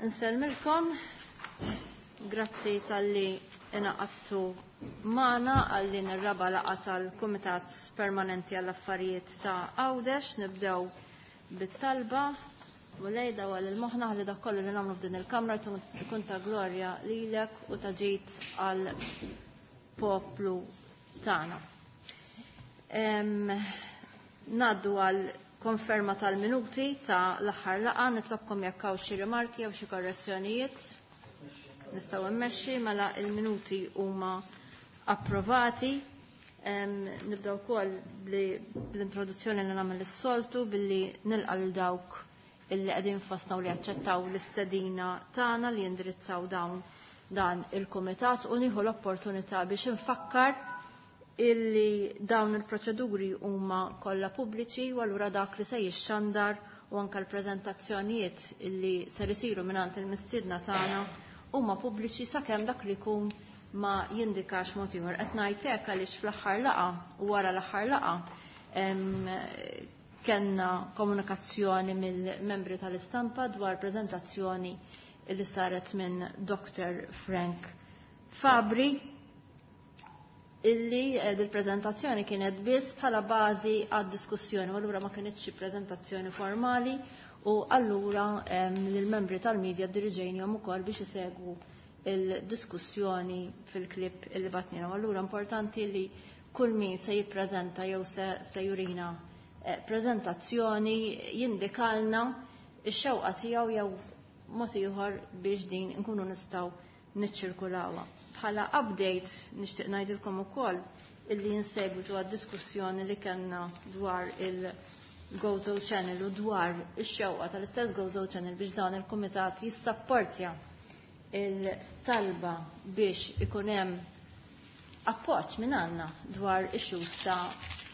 Nsellmilkom, grazzi talli ingħaqadtu magħna għal din ir-raba' laqgħa tal-Kumitat Permanenti għall-Affarijiet ta' Għawdex. Nibdew bit-talba. Mulej dawwal il-moħħna ħalli dak kollu li nagħmlu f'din il-kamra jkun ta' glorja lilek u ta' ġid għal poplu tagħna. Ngħaddu għal konferma tal-minuti ta' l-aħħar laqgħa, nitlobkom jekk hawn xi rimarki jew xi korrezzjonijiet. Nistgħu mmexxi mela il-minuti huma approvati. Nibda wkoll bl-introduzzjoni li nagħmel is-soltu billi nilqa' lil dawk illi qegħdin fostna u li aċċettaw l-istedina tagħna li jindirizzaw dawn dan il-kumitat u nieħu l-opportunità biex infakkar illi dawn il-proċeduri huma kollha pubbliċi u allura dak li se jixxandar u anke l-preżentazzjonijiet illi ser isiru mingħand il-mistiedna tagħna huma pubbliċi sakemm dak li jkun ma jindikax mod ieħor. Qed ngħid hekk għaliex fl-aħħar laqgħa u wara l-aħħar laqgħa kellna komunikazzjoni mill-membri tal-istampa dwar preżentazzjoni li saret minn Dr. Frank Fabri illi dil-preżentazzjoni kienet biss bħala bażi għad-diskussjoni, u allura ma kinitx xi preżentazzjoni formali u allura lill-membri tal-medja diriġejnihom ukoll biex isegwu il-diskussjoni fil-klip illi batnina. U allura importanti li kull min se jippreżenta jew se, se jurina preżentazzjoni jindikalna x-xewqa tiegħu jew mod ieħor biex din nkunu nistgħu niċċirkulawha. Bħala update nixtieq ngħidilkom ukoll illi insegwitu għad-diskussjoni li kellna dwar il-Gozo Channel u dwar ix-xewqa tal-istess Gozo Channel biex dan il-kumitat jissapportja il-talba biex ikun hemm appoġġ minn għandna dwar issues ta'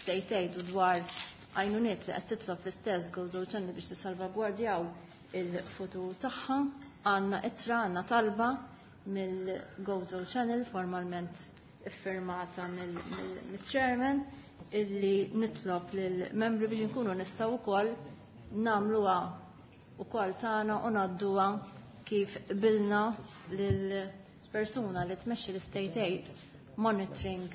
state aid u dwar għajnuniet li qed titlob l-istess Gozo Channel biex tissalvagwardjaw il-futur tagħha. Għandna ittra, għandna talba mill-Gozo Channel formalment iffirmata mill-chairman illi nitlob lill-membri biex nkunu nistgħu wkoll nagħmluha wkoll tagħna u ngħadduha kif bilna lill-persuna li tmexxi l-State Aid Monitoring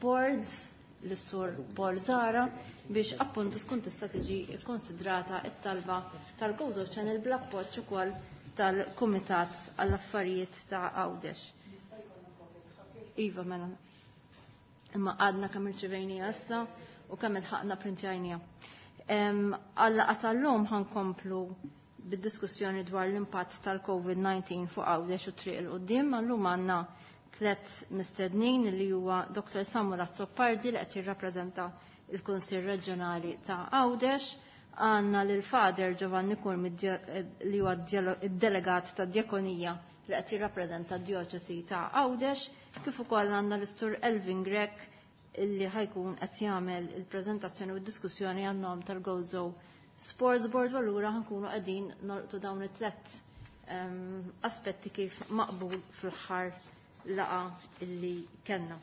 Boards l-Sur Paul Zara biex appuntu tkun tista' tiġi kkonsidrata t-talba tal-Gozo Channel bl-appoġġ ukoll tal-Kumitat għall-Affarijiet ta' Għawdex. Iva, mela. Imma għadna kemm irċivejnija issa u kemm ilħaqna printjajnija. Għal-laqgħa tal-lum ħankomplu bid-diskussjoni dwar l-impatt tal-COVID-19 fuq Għawdex u triq il-qudiem. Għallum għandna tlet mistednin li huwa Dr. Samuel Azzopardi li qed jirrappreżenta il-Kunsill Reġjonali ta' Għawdex, għandna lil Father Giovanni Curmi li huwa d-delegat ta' Djakonija li qed jirrappreżenta d-Djoċesi ta' Għawdex, kif ukoll għandna l-Sur Elvin Grech illi ħajkun qed jagħmel il-preżentazzjoni u d-diskussjoni għan-nom tal-Gozo Sports Board u allura ħankunu qegħdin nolqtu dawn it-tlet aspetti kif maqbul fl-aħħar laqa illi kellna.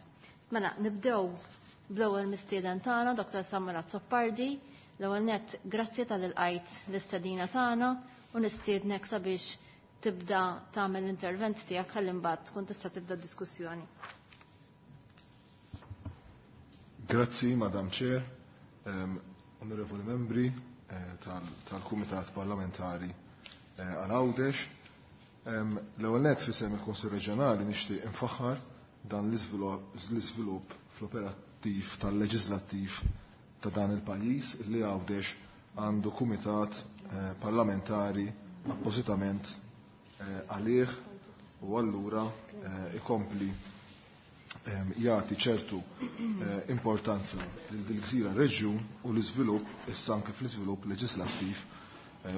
Mela, nibdew bl-ewwel mistieden tagħna, Dr. Samuel Azzopardi. L-ewwel nett, grazzi tal-ilqajt l-istedina tagħna u nistiednek sabiex tibda tagħmel l-intervent tiegħek ħalli mbagħad tkun tista' tibda d-diskussjoni. Grazzi, Madam Chair, onorevoli membri tal-Kumitat Parlamentari għal Għawdex. L-ewwel nett f'isem il-Kunsill Reġjonali nixtieq infaħħar dan l-iżvilupp fl-operattiv tal-leġislattiv ta' dan il-pajjiż li Għawdex għandu kumitat parlamentari appożitament għalih u allura ikompli jagħti ċertu importanza lil dil-gżira reġjun u l-iżvilupp issa anke fl-iżvilupp leġislattiv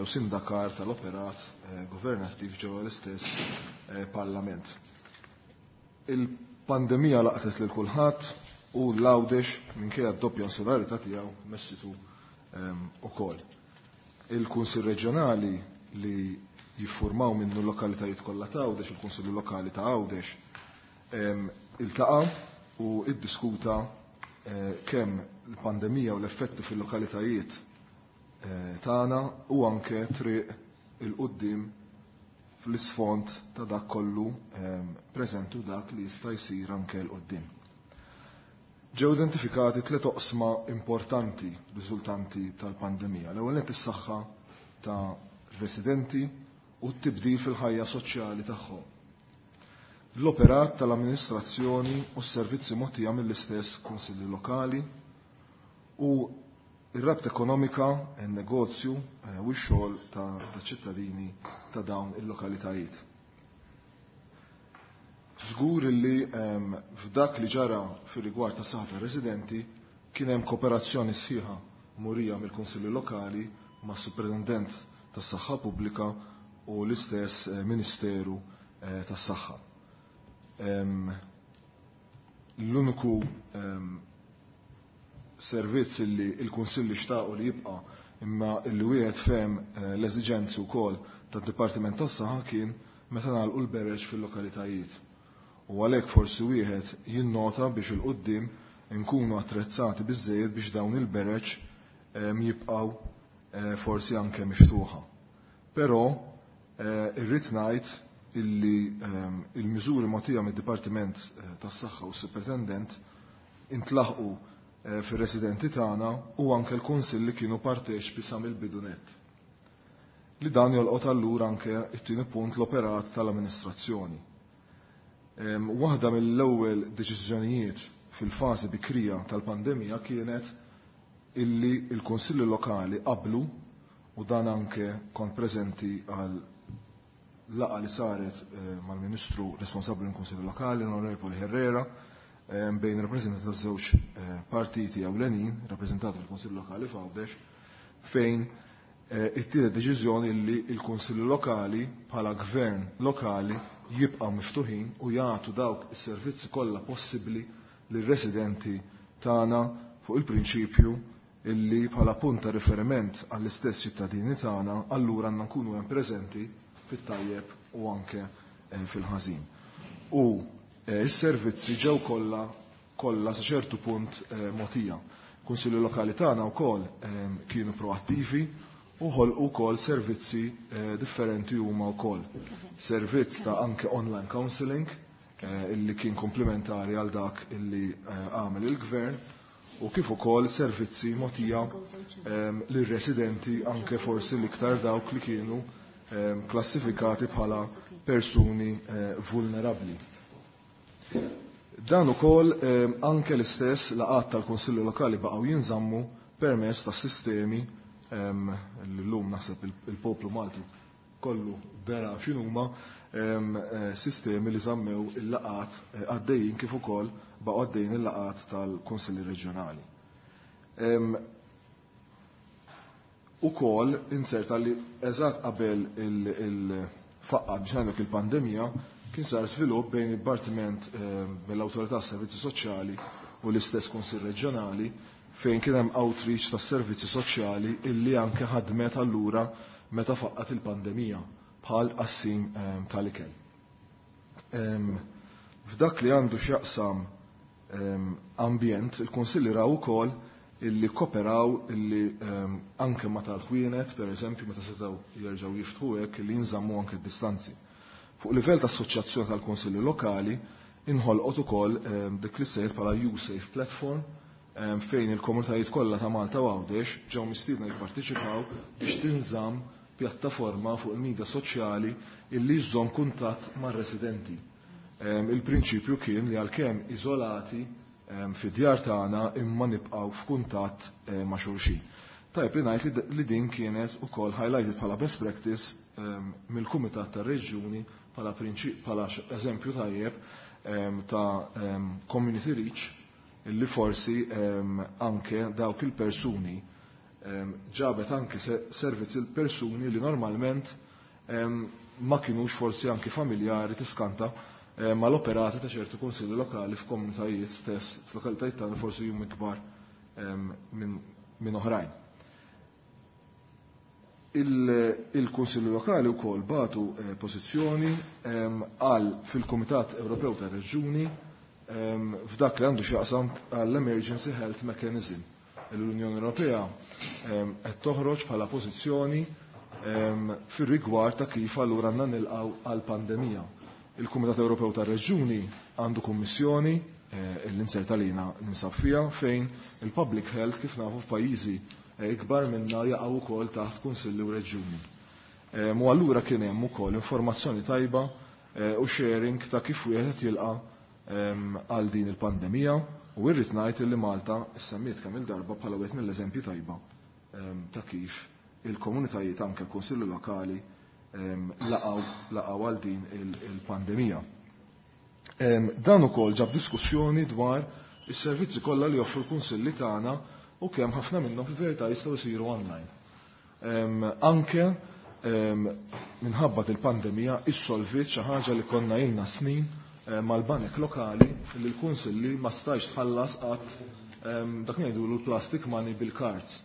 u sindakar tal-operat governattiv ġewwa l-istess parlament. Il-pandemija laqtet lil kulħadd u l-Għawdex minkejja d-doppja insularità tiegħu messitu ukoll. Il-Kunsill Reġjonali li jiffurmaw minnu l-lokalitajiet kollha ta' Għawdex, il-Kunsilli Lokali ta' Għawdex, iltaqa' u iddiskuta kemm il-pandemija u l-effetti fil-lokalitajiet tagħna u anke triq il-qudiem fl-isfond ta' dak kollu preżenti u dak li jista' jsir anke 'l quddiem. Ġew identifikati tliet oqsma importanti riżultanti tal-pandemija. L-ewwel nett is-saħħa ta' residenti u t-tibdil fil-ħajja soċjali tagħhom. L-operat tal-amministrazzjoni u s-servizzi mogħtija mill-istess kunsilli lokali u ir-rabta ekonomika, in-negozju u x-xogħol ta' ċittadini ta' dawn il-lokalitajiet. Żgur li f'dak li ġara fir-rigward ta' saħħa tar-residenti kien hemm kooperazzjoni sħiħa murija mill-Kunsilli Lokali mas-Supretendent tas-Saħħa Pubblika u l-istess Ministeru tas-Saħħa. L-uniku servizz li l-Kunsilli xtaqu li jibqa' imma illi wieħed fehem l-eżiġenzi wkoll tad-Dipartiment tas-Saħħa kien meta nagħlqu l-bereġ fil-lokalitajiet. U għalhekk forsi wieħed jinnota biex 'il quddiem inkunu attrezzati biżżejjed biex dawn il-bereġ jibqgħu forsi anke miftuħa. Però irrid ngħid illi il-miżuri mogħtija mid-Dipartiment tas-Saħħa u s-Supretendent intlaħqu fir-residenti tagħna u anke l-kunsilli kienu parteċipi sa mill-bidu nett. Li dan jolqot allura anke it-tieni punt, l-operat tal-amministrazzjoni. Waħda mill-ewwel deċiżjonijiet fil-fażi bikrija tal-pandemija kienet illi il-kunsilli lokali qablu, u dan anke kont preżenti għal laqgħa li saret mal-Ministru responsabbli mill-Kunsilli Lokali, l-Onorevoli Herrera, bejn rappreżentanti ta' żewġ partiti ewlenin rappreżentati fil-Kunsill Lokali f'Għawdex, fejn ittieħdet deċiżjoni li l-Kunsilli Lokali bħala gvern lokali jibqgħu miftuħin u jagħtu dawk is-servizzi kollha possibbli lir-residenti tagħna fuq il-prinċipju illi bħala punt ta' riferiment għall-istess ċittadini tagħna allura għandna nkunu hemm preżenti fit-tajjeb u anke fil-ħażin. U s-servizzi ġew kollha kollha sa ċertu punt mogħtija. Kunsilli lokali tagħna wkoll kienu proattivi u ħolqu wkoll servizzi differenti huma wkoll. Servizz ta' anke online counseling illi kien komplementari għal dak illi għamel il-gvern, u kif ukoll servizzi mogħtija lir-residenti anke forsi l-iktar dawk li kienu klassifikati bħala persuni vulnerabbli. Dan ukoll anke l-istess laqgħat tal-Kunsilli Lokali baqgħu jinżammu permezz ta' sistemi li llum naħseb il-poplu Malti kollu dera x'inhuma, sistemi li żammew il-laqgħat għaddejjin kif ukoll baqgħu għaddejjin il-laqgħat tal-Kunsilli Reġjonali. Ukoll inserta li eżatt qabel il-faqqa biex ngħidlek il-pandemija kien sar żvilupp bejn id-Dipartiment mill-Awtorità Servizzi Soċjali u l-istess Kunsill Reġjonali fejn kien hemm outreach tas-servizzi soċjali illi anke ħadmet allura meta faqqat il-pandemija bħal tqassim tal-ikel. F'dak li għandu x'jaqsam ambjent, il-Kunsilli raw ukoll illi kooperaw illi anke ma tal-ħwienet, per eżempju, meta setgħu jerġgħu jiftħu hekk illi jinżammu anke d-distanzi. Fuq livell ta' assoċjazzjoni tal-Kunsilli Lokali inħolqot ukoll dik li sejt bħala YouSafe Platform, fejn il-komunitajiet kollha ta' Malta u Għawdex ġew mistiedna jipparteċipaw biex tinżamm pjattaforma fuq il-medja soċjali illi jżomm kuntatt mar-residenti. Il-prinċipju kien li għalkemm iżolati fid-djar tagħna imma nibqgħu f'kuntatt ma' xulxin. Tajjeb li ngħid li din kienet ukoll highlighted bħala best practice mill-Kumitat tar-Reġjuni bħala eżempju tajjeb ta' community reach illi forsi anke dawk il-persuni ġabet anke servizz il-persuni li normalment ma kinux forsi anke familjari tiskanta mal-operati ta' ċertu kunsilli lokali f'komunitajiet stess, f'lokalitajiet tagħna forsi jum ikbar minn oħrajn. Il-Kunsilli Lokali wkoll bagħtu pożizzjoni għal fil-Kumitat Ewropew tar-Reġjuni f'dak li għandu x'jaqsam għall-Emergency Health Mechanism. L-Unjoni Ewropea qed toħroġ bħala pożizzjoni fir-rigward ta' kif allura għandna nilqgħu għall-pandemija. Il-Kumitat Ewropew tar-Reġjuni għandu kummissjoni l-inserta lina ninsab fiha fejn il-public health kif nafu f'pajjiżi ikbar minna jaqgħu wkoll taħt kunsilli u reġjuni. U allura kien hemm ukoll informazzjoni tajba u sharing ta' kif wieħed jilqa' għal din il-pandemija u irrid ngħid li Malta ssemmiet kemm il-darba bħala wieħed mill-eżempji tajba ta' kif il-komunitajiet anke l-kunsilli lokali laqgħu għal din il-pandemija. Dan ukoll ġab diskussjoni dwar is-servizzi kollha li joffru l-kunsilli tagħna u kemm ħafna minnhom fil-verità jistgħu jsiru online. Anke minħabba il-pandemija issolvit xi ħaġa li konna ilna snin mal-banek lokali li l-kunsilli ma stajx tħallas qatt dak ngħidulu l-plastic money bil-cards.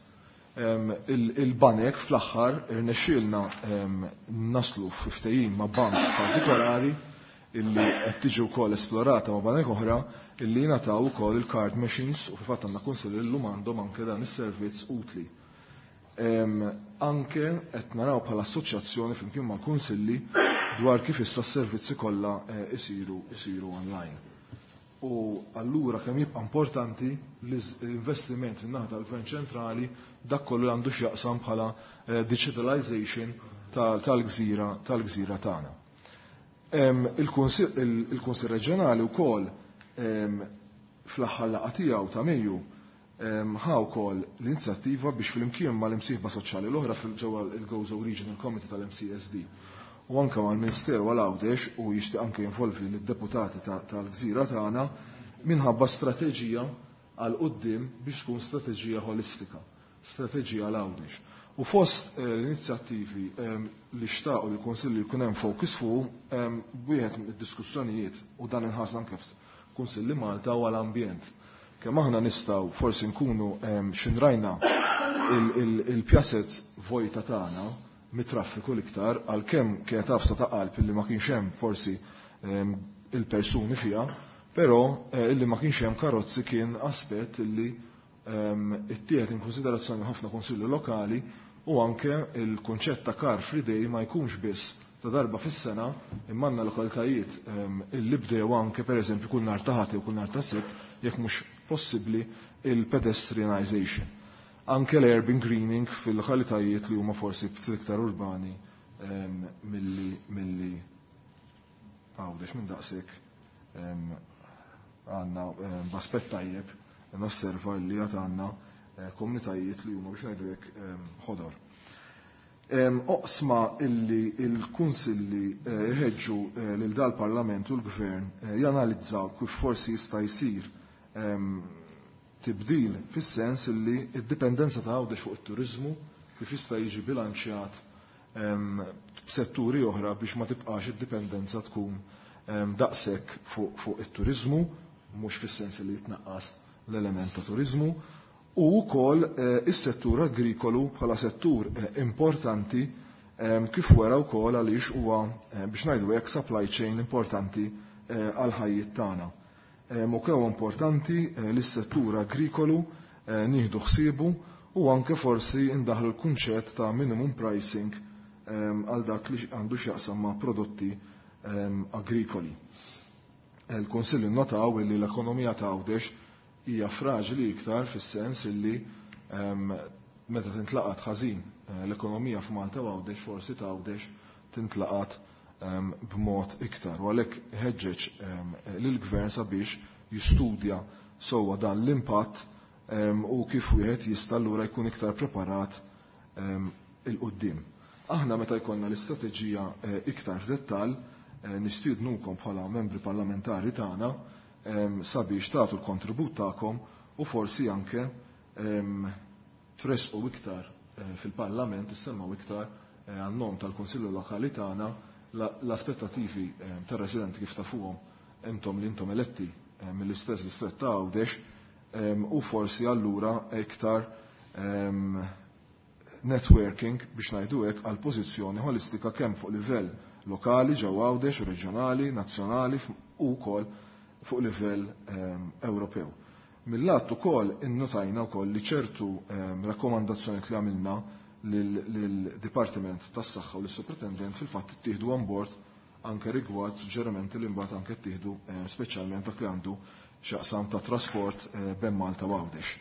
Il-banek fl-aħħar irnexxielna naslu f'ftehim ma' bank partikolari illi qed tiġi wkoll esplorata ma' banek oħra illi jingħataw ukoll il-card machines u fil-fatt għandna kunsilli llum għandhom anke dan is-servizz utli. Anke qed naraw bħala assoċjazzjoni flimkien mal-kunsilli dwar kif issa s-servizzi kollha isiru online. U allura kemm jibqa' importanti l-investiment min-naħa tal-Gvern ċentrali dak kollu li għandu x'jaqsam bħala digitalization tal-gżira tagħna. Il-Kunsill Reġjonali wkoll fl-aħħar laqgħa tiegħu ta' Mejju ħa wkoll l-inizjattiva biex flimkien mal-imsieħba soċjali l-oħra ġewwa il-Gozo Regional Committee tal-MCSD u anke mal-Ministeru għal Għawdex u jixtieq anke jinvolvi lid-deputati tal-gżira tagħna minħabba strateġija għal quddiem biex tkun strateġija ħolistika, strateġija għal Għawdex. U fost l-inizjattivi li xtaqu li l-Kunsill jkun hemm focus fuq, wieħed mid-diskussjonijiet u dan inħass anke f'Kunsilli Malta huwa l-ambjent. Kemm aħna nistgħu forsi nkunu xinrajna il-pjazez vojta tagħna mit-traffiku l-iktar, għalkemm kienet għafsa ta' qalb illi ma kienx hemm forsi il-persuni fiha, però illi ma kienx hemm karozzi kien aspett illi ittieħed in konsiderazzjoni ħafna kunsilli lokali u anke il-kunċett ta' car free day ma jkunx biss ta' darba fis-sena imma għandna lokalitajiet illi bdew anke pereżempju kull nhar ta' Ħadd jew kull nhar ta' Sibt jekk mhux possibbli il-pedestrianization. Anke l-urban greening fil-lokalitajiet li huma forsi ftit iktar urbani milli Għawdex minn daqshekk għandna b'aspett tajjeb nosserva li għad għandna komunitajiet li huma biex ngħidu hekk ħodor. Oqsma illi il-kunsilli jħeġġu lil dal-Parlament u l-Gvern janalizzaw kif forsi jista' jsir tibdil fis-sens illi id-dipendenza ta' Għawdex fuq it-turizmu kif jista' jiġi bilanċjat b'setturi oħra biex ma tibqax id-dipendenza tkun daqshekk fuq it-turizmu, mhux fis-sens li jitnaqqas l-element ta' turizmu, u wkoll is-settur agrikolu bħala settur importanti kif wera wkoll għaliex huwa biex ngħidu hekk supply chain importanti għal ħajjiet tagħna. U kemm importanti li s-settur agrikolu nieħdu ħsiebu u anke forsi ndaħlu l-kunċett ta' minimum pricing għal dak li għandu x'jaqsam ma' prodotti agrikoli. Il-Kunsill innotaw li l-ekonomija ta' Għawdex hija fraġli iktar fis-sens illi meta tintlaqat ħażin l-ekonomija f'Malta u Għawdex forsi ta' Għawdex tintlaqat b'mod iktar. U għalhekk ħeġġeġ lill-Gvern sabiex jistudja sewwa dan l-impatt u kif wieħed jista' allura jkun iktar preparat il-qudiem. Aħna meta jkollna l-istrateġija iktar f'dettall nistiednukom bħala membri parlamentari tagħna sabiex tagħtu l-kontribut tagħkom u forsi anke tresqu iktar fil-Parlament, issemmaw iktar għan-nom tal-Kunsillu Lokali tagħna l-aspettativi tar-residenti kif tafuhom intom li intom eletti mill-istess distrett ta' Għawdex u forsi allura iktar networking biex ngħidu hekk għal pożizzjoni ħolistika kemm fuq livell lokali ġewwa Għawdex, reġjonali, nazzjonali u wkoll fuq livell Ewropew. Mill-lat ukoll innotajna wkoll li ċertu rakkomandazzjonijiet li għamilna Lid-Dipartiment tas-Saħħa u lis-Supretendent fil-fatt ittieħdu on board anke rigward suġġerimenti li mbagħad anke ttieħdu, speċjalment dak li għandu x'jaqsam ta' trasport bejn Malta u Għawdex.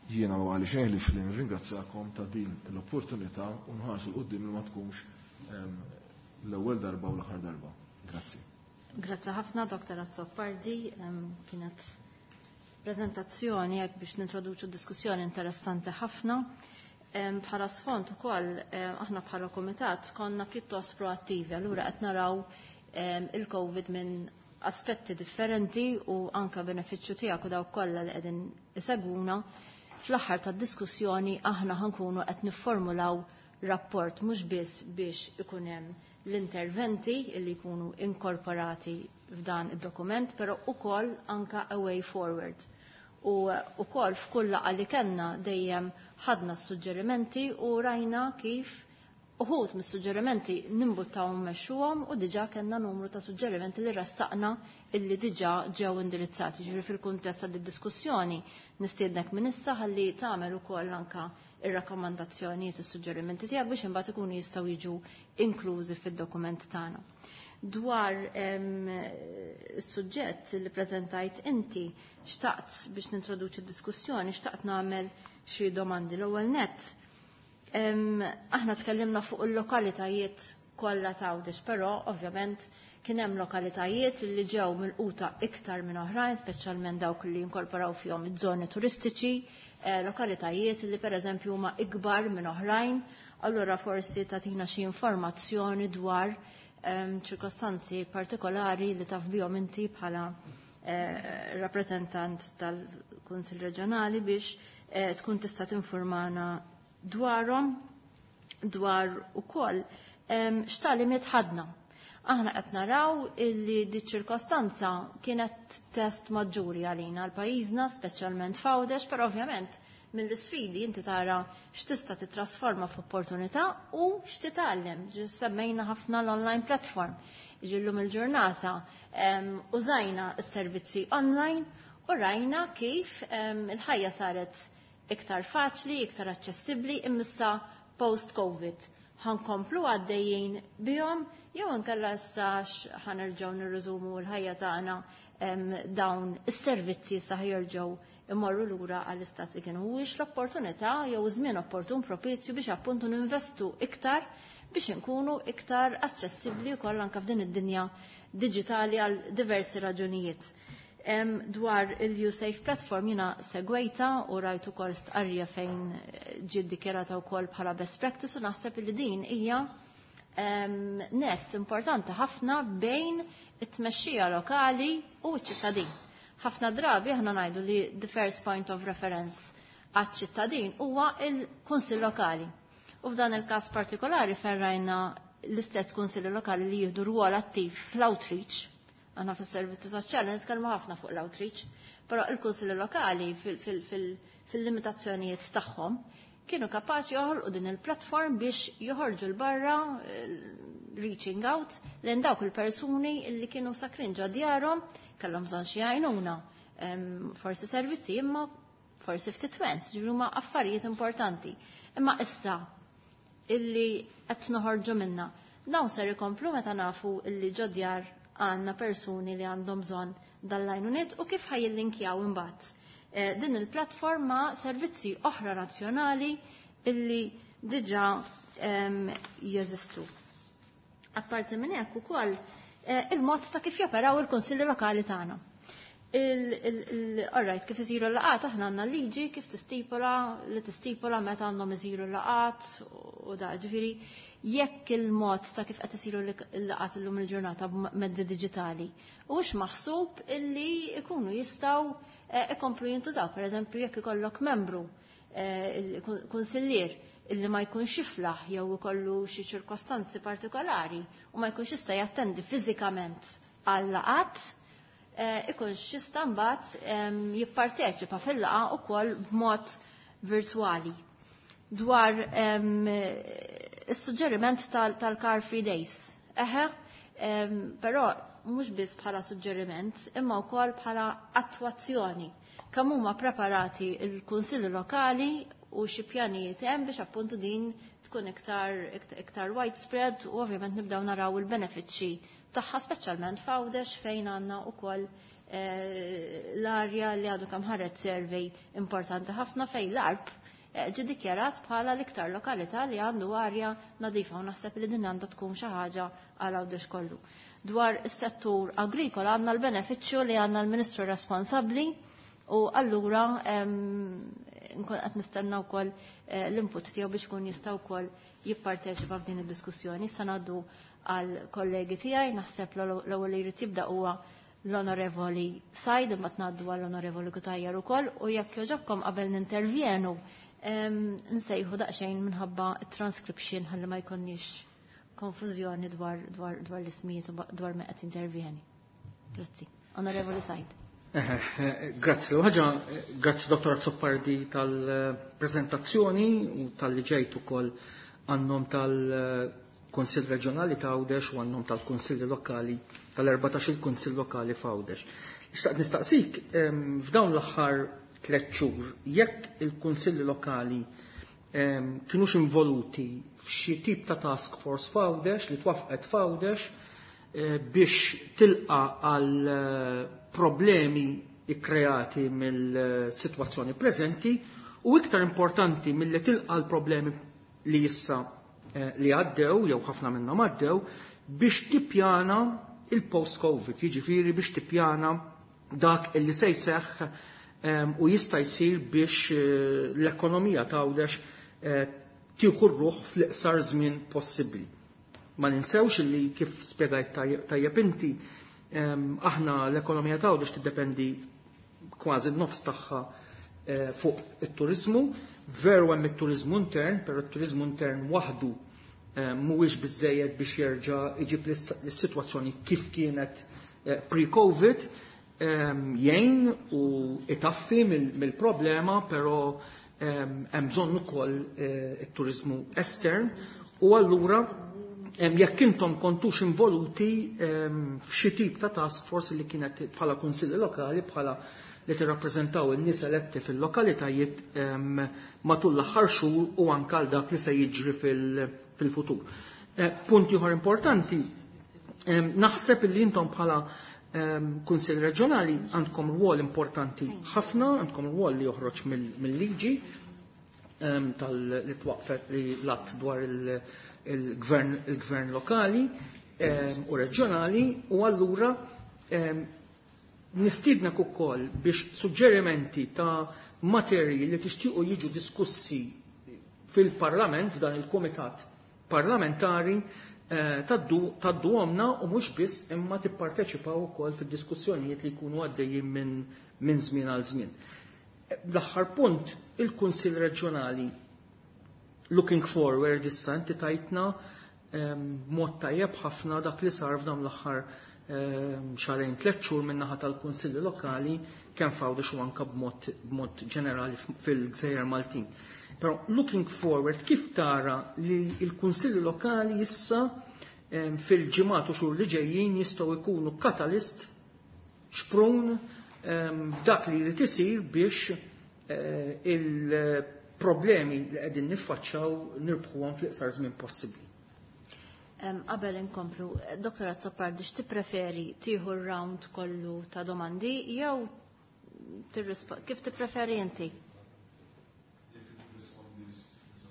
Jiena ma baqagħli xejn ħlief li nirringrazzjakom ta' din l-opportunità u nħarsu 'l quddiem li ma tkunx l-ewwel darba u l-aħħar darba. Grazzi. Grazzi ħafna, Dr. Azzopardi, kienet prezentazzjoni hekk biex nintroduċu diskussjoni interessanti ħafna. Bħala sfond ukoll, aħna bħala komitat konna pjuttost proattivi, allura qed naraw il-COVID minn aspetti differenti u anka benefiċċju tiegħek u dawk kollha li qegħdin isegwuna. Fl-aħħar tad-diskussjoni aħna ħankunu qed nifformulaw rapport mhux biss biex ikun hemm l-interventi li jkunu inkorporati f'dan id-dokument, però ukoll anka a way forward. U ukoll f'kull laqgħa li kellna dejjem ħadna s-suġġerimenti u rajna kif uħud mis-suġġerimenti nimbuttaw mmexxuhom u diġà kellna numru ta' suġġerimenti li ressaqna illi diġà ġew indirizzati. Ġifieri fil-kuntest ta' diskussjoni nistiednek minn issa ħalli tagħmel ukoll anka ir-rakkomandazzjonijiet, is-suġġerimenti tiegħek biex imbagħad ikunu jistgħu jiġu inklużi fid-dokument tagħna. Dwar is-suġġett li preżentajt inti, xtaqt biex nintroduċi d-diskussjoni, xtaqt nagħmel xi domandi. L-ewwel nett, aħna tkellimna fuq il-lokalitajiet kollha t'Għawdex, però ovvjament kien hemm lokalitajiet li ġew milquta iktar minn oħrajn, speċjalment dawk li jinkorporaw fihom iż-żoni turistiċi, lokalitajiet li pereżempju huma ikbar minn oħrajn, allura forsi tagħtina xi informazzjoni dwar ċirkostanzi partikolari li taf bihom inti bħala rappresentant tal-Kunsill Reġjonali biex tkun tista' tinformana dwarhom, dwar ukoll x'tagħlimiet ħadna. Aħna qed naraw illi di ċirkostanza kienet test maġġuri għalina għal pajjiżna, speċjalment f'Għawdex, però ovvjament mill-isfidi inti tara x'tista' titrasforma f'opportunità u x'titgħallem. Semmejna ħafna l-online platform. Ġillum il-ġurnata użajna s-servizzi online u rajna kif il-ħajja saret iktar faċli, iktar aċċessibbli immissa post-Covid. Ħankomplu għaddejjin bihom jew inkella issa ħanerġgħu nirriżumu l-ħajja tagħna, dawn is-servizzi sa jerġgħu imorru lura għall-istat li kienu. Huwiex l-opportunità jew żmien opportun propizju biex appuntu ninvestu iktar biex inkunu iktar aċċessibbli wkoll anke f'din id-dinja digitali għal diversi raġunijiet? Dwar il-USAFE platform jina segwejta u rajt ukoll stqarrija fejn ġiet dikjarata wkoll bħala best practice u naħseb li din hija ness importanti ħafna bejn it-tmexxija lokali u ċ-ċittadin. Ħafna drabi aħna ngħidu li the first point of reference għaċ-ċittadin huwa il-kunsill lokali. U f'dan il-każ partikolari ferrajna l-istess kunsilli lokali li jieħdu rwol attiv fl-outreach. Aħna fis-servizzi soċjali nitkellmu ħafna fuq l-outreach, però il-kunsilli lokali fil-limitazzjonijiet tagħhom kienu kapaċi joħolqu din il-platform biex joħorġu l-barra, reaching out lejn dawk il-persuni li kienu sakrin ġo djarhom, kellhom bżonn xi għajnuna, forsi servizzi imma forsi ftit wens, ġifieri huma affarijiet importanti. Imma issa illi qed noħorġu minna, dawn ser ikomplu meta nafu illi ġo djar għandna persuni li għandhom bżonn dal-għajnuniet u kif ħa jillinkjaw imbagħad din il-platform ma' servizzi oħra nazzjonali illi diġà jeżistu? Apparti minn hekk ukoll il-mod ta' kif joperaw il-kunsilli lokali tagħna. Alright, kif isiru l-laqat, aħna għandna liġi kif tistipola li tistipola meta għandhom isiru l-laqat u da, ġifieri jekk il-mod ta' kif qed isiru l-laqat illum il-ġurnata b'mezzi diġitali hux maħsub illi ikunu jistgħu ikomplu jintużaw, pereżempju jekk ikollok membru kunsillier illi ma jkunx jiflaħ jew ikollu xi ċirkostanzi partikolari u ma jkunx jista' jattendi fiżikament għal laqat, ikun jista' mbagħad jipparteċipa fil-laqgħa wkoll b'mod virtwali. Dwar is-suġġeriment tal-Car Free Days. Eħe, però mhux biss bħala suġġeriment, imma wkoll bħala attwazzjoni. Kemm huma preparati il-kunsilli lokali? u xi pjanijiet hemm biex appuntu din tkun iktar iktar widespread u ovvjament nibdew naraw il-benefiċċji tagħha, speċjalment f'Għawdex fejn għandna wkoll l-arja li għadu kemm ħareġ survey importanti ħafna fejn l-Għarb ġi dikjarat bħala l-iktar lokalità li għandu arja nadifa, u naħseb li din għandha tkun xi ħaġa għal Għawdex kollu. Dwar is-settur agrikola, għandna l-benefiċċju li għandna l-Ministru responsabbli u allura nkun qed nistenna wkoll l-input tiegħu biex kun jista' wkoll jipparteċipa f'din id-diskussjoni. Issa ngħaddu għal kollegi tiegħi. Naħseb l-ewwel li jrid jibda huwa l-Onorevoli Said, imbagħad ngħaddu għall-Onorevoli Cutajar ukoll, u jekk jogħġobkom, qabel nintervjenu nsejħu daqsxejn minħabba transcription ħalli ma jkollniex konfużjoni dwar l-ismijiet u dwar me qed intervjeni. Grazzi. Onorevoli Said. Grazzi. Ħaġa, grazzi Dottor Azzopardi tal-prezentazzjoni u talli ġejt ukoll għan-nom tal-Kunsill Reġjonali ta' Għawdex u għan-nom tal-Kunsilli Lokali, tal-14 il-Kunsill Lokali f'Għawdex. Nixtaq nistaqsik, f'dawn l-aħħar 3 xhur, jekk il-Kunsilli Lokali kienux involuti f'xi tip ta' task force f'Għawdex li twaffqet f'Għawdex biex tilqa għal problemi ikkreati mill-sitwazzjoni preżenti u, iktar importanti milli tilqa l-problemi li issa li għaddew jew ħafna minnhom għaddew, biex tippjana il-post-Covid, jiġifieri biex tippjana dak illi se jseħħ u jista' jsir biex l-ekonomija ta' Għawdex tieħu r-ruħ fl-iqsar żmien possibbli. Ma ninsewx li, kif spjegajt tajjeb inti, aħna l-ekonomija ta' Għawdex tiddependi kważi n-nofs tagħha fuq it-turizmu. Veru hemm it-turizmu intern, però it-turizmu intern waħdu mhuwiex biżejjed biex jerġa' iġib l-sitwazzjoni kif kienet pre-Covid. Jgħin u itaffi mill-problema, però hemm bżonn ukoll it-turizmu estern, u allura jekk intom kontux involuti f'xi tip ta' task force li kienet bħala kunsilli lokali, bħala li tirrappreżentaw in-nies eletti fil-lokalitajiet, matul l-aħħar xhur u anke għal dak li se jiġri fil-futur. Punt ieħor importanti, naħseb li intom bħala Kunsill Reġjonali għandkom rwol importanti ħafna, għandkom rwol li joħroġ mill-liġi tal-li twaqfet li l-att dwar il-gvern lokali u reġjonali, u allura nistiednek ukoll biex suġġerimenti ta' materji li tixtiequ jiġu diskussi fil-Parlament, f'dan il-Kumitat Parlamentari, tgħaddu għomna u mhux biss, imma tipparteċipaw ukoll fid-diskussjonijiet li jkunu għaddejjin minn żmien għal żmien. L-aħħar punt, il-Kunsill Reġjonali, looking forward issa, inti tajtna mod tajjeb ħafna dak li sar f'dawn l-aħħar xahrejn, 3 xhur min-naħa tal-Kunsilli Lokali kemm f'Għawdex u anka b'mod ġenerali fil-Gżejjer Maltin. Però looking forward, kif tara li l-Kunsilli Lokali issa fil-ġimgħat u xhur li ġejjin jistgħu jkunu catalyst, xprun f'dak li jrid isir biex il-problemi li qegħdin niffaċċaw nirbħuhom fl-iqsar żmien possibbli? Qabel inkomplu, Dr. Azzopardi, x'tippreferi, tieħu r-round kollu ta' domandi jew kif tippreferi inti?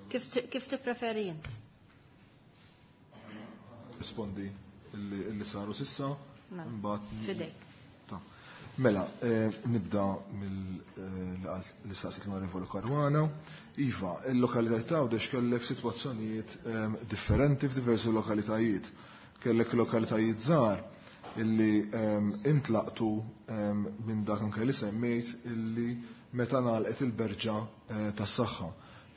Kif tippreferi inti? Rispondi illi saru s'issa, Mela, imbagħad fidejk. Mela, nibda mill-li saqsit l-Onorevoli Caruana. Iva, il-lokalitajiet ta' Għawdex, kellek sitwazzjonijiet differenti f'diversi lokalitajiet. Kellek lokalitajiet żgħar illi intlaqtu minn dak anke li semmejt, illi meta ngħalqet il-berġa tas-saħħa.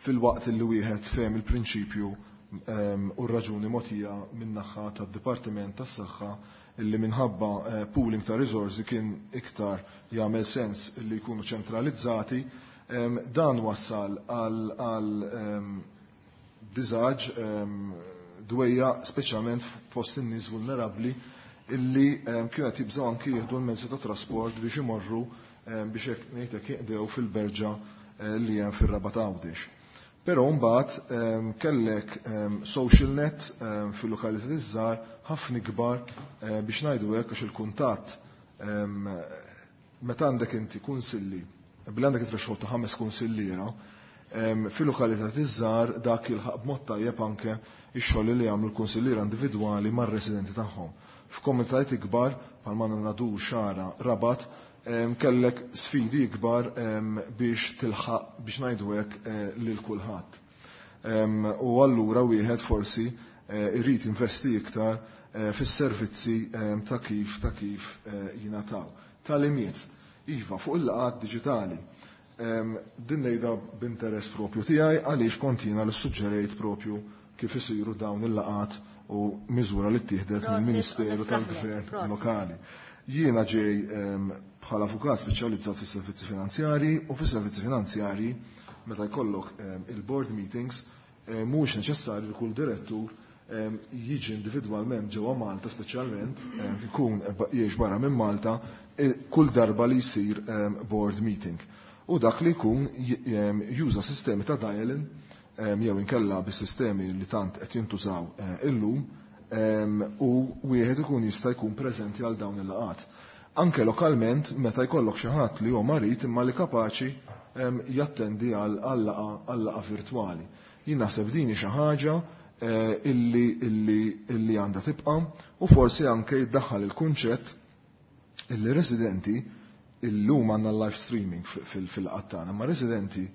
Fil-waqt illi wieħed fehem il-prinċipju u r-raġuni mogħtija min-naħa tad-Dipartiment tas-Saħħa illi minħabba pooling ta' risorsi kien iktar jagħmel sens illi jkunu ċentralizzati, dan wassal għal diżaġ, dwejja, speċjalment fost in-nies vulnerabbli illi kienu qed jibżgħu anki jieħdu l-mezzi ta' trasport biex imorru biex hekk ngħidlek jaqdew fil-berġa. li hemm fir-Rabat Għawdex. Però mbagħad kellek social net fil-lokalitajiet iż-żgħar ħafna ikbar, biex ngħidu hekk, għax il-kuntatt meta għandek inti kunsilli, billi għandek it-threshold ta' 5 kunsilliera, fil-lokalitajiet iż-żgħar dak jilħaq b'mod tajjeb anke x-xogħol li jagħmlu l-kunsilliera individwali mar-residenti tagħhom. F'komunitajiet ikbar, bħalma għandna Nadur, Xagħra, Rabat, kellek sfidi ikbar biex tilħaq, biex ngħidu hekk, lil kulħadd. U allura wieħed forsi irid investi iktar fis-servizzi ta' kif jingħataw. Tagħlimiet, iva, fuq il-laqgħat diġitali. Din ngħidha b'interess propju tiegħi għaliex kont jiena li suġġerejt propju kif isiru dawn il-laqgħat u miżura li ttieħdet Prosit, mill-Ministeru nifraħlek, tal-Gvern prosit. Lokali. Jiena ġej bħala avukat speċjalizzat fis-servizzi finanzjari, u fis-servizzi finanzjari meta jkollok il-board meetings, mhuwiex neċessarju li kull direttur jiġi individwalment ġewwa Malta, speċjalment ikun jgħix barra minn Malta, kull darba li jsir board meeting. U dak li jkun juża sistemi ta' dial-in, jew inkella bis-sistemi li tant qed jintużaw illum, u wieħed ikun jista' jkun preżenti għal dawn il-laqgħat. Anke lokalment meta jkollok xi ħadd li huwa marid imma li kapaċi jattendi għal laqgħa virtwali. Jien naħseb din hi xi ħaġa illi għandha tibqa' u forsi anke jiddaħħal il-kunċett illi residenti illum għandna live streaming fil-laqgħat tagħna, ma residenti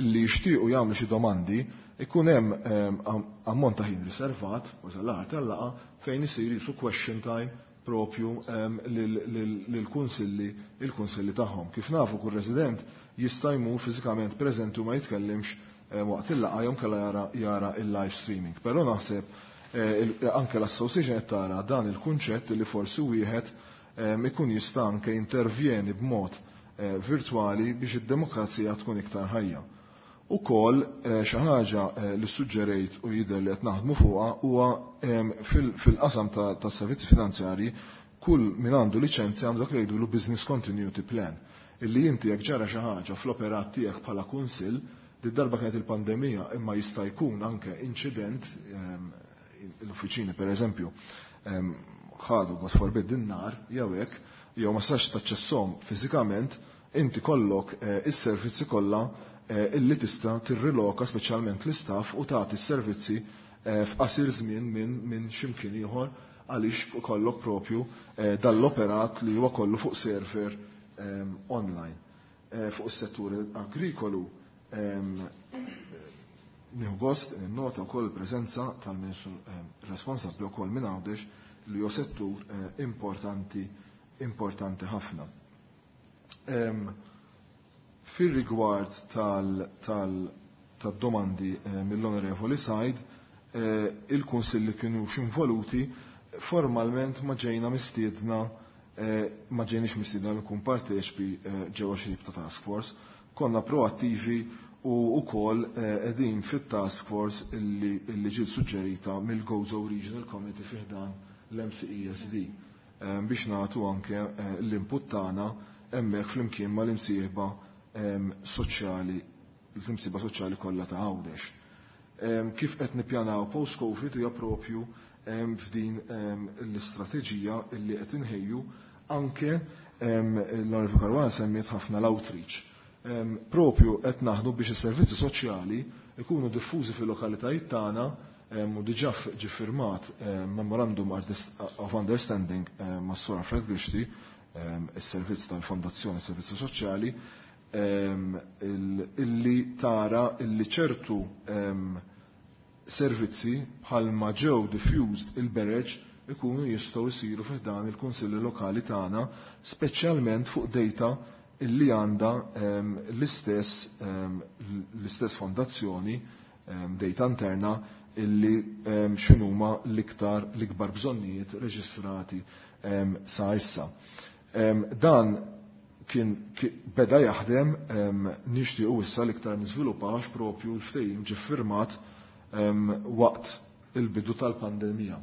illi jixtiequ jagħmlu xi domandi ikun hemm ammont ta' ħin riservat, forsi l-aħħar tal-laqgħa, fejn isir jisu question time propju lill-kunsilli, il-kunsilli tagħhom. Kif nafu, kull resident jista' jmur fiżikament preżenti u ma jitkellimx waqt il-laqgħa jew inkella jara il-live streaming. Però naħseb anke l-association qed tara dan il-kunċett li forsi wieħed ikun jista' anke intervjeni b'mod virtwali biex id-demokrazija tkun iktar ħajja. Ukoll xi ħaġa li suġġerejt u jidher li qed naħdmu fuqha huwa fil-qasam ta' servizzi finanzjarji, kull min għandu liċenzja għandu dak li jgħidulu business continuity plan. Illi inti jekk ġara xi ħaġa fl-operat tiegħek bħala kunsill, di darba kienet il-pandemija, imma jista' jkun anke inċident, l-uffiċini per eżempju, ħadu God forbid in-nar jew hekk, jew ma sax taċċesshom fiżikament, inti kollok is-servizzi kollha illi tista' tirriloka speċjalment l-istaff u tagħti s-servizzi f'qasir żmien minn x'imkien ieħor, għaliex kollok propju dall-operat li huwa kollu fuq server online. Fuq is-settur agrikolu, nieħu gost nota wkoll il-preżenza tal-Ministru responsabbli wkoll minn Għawdex, li huwa settur importanti ħafna. Fir-rigward tad-domandi mill-Onorevoli Said, il-Kunsilli kienu involuti, formalment ma ġejna mistiedna, ma ġejniex mistiedna li nkun parteċpi ġewwa xi tip ta' task force. Konna proattivi u wkoll qegħdin fit-task force illi ġiet suġġerita mill-Gozo Regional Committee fi ħdan l-MCESD, biex nagħtu anke l-input tagħna hemmhekk flimkien mal-imsieħba soċjali, l-imsieħba soċjali kollha ta' Għawdex. Kif qed nippjanaw post-COVID hija propju f'din l-istrateġija illi qed inħejju anke l-Onorevoli Caruana semmiet ħafna l-outreach. Propju qed naħdmu biex is-servizzi soċjali ikunu diffużi fil-lokalitajiet tagħna, u diġà ġie firmat Memorandum of Understanding mas-Sur Alfred Grixti, is-servizz tal-Fondazzjoni Servizzi Soċjali, illi tara illi ċertu servizzi bħalma ġew diffused il-bereġ ikunu jistgħu jsiru fi dan il-kunsilli lokali tagħna, speċjalment fuq data illi għandha l-istess fondazzjoni, data interna illi x'inhuma l-iktar l-ikbar bżonnijiet reġistrati sa issa. Dan kien beda jaħdem, nixtiequ issa l-iktar niżviluppa għax propju l-ftehim ġie firmat waqt il-bidu tal-pandemija,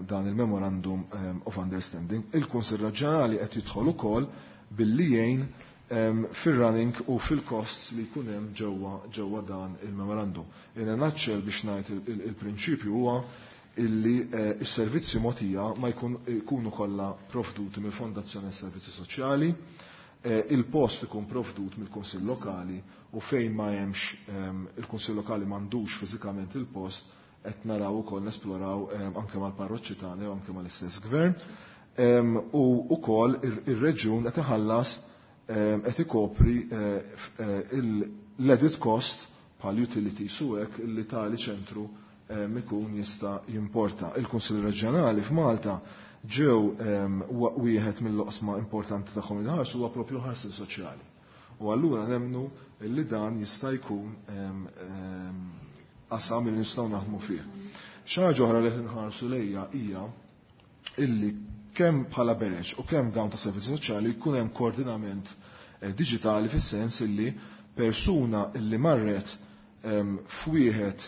dan il-Memorandum of Understanding. Il-Kunsill Reġjonali qed jidħol ukoll billi jgħin fil-running u fil-costs li jkun hemm ġewwa dan il-memorandum. In a nutshell, biex ngħid, il-prinċipju huwa illi is-servizzi mogħtija ma jkunu kollha provduti mill-Fondazzjoni Servizzi Soċjali, il-post ikun provdut mill-Kunsill Lokali u fejn ma hemmx, il-Kunsill Lokali m'għandux fiżikament il-post, qed naraw ukoll nesploraw anke mal-parroċċi tagħna u anke mal-istess gvern. U wkoll ir-reġjun qed iħallas, qed ikopri l-added cost bħal utilities u hekk li tali ċentru ikun jista' jimporta. Il-Kunsill Reġjonali f'Malta ġew wieħed mill-oqsma importanti tagħhom li ħarsu huwa propju ħarsin soċjali. U allura nemnu li dan jista' jkun qasam li nistgħu naħdmu fih. Xi ħaġa oħra li qed inħarsu lejja hija illi kemm bħala bereġ u kemm dawn ta' servizzi soċjali jkun hemm koordinament diġitali, fis-sens illi persuna illi marret f'wieħed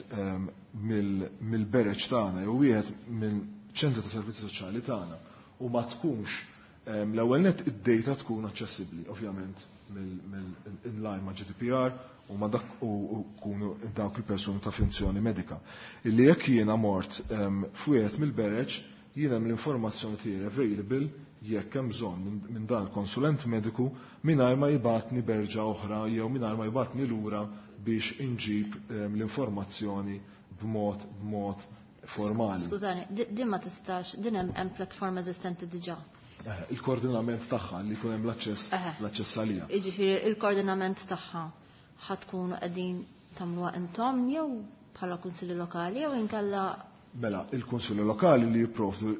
mill-bereġ tagħna jew wieħed minn ċentru ta' servizzi soċjali tagħna u ma tkunx, l-ewwel net id-data tkun aċċessibbli, ovvjament mill-inline ma' GDPR u ma dak u kunu dawk il-persuni ta' funzjoni medika. Illi jekk jiena mort f'wieħed mill-bereġ, jiena l-informazzjoni tiegħi available jekk hemm bżonn minn dan konsulent mediku mingħajr ma jibgħatni berġa oħra jew mingħajr ma jibgħatni lura biex inġib l-informazzjoni b'mod formali. Skużani, din ma tistax, din hemm platforma eżistenti diġà. Il-koordinament tagħha li jkun hemm l-aċċess għalija. Jiġifieri il-koordinament tagħha ħa tkunu qegħdin tagħmluha intom jew bħala kunsilli lokali jew inkella? Mela, il-kunsilli lokali li jipprovdu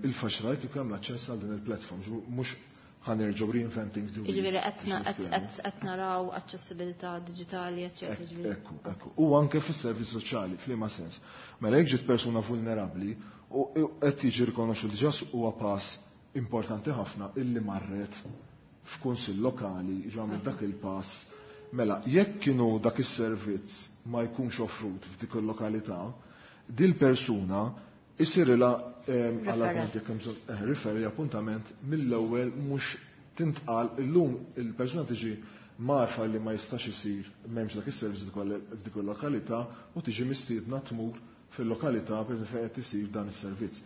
il-faċilitajiet jkun hemm l-aċċess għal din il-platform, mhux ħa nerġgħu reinventing the wheel. Jiġifieri qed naraw aċċessibilità diġitali, eċċetera, jiġifieri. Ekku. U anke fis-servizz soċjali, f'liema sens. Mela jekk ġiet persuna vulnerabbli u qed tiġi rikonoxxut diġà, huwa pass importanti ħafna illi marret f'kunsill lokali, ġo għamlet dak il-pass. Mela, jekk kienu dak is-servizz ma jkunx offrut f'dik il-lokalità, dil persuna isirilha għal appunt jekk hemm bżonn, referi appuntament mill-ewwel, mhux tintqal illum il-persuna tiġi marfa li ma jistax isir, m'hemmx dak is-servizz f'dik il-lokalità, u tiġi mistiedna tmur fil-lokalità per fejn qed isir dan is-servizz.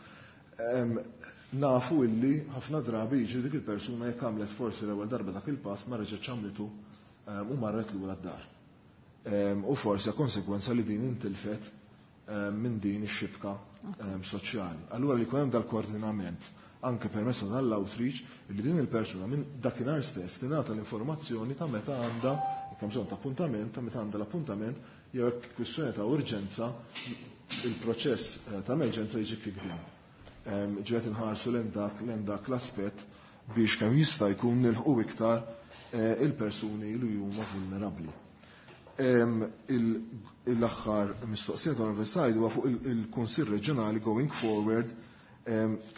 Nafu illi ħafna drabi jiġri dik il-persuna jekk għamlet forsi l-ewwel darba dak il-pass ma reġgħetx għamlitu u marret lura d-dar. U forsi konsekwenza li din intilfet minn din ix-xibka soċjali. Allura li jkun hemm dal-koordinament anke permezz tal-outreach li din il-persuna minn dakinhar stess tingħata l-informazzjoni ta' meta għandha, jekk hemm bżonn ta' appuntament, ta' meta għandha l-appuntament, jew jekk kwistjoni ta' urġenza, il-proċess ta' emerġenza jiġi kicked in. Ġiet inħarsu lejn dak l-aspett biex kemm jista' jkun nilħqu iktar il-persuni li huma vulnerabbli. L-aħħar mistoqsija tal-Università huwa fuq il-Kunsill Reġjonali going forward,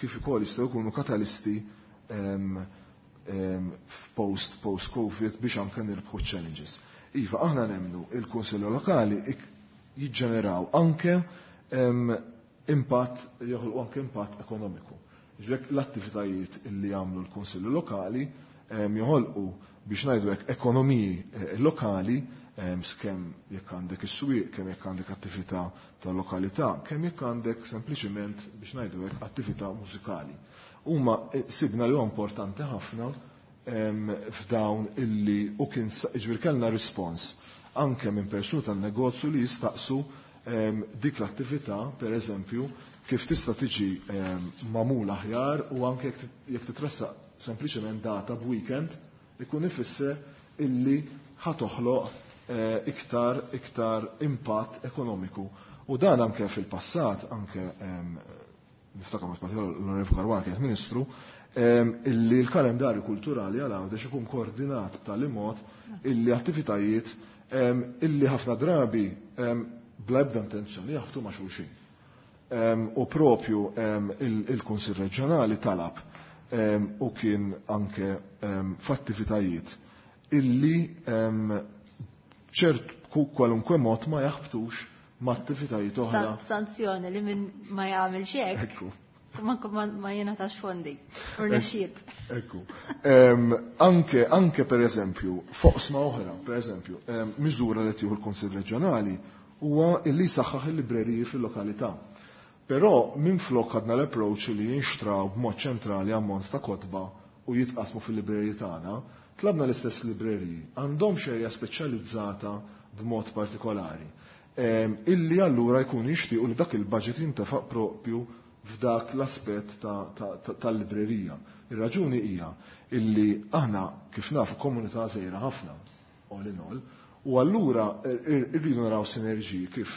kif ukoll jistgħu jkunu katalisti post Covid biex anke nirbħu challenges. Iva, aħna nemnu il-Kunsill Lokali jiġġeneraw anke impatt, joħolqu anke impatt ekonomiku. Ġvek l-attivitajiet li jagħmlu l-Kunsilli Lokali joħolqu, biex ngħidu hekk, ekonomiji lokali, kemm jekk għandek is-swieq, kemm jekk għandek attività ta' lokalità, kemm jekk għandek sempliċiment, biex ngħidu hekk, attività mużikali. Huma sibna li huwa importanti ħafna f'dawn illi u kien ġifieri kellna rispons anke minn persuni tan-negozju li jistaqsu dik l-attività, per eżempju, kif tista' tiġi magħmula aħjar u anke jekk titressaq sempliċement data b'weekend ikun ifisser illi ħa toħloq iktar impatt ekonomiku. U dan anke fil-passat, anke niftakar mod partikolari l-Onorevoli Caruana kienet Ministru, illi l-kalendarju kulturali għal Għawdex ikun koordinat b'tali mod illi attivitajiet illi ħafna drabi bla ebda intenzjoni jaħbtu ma' xulxin. U propju il-Kunsill Reġjonali talab u kien anke f'attivitajiet illi ċert kwalunkwe mod ma jaħbtux ma' attivitajiet oħra. Sanzjoni li min ma jagħmel hekk. Ekku. Ma jingħatax fondi. U rnexxiet. Ekku. Anke per eżempju, foqsma oħra, per eżempju, miżura li tieħu l-Kunsill Reġjonali huwa illi jsaħħaħ il-libreriji fil-lokalità. Però minflok ħadna l-approach li jinxtraw b'mod ċentrali ammont ta' kotba u jitqasmu fil-libreriji tagħna, tlabna l-istess libreriji għandhom xerja speċjalizzata b'mod partikolari. Illi allura jkunu jixtiequ li dak il-budget jintefaq propju f'dak l-aspett tal-librerija. Ir-raġuni hija illi aħna kif nafu komunità żgħira ħafna, all in all, u allura irridu naraw sinerġiji kif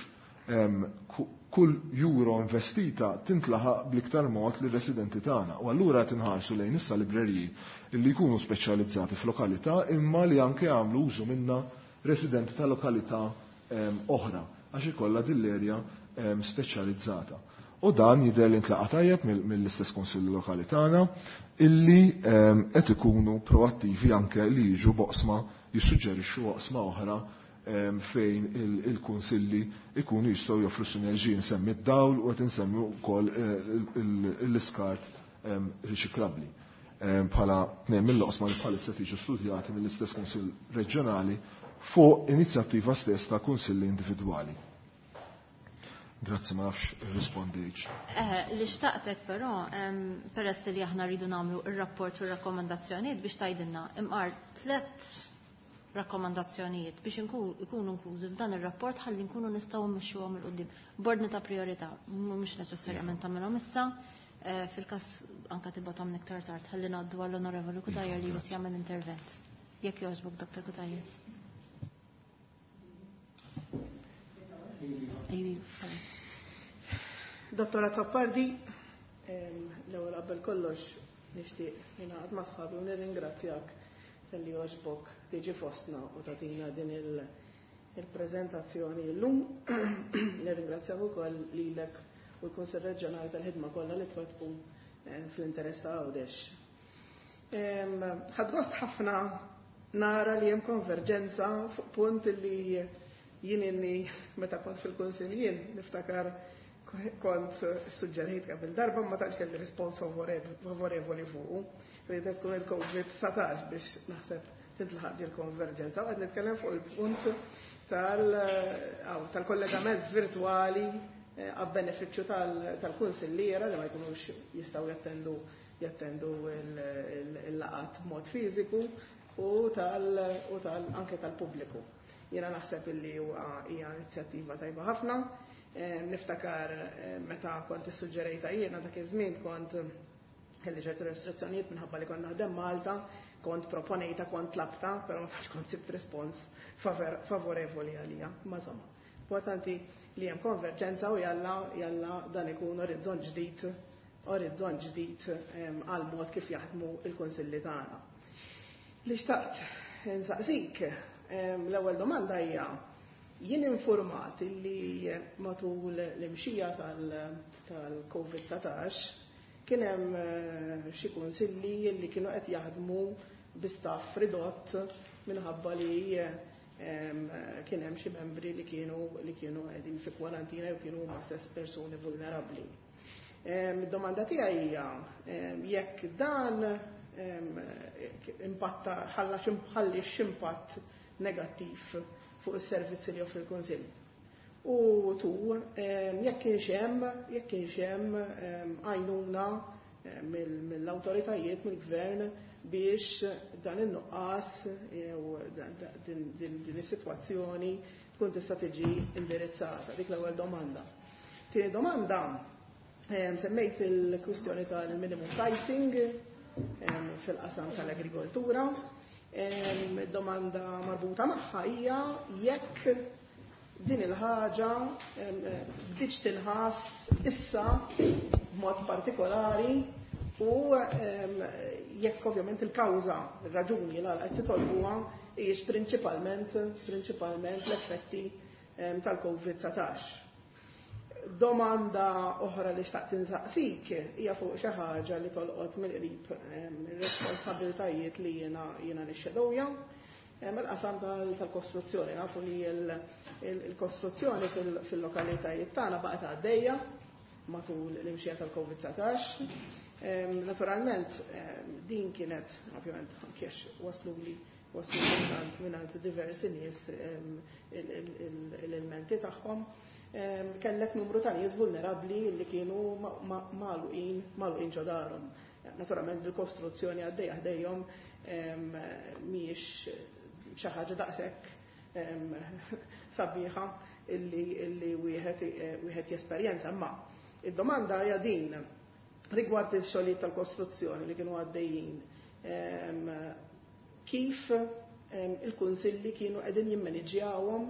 kull euro investita tintlaħaq bl-iktar mod lir residenti tagħna. U allura qed inħarsu lejn issa libreriji li jkunu speċjalizzati f'lokalità imma li anke għamlu użu minna residenti ta' lokalità oħra għax ikollha din l-erja speċjalizzata. U dan jidher li ntlaqa' tajjeb mill-istess Kunsilli Lokali tagħna illi qed ikunu proattivi anke li jiġu b'oqsma jissuġġerixxu oqsma oħra fejn il-kunsilli ikunu jistgħu joffru sinerġiji. Nsemmi d-dawl u qed insemmi wkoll l-iskart riċiklabbli bħala tnejn mill-oqsma li bħalissa tiġu studjati mill-istess Kunsill Reġjonali fuq inizjattiva stess ta' kunsilli individwali. Grazzi, ma nafx rispondejx. Li xtaqtek però, peress li aħna rridu nagħmlu ir-rapport u r-rakkomandazzjonijiet biex tgħidilna imqar 3 rakkomandazzjonijiet biex ikunu inklużi f'dan ir-rapport ħalli nkunu nistgħu mmexxuhom il quddiem. B'ordni ta' priorità, mhux neċessarjament tagħmilhom issa, fil-każ anke tibgħathom iktar tard ħalli ngħaddu għall-Onorevoli Cutajar li jrid jagħmel intervent. Jekk jogħġbok, Dr. Cutajar. Dottor Azzopardi, l-ewwel qabel kollox nixtieq ningħaqad ma' sħabi u nirringrazzjak talli għoġbok tiġi fostna u tagħtina din il-preżentazzjoni llum. Nirringrazzjak ukoll lilek u l-Kunsill Reġjonali tal-ħidma kollha li twettqu fl-interess ta' Għawdex. Ħadd gost ħafna nara li hemm konverġenza fuq punt li jien inni meta kont fil-Kunsill jien niftakar kont suġġerejt qabel darba ma tantx kelli rispons favorevoli fuqu. Riedet tkun il-COVID-19 biex naħseb tintlaħaq din il-konverġenza. U qed nitkellem fuq il-punt tal-kollegament virtwali għab-benefiċċju tal-kunsilliera li ma jkunux jistgħu jattendu il-laqat b'mod fiżiku u anke tal-pubbliku. Jiena naħseb illi hija inizjattiva tajba ħafna. Niftakar meta kont issuġġerejta jiena dak iż-żmien kont kelli ċertu restrizzjonijiet minħabba li kont naħdem Malta, kont proponejta, kont tlabta, però ma tantx kont sibt rispons favorevoli għalija. Ma insomma, importanti li hemm konverġenza u jalla dan ikun orizzont ġdid, orizzont ġdid għal mod kif jaħdmu il-kunsilli tagħna. Li xtaqt nsaqsik, l-ewwel domanda hija jien informat li matul l-imxija tal-COVID-19 kien hemm xi kunsilli li kienu qed jaħdmu bi staff ridott minħabba li kien hemm xi membri li kienu qegħdin fi kwarantina jew kienu huma stess persuni vulnerabbli. Id-domanda tiegħi hija jekk dan impatta ħalla ħalli x'impatt negattiv fuq is-servizzi li joffri l-Kunsill. U tu, jekk kienx hemm għajnuna mill-awtoritajiet, mill-gvern biex dan in-nuqqas jew din is-sitwazzjoni tkun tista' tiġi indirizzata. Dik l-ewwel domanda. Tieni domanda, semmejt il-kwistjoni tal-minimum pricing fil-qasam tal-agrikoltura. Domanda marbuta magħha hija jekk din il-ħaġa bdietx tinħass issa b'mod partikolari u jekk ovvjament il-kawża, ir-raġuni l qed titolbuha hijiex prinċipalment l-effetti tal-COVID-19. Domanda oħra li xtaqt insaqsik hija fuq xi ħaġa li tolqot mill-qrib ir-responsabbiltajiet li jiena nixxedowja. Il-qasam tal-kostruzzjoni, nafu li l-kostruzzjoni fil-lokalitajiet tagħna baqgħet għaddejja matul l-imxija tal-COVID-19. Naturalment, din kienet, ovvjament, anke għax wasluli wasluli mingħand diversi nies l-ilmenti tagħhom, kellek numru ta' nies vulnerabbli li kienu magħluqin magħluqin ġo darhom. Naturalment bil-kostruzzjoni għaddejja ħdejhom mhijiex xi ħaġa daqshekk sabiħa illi wieħed jesperjenza. Imma id-domanda hija din rigward il-xogħlijiet tal-kostruzzjoni li kienu għaddejjin. Kif il-kunsilli kienu qegħdin jimmaniġjawhom,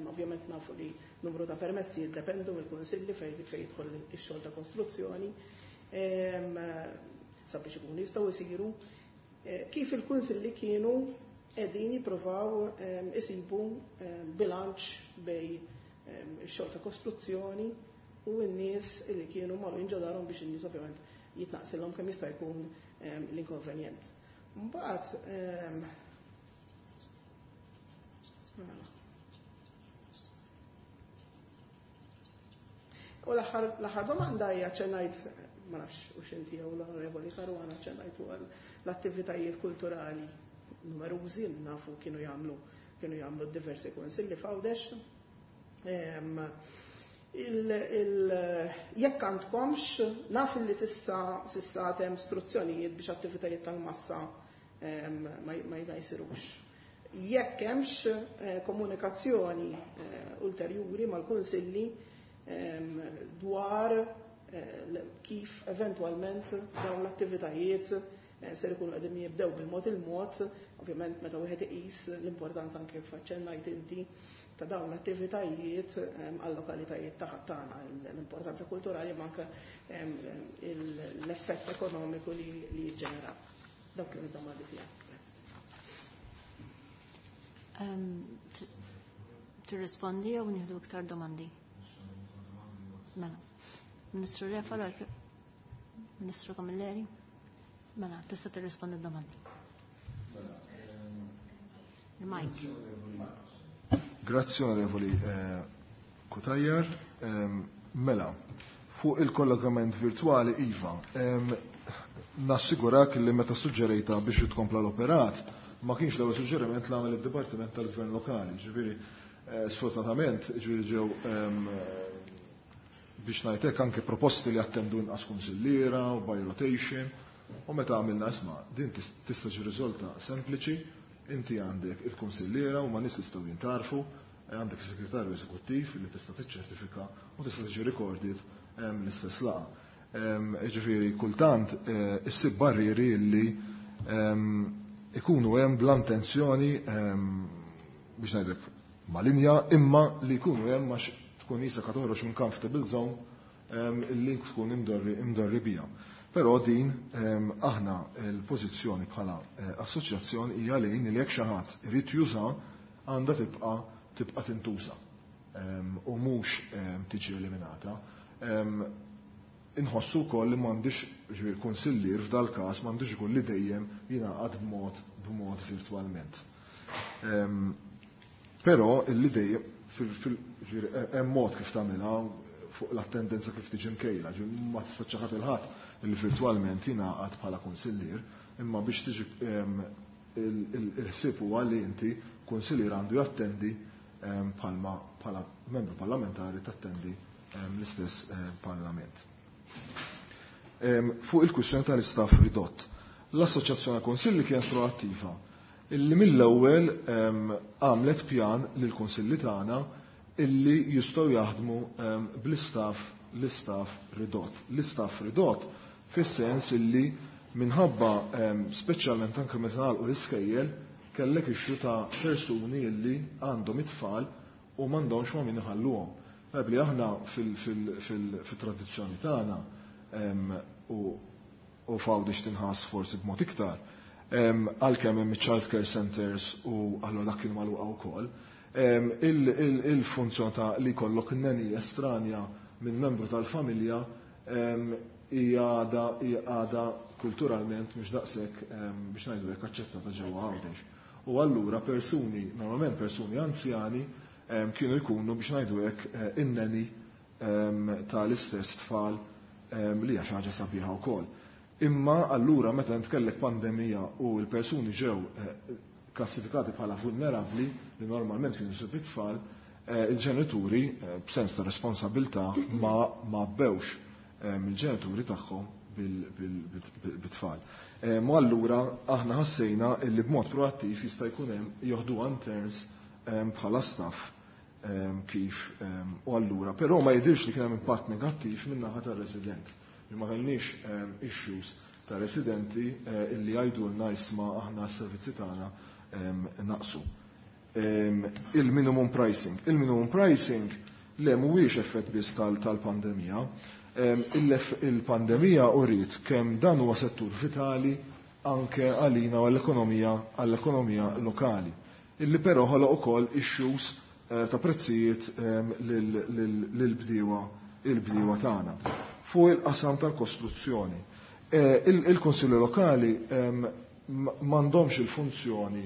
ovvjament nafu li numru ta' permessi jiddependu mill-kunsilli fejn jidħol ix-xogħol ta' kostruzzjoni, sabiex ikunu jistgħu jsiru, kif il-kunsilli kienu qegħdin jippruvaw isibu bilanċ bejn ix-xogħol ta' kostruzzjoni u n-nies li kienu magħluqin ġo darhom biex in-nies ovvjament jitnaqsilhom kemm jista' jkun l-inkonvenjent. Mbagħad mela. U l-aħħar domanda hija ċenajt, ma nafx u x'inti jew l-Onorevoli Caruana ċenajt għal l-attivitajiet kulturali numerużi li nafu kienu jagħmlu diversi kunsilli f'Għawdex. Jekk għandkomx, naf li sissa hemm istruzzjonijiet biex attivitajiet tal-massa ma jsirux. Jekk hemmx komunikazzjoni ulterjuri mal-kunsilli dwar kif eventwalment dawn l-attivitajiet ser ikunu qegħdin jibdew bil-mod il-mod, ovvjament meta wieħed iqis l-importanza anke kif aċċennajt inti ta' dawn l-attivitajiet għal-lokalitajiet tagħna, l-importanza kulturali ma anke l-effett ekonomiku li jiġġenera. Dawk kienu d-domandi tiegħi. Tirrispondi jew nieħdu iktar domandi? Mela. Ministru Refalo, Ministru Camilleri? Mela, tista' tirrispondi d-domandi. Il-mic. Grazzi Onorevoli Cutajar. Mela, fuq il-kollegament virtuali iva, nassigurak li meta suġġerejta biex jitkompla l-operat, ma kienx l-ewwel suġġeriment li għamel id-Dipartiment tal-Gvern Lokali. Ġifieri, sfortunatament, ġifieri ġew biex ngħidlek anke proposti li attendu inqas kunsilliera u by rotation, u meta għamilna isma' din tista' ġi riżolta sempliċi, inti għandek il-kunsilliera u ma nies li jistgħu jintarfu, għandek il-segretarju eżekuttiv li tista' tiċċertifika u tista' tiġi recorded l-istess laqgħa. Ġifieri kultant issib barrieri li ikunu hemm bl-intenzjoni biex ngħidlek malinja, imma li jkunu hemm għax tkun jisa toħroġ minn comfortable zone il-link tkun imdorri bija. Però din aħna l-pożizzjoni bħala assoċjazzjoni hija lejn li jekk xi ħadd irid juża għandha tibqa' tintuża u mhux tiġi eliminata. Inħossu wkoll li m'għandix, ġifieri kunsillier f'dal każ m'għandux ikun li dejjem jingħaqad b'mod virtwalment. Però illi dejjem ġifieri hemm mod kif tagħmilha fuq l-attendenza kif tiġi mkejla, ġifieri ma tista' ċaħat il-ħadd li virtwalment jingħaqad bħala kunsillier, imma biex tiġi il-ħsieb huwa li inti kunsillier għandu jattendi bħala membru parlamentari tattendi l-istess parlament. Fuq il-kwistjoni tal-istaff ridott, l-Assoċjazzjoni Kunsilli kienet proattiva illi mill-ewwel għamlet pjan lill-kunsilli tagħna illi jistgħu jaħdmu bl-istaff l-istaff ridott. L-istaff ridott fis-sens illi minħabba speċjalment anke meta nagħlqu l-iskejjel kellek ixxu ta' persuni illi għandhom it-tfal u m'għandhomx ma' min iħalluhom. Tajb li aħna fil-tradizzjoni tagħna u f'Għawdex tinħass forsi b'mod iktar, għalkemm hemm child care centers u allura dak kienu magħluqa wkoll, il-funzjoni ta' li jkollok nanny estranja minn membru tal-familja hija għadha kulturalment mhux daqshekk biex ngħidu hekk aċċettata ġewwa Għawdex. U allura persuni, normalment persuni anzjani, kienu jkunu biex ngħidu hekk in-nanny tal-istess tfal li hija xi ħaġa sabiħa wkoll. Imma allura meta int kellek pandemija u l-persuni ġew klassifikati bħala vulnerabbli li normalment kienu jsibu it-tfal, il-ġenituri b'sens ta' responsabilità ma għabbewx mill-ġenituri tagħhom bit-tfal. U allura aħna ħassejna illi b'mod proattiv jista' jkun hemm joħduha in turns bħala staff kif u allura, però ma jidhirx li kien hemm impatt negattiv min-naħa tar-resident. Li ma kellniex issues ta' residenti illi jgħidulna, "Isma', aħna s-servizzi tagħna naqsu." Il-minimum pricing. Il-minimum pricing le, mhuwiex effett biss tal-pandemija. Il-pandemija uriet kemm dan huwa settur vitali anke għalina u għall-ekonomija lokali. Illi però ħoloq ukoll issues ta' prezzijiet lil-bdiewa il-bdiewa tagħna. Fuq il-qasam tal-kostruzzjoni. Il-Kunsilli Lokali m'għandhomx il-funzjoni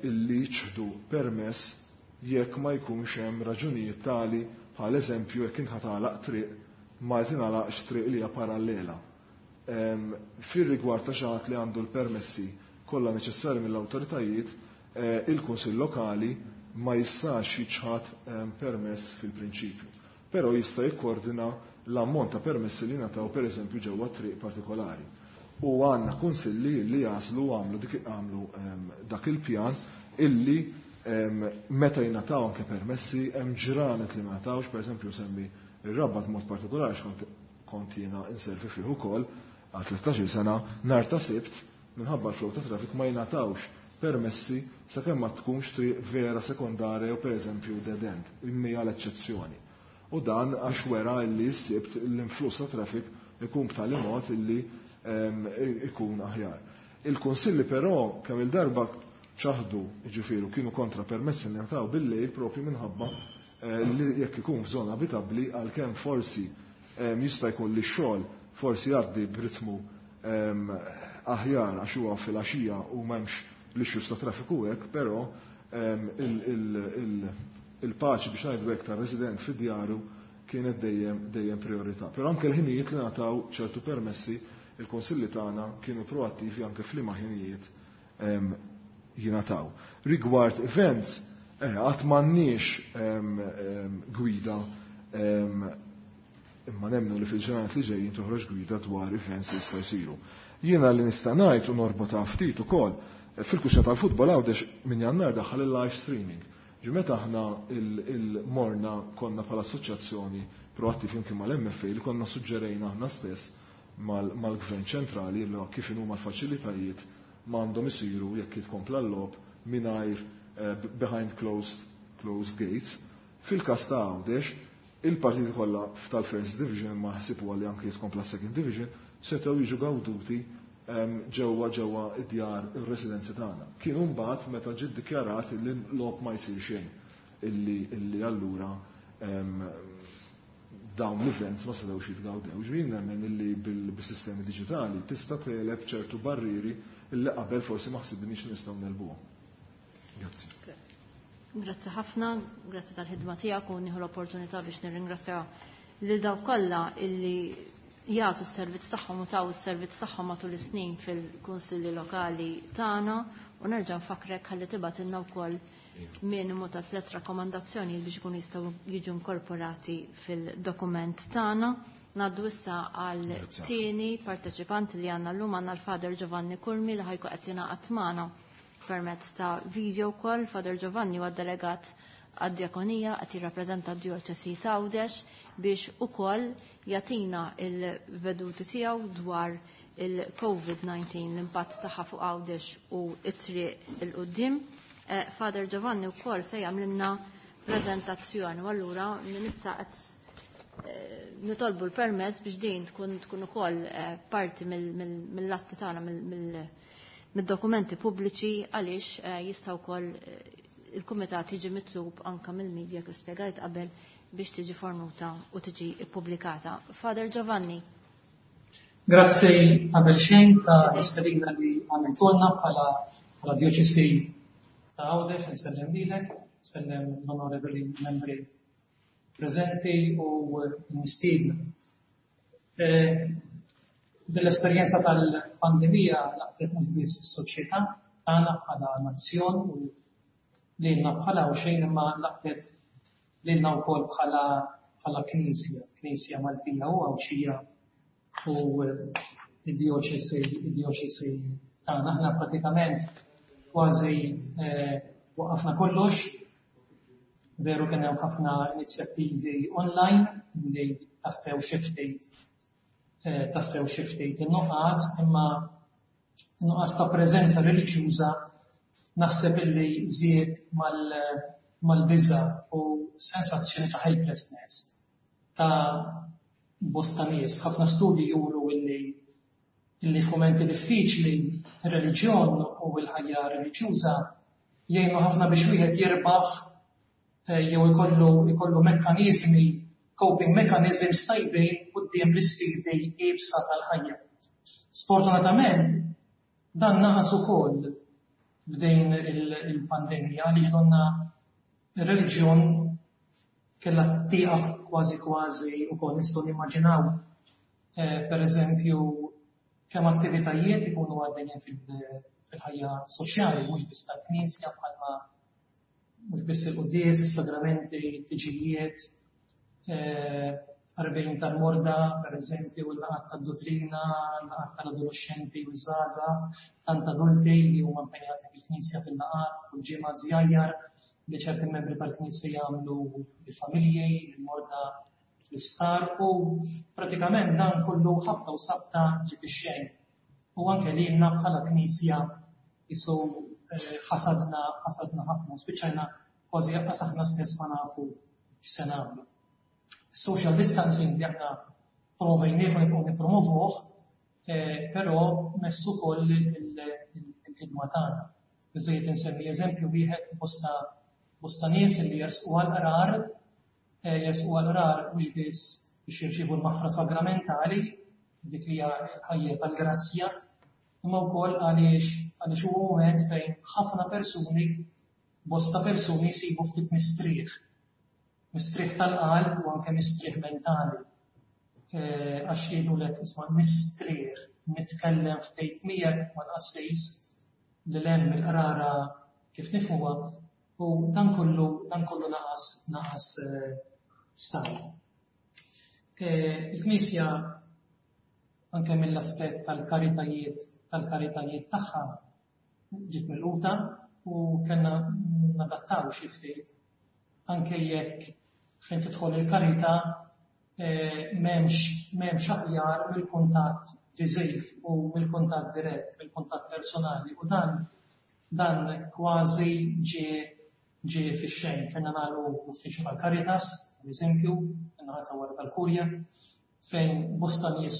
illi jiċħdu permess jekk ma jkunx hemm raġunijiet tali, bħal eżempju jekk int tagħlaq triq, ma tingħalaqx triq li hija parallela. Fir-rigward ta' xi ħadd li għandu l-permessi kollha neċessarji mill-awtoritajiet, il-Kunsill Lokali ma jistax jiċħad permess fil-prinċipju. Però jista' jikkoordina l-ammont ta' permessi li ngħataw, pereżempju, ġewwa triq partikolari. U għandna kunsilli li jaslu għamlu dik għamlu dak il-pjan illi meta jingħataw anke permessi, hemm ġranet li ma ngħatawx, pereżempju semmi ir-Rabat mod partikolari, x'kont kont jiena inservi fih ukoll għal 13 sena, nhar ta' Sibt minħabba l-flow ta' traffic ma jingħatawx permessi sakemm ma tkunx triq vera sekondarja jew, pereżempju, dead end, imma hija l-eċċezzjoni. U dan għax wera illi s-Sibt l-influss ta' traffic ikun b'tali mod illi ikun aħjar. Il-kunsilli però kemm il-darba ċaħdu, ġifieri kienu kontra permessi li ngħataw bil-lejl propju minħabba li jekk ikun f'żona abitabbli, għalkemm forsi jista' jkun li x-xogħol forsi jgħaddi b'ritmu aħjar għax huwa fil-għaxija u m'hemmx l-issues ta' traffiku hekk, però il-paċi, biex ngħidu hekk, tar-resident fid-djaru kienet dejjem dejjem priorità. Però anke l-ħinijiet li ngħataw ċertu permessi, il-kunsilli tagħna kienu proattivi anke f'liema ħinijiet jingħataw. Rigward events, għad m'għandniex gwida, imma nemmnu li fil-ġranet li ġejjin toħroġ gwida dwar events li jista' jsiru. Jiena li nista' ngħid u norbotha ftit ukoll fil-kuxja tal-futbol, Għawdex minn Jannar daħal il-live streaming. Ġi meta aħna il-morna konna bħala assoċjazzjoni proattiv imkien mal-MFA li konna suġġerejna aħna stess mal-Gvern ċentrali li kif huma l-faċilitajiet m'għandhom isiru jekk jitkompla l-logħob mingħajr behind closed gates. Fil-każ ta' Għawdex, il-partiti kollha tal-First Division, ma ħsibu għalli anke jitkompla Second Division, setgħu jiġu gawduti ġewwa id-djar, ir-residenzi tagħna. Kienu mbagħad meta ġie ddikjarat li l-logħob ma jsir xejn illi allura dawn l-events ma setgħux jitgawdew. Ġifieri nemmen illi bil-sistemi diġitali tista' tegħleb ċertu barrieri illi qabel forsi ma ħsibniex nistgħu negħlbuhom. Grazzi. Grazzi ħafna, grazzi tal-ħidma tiegħek u nieħu l-opportunità biex nirringrazzja lil dawk kollha illi jagħtu s-servizz tagħhom u taw is-servizz tagħhom matul is-snin fil-kunsilli lokali tagħna u nerġa' nfakrek ħalli tibgħatilna wkoll minimu ta' tliet rakkomandazzjoni biex ikunu jistgħu jiġu inkorporati fil-dokument tagħna. Ngħaddu issa għal tieni parteċipanti li għandna llum, għandna l-Father Giovanni Curmi li ħa jkun qed jingħaqad magħna permezz ta' video call. Father Giovanni huwa delegat għad-djakonija, qed jirrappreżenta d-djoċesi ta' Għawdex biex ukoll jagħtina il-veduti tiegħu dwar il-COVID-19, l-impatt tagħha fuq Għawdex u it-triq 'il quddiem. Father Giovanni wkoll se jagħmlilna prezentazzjoni u allura minn issa qed nitolbu l-permess biex din tkun ukoll parti mill-atti tagħna, mid-dokumenti pubbliċi, għaliex jista' wkoll il-kumitat jiġi mitlub anka mill-medja, kif spjegajt qabel, biex tiġi fornuta u tiġi ippubblikata. Father Giovanni. Grazzi qabel xejn ta' l-istedina li għamiltulna bħala djoċesi ta' Għawdex, nsellem lilek, nsellem l-onorevoli membri prezenti u mistiedna. Dil-esperjenza tal-pandemija laqtet mhux biss is-soċjetà tagħna bħala nazzjon u lilna bħala xejn imma laqtet lilna wkoll bħala bħala knisja, knisja Maltija u Għawdxija u id-djoċesi id-djoċesi tagħna. Aħna pratikament kważi eh, waqafna kollox. Veru kien hemm ħafna inizjattivi online li taffew xi ftit eh, taffew xi ftit in-nuqqas, imma nuqqas ta' preżenza reliġjuża naħseb illi żied mal-biża u sensazzjoni ta' helplessness ta' bosta nies. Ħafna studji juru illi illi f'mumenti diffiċli ir-reliġjon u l-ħajja reliġjuża jgħinu ħafna biex wieħed jirbaħ eh, jew ikollu ikollu mekkaniżmi coping mechanisms tajbin quddiem l-isfidi iebsa tal-ħajja. Sfortunatament, dan naqas ukoll f'din il-pandemija għaliex donna ir-reliġjon kellha tieqaf kważi kważi ukoll nistgħu nimmaġinaw eh, per eżempju kemm attivitajiet ikunu għaddejjin fil-ħajja soċjali mhux biss tal-Knisja bħalma mhux biss il-quddies, is-sagramenti, it-tiġijiet, eh, għarbejn tal-morda, per eżempju, il-laqgħat tad-dottrina, il-laqgħat tal-adolescenti u żgħażagħ, tant adulti li huma impenjati fil-Knisja fil-laqgħat, kull ġimgħa żjajjar li ċerti membri tal-Knisja jagħmlu il-familji, il-morda fl-isptar u pratikament dan kollu ħabta u sabta ġie fix-xejn. U anke lilna bħala Knisja jisu eh, ħasadna ħasadna ħafna, spiċċajna kważi anqas aħna stess ma nafu x'se nagħmlu. Social distancing li aħna promovejnieh u nibqgħu nippromovuh, eh, però messu koll il-ħidma tagħna. Biżejjed insemmi eżempju wieħed bosta bosta nies li jersqu għal-qrar, eh, jersqu għal-qrar mhux biss biex jirċievu l-maħfra sagramentali, dik li hija l-ħajja tal-grazzja, imma wkoll għaliex għaliex huwa mument fejn ħafna persuni, bosta persuni jsibu ftit mistrieħ. Mistrieħ tal-qalb u anke mistrieħ mentali. Eh, għax jgħidulek isma' mistrieħ, nitkellem ftit miegħek mal-qassis li hemm il-qrara kif nifhuha u dan kollu dan kollu naqas naqas eh, sar. Eh, il-Knisja anke mill-aspett tal-karitajiet tal-karitajiet tagħha ġiet milquta u kellna nadattaw xi ftit anke jekk fejn tidħol il-karità eh, m'hemmx m'hemmx aħjar mill-kuntatt viżiv u mill-kuntatt dirett, mill-kuntatt personali u dan dan kważi ġie ġie fix-xejn. Kellna nagħlqu l-uffiċċju tal-Caritas, per eżempju, in-naħa ta' wara tal-Kurja, fejn bosta nies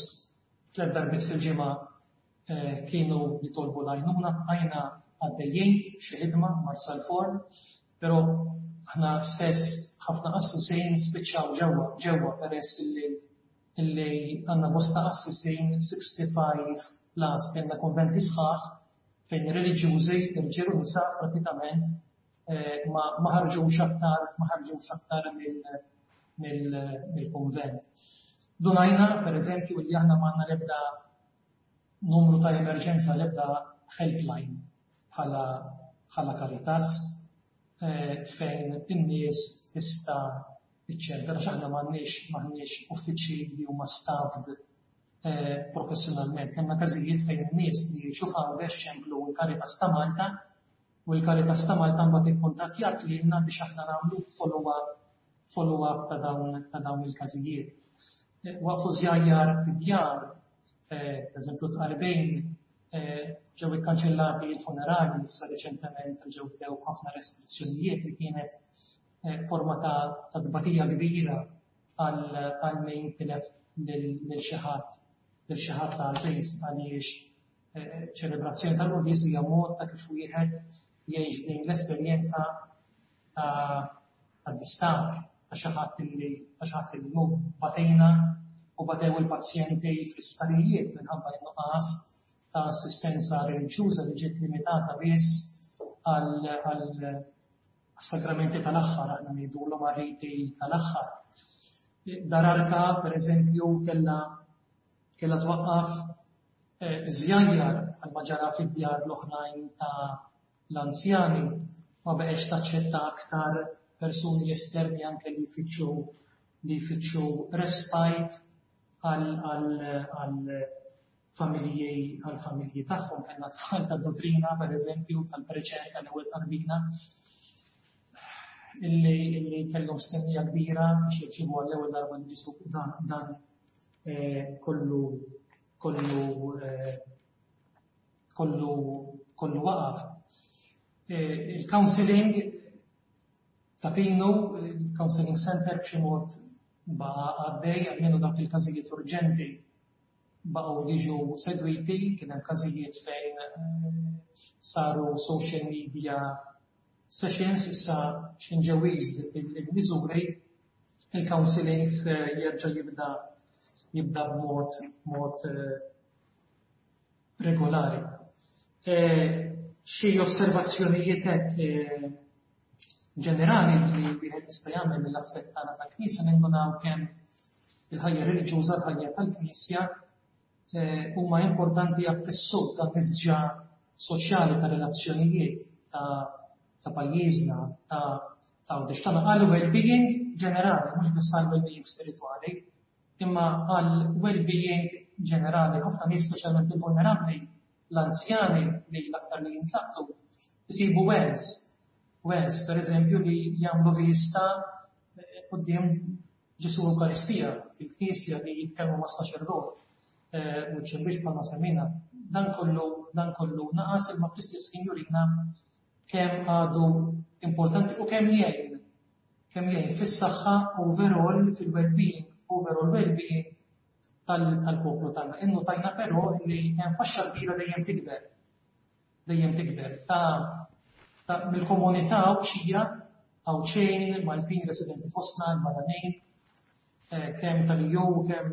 tliet darbiet fil-ġimgħa eh, kienu jitolbu l-għajnuna, bqajna għaddejjin xi ħidma Marsalforn, però aħna stess ħafna qassisin spiċċaw ġewwa ġewwa peress illi illi għandna bosta qassisin 65 plus kellna konventi sħaħ fejn ir-reliġjużi irġiel u nisa pratikament eh, ma ma ħarġux aktar ma ħarġux aktar mill-konvent. Dunajna, per eżempju, li aħna m'għandna l-ebda numru ta' emerġenza l-ebda helpline bħala bħala Caritas eh, fejn in-nies tista' iċċempel għax aħna m'għandniex m'aħniex uffiċċji li huma staffed eh, professjonalment. Kellna każijiet fejn in-nies li jgħixu f'Għawdex ċemplu l-Caritas ta' Malta u l-Caritas ta' Malta mbagħad ikkuntattjat lilna biex aħna nagħmlu follow-up follow-up ta' dawn ta' dawn il-każijiet. Eh, waqfu żjajjar fid-djar, eh, per eżempju tqarbin, eh, ġew ikkanċellati l-funerali issa reċentement ġew bdew ħafna restrizzjonijiet li kienet forma ta' ta' tbatija kbira għal min tilef lil xi ħadd lil xi ħadd għażiż għaliex ċelebrazzjoni tal-quddies hija mod ta' kif wieħed jgħix din l-esperjenza ta' distak ta' xi ħadd illi ta' xi ħadd illi jmut. Batejna u batew il-pazjenti fl-isptarijiet minħabba n-nuqqas ta' assistenza reliġjuża li ġiet limitata biss għal sagramenti tal-aħħar, aħna ngħidulhom għar-riti tal-aħħar. Dar Arka, per eżempju, kellha kellha twaqqaf Żjajjar bħalma ġara fid-djar l-oħrajn ta' l-anzjani ma baqgħetx taċċetta aktar persuni esterni anke li jfittxu li jfittxu respite għal familji għal familji tagħhom. Kellna tfal tad-duttrina, pereżempju, tal-preċett tal-ewwel qarbina illi kellhom stennija kbira biex jirċievu għall-ewwel darba lil Ġesù. Dan kollu kollu kollu kollu waqaf. Il-counseling Ta' Pinu, il-counseling center b'xi mod baqa' għaddej, almenu dawk il-każijiet urġenti baqgħu jiġu segwiti, kien hemm każijiet fejn saru social media sessions, issa x'inġew eased il-miżuri, il-counseling jerġa' jibda jibda b'mod mod regolari. Xi osservazzjonijiet hekk ġenerali li wieħed jista' jagħmel mill-aspett tagħna tal-Knisja, nindunaw kemm il-ħajja reliġjuża, l-ħajja tal-Knisja huma importanti għat-tessut tan-nisġa soċjali ta' relazzjonijiet ta' pajjiżna, ta' Għawdex tagħna, għal well-being ġenerali, mhux biss għal well-being spiritwali, imma għal well-being ġenerali. Ħafna nies, speċjalment il-vulnerabbli, l-anzjani li l-aktar li jintlaqtu, isibu wens, wens pereżempju li jagħmlu vista quddiem Ġesù Ewkaristija fil-Knisja, li jitkellmu ma' saċerdot u ċ-ċimbiex bħalma semmejna. Dan kollu dan kollu naqas, imma fl-istess ħin jurina kemm għadu importanti u kemm jgħin fis-saħħa overall, fil-well-being, overall well-being tal-poplu tagħna. Innutajna però li hemm faxxa kbira dejjem tikber ta' mill-komunità Għawdxija, Għawdxejn, Maltin residenti fostna, l-barranin, kemm tal-EU, kemm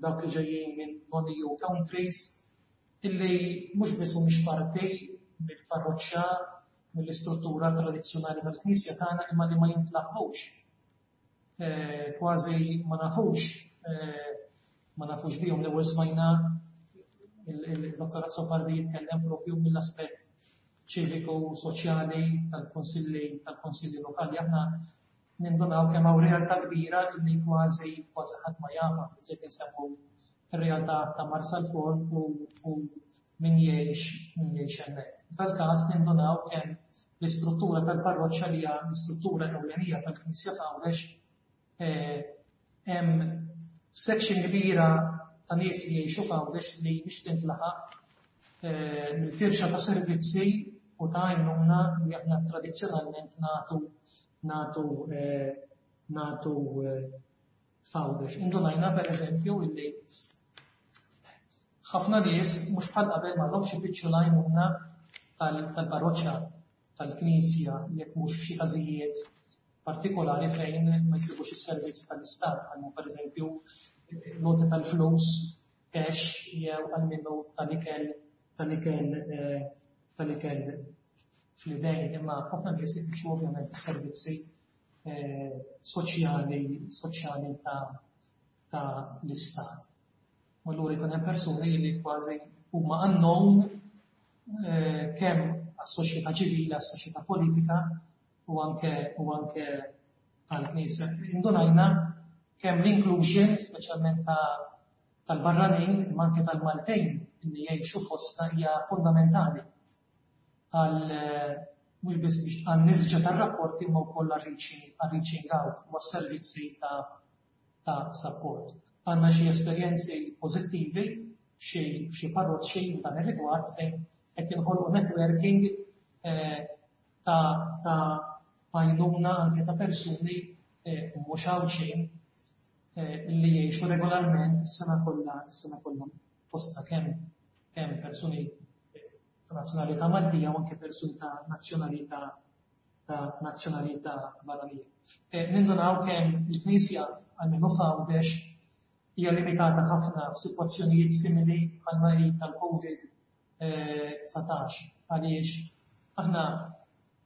dawk li ġejjin minn non-EU countries, illi mhux biss mhumiex parti mill-parroċċa, mill-istruttura tradizzjonali tal-Knisja tagħna, imma li ma jintlaħqux. Kważi ma nafux bihom. L-ewwel smajna il-Dottor Azzopardi jitkellem propju mill-aspett ċiviku soċjali tal-konsilli lokali. Aħna nindunaw kemm hawn realtà kbira illi kważi kważi ħadd ma jafha, biżejjed insemmu ir-realtà ta' Marsalforn u min jgħix hemmhekk. F'dal-każ nindunaw kemm l-istruttura tal-parroċċa, li hija l-istruttura ewlenija tal-Knisja f'Għawdex, hemm section kbira ta' nies li jgħixu f'Għawdex li biex tintlaħaq mill-firxa ta' servizzi u ta' għajnuna li aħna tradizzjonalment nagħtu f'Għawdex. Indunajna per eżempju illi ħafna nies mhux bħal qabel m'għadhomx ifittxu l-għajnuna tal-parroċċa, tal-Knisja, jekk mhux f'xi każijiet partikolari fejn ma jsibux is-servizz tal-Istat, bħalma pereżempju noti tal-flus cash jew għalmenu tal-ikel fl-idejn, imma ħafna nies ifittxu ovvjament is-servizzi soċjali ta' l-Istat. U allura jkun hemm persuni li kważi huma unknown kemm għas-soċjetà ċivili, għas-soċjetà politika u anke għall-Knisja. Indunajna kemm l-inclusion, speċjalment tal-barranin, imma anke tal-Maltejn li jgħixu fostna, hija fundamentali għal mhux biss biex għan-nisġa tar-rapporti imma wkoll għal reaching out u għas-servizzi ta' support. Għandna xi esperjenzi pożittivi f'xi parroċċi f'dan ir-rigward fejn qed inħolqu networking ta' għajnuna anke ta' persuni mhux Għawdxin li jgħixu regolarment is-sena kollha fostna, kemm persuni ta' nazzjonalità Maltija u anke persuni ta' nazzjonalità barranija. Nindunaw kemm il-Knisja, għalmenu f'Għawdex, hija limitata ħafna f'sitwazzjonijiet simili bħalma hi tal-COVID 19, għaliex aħna,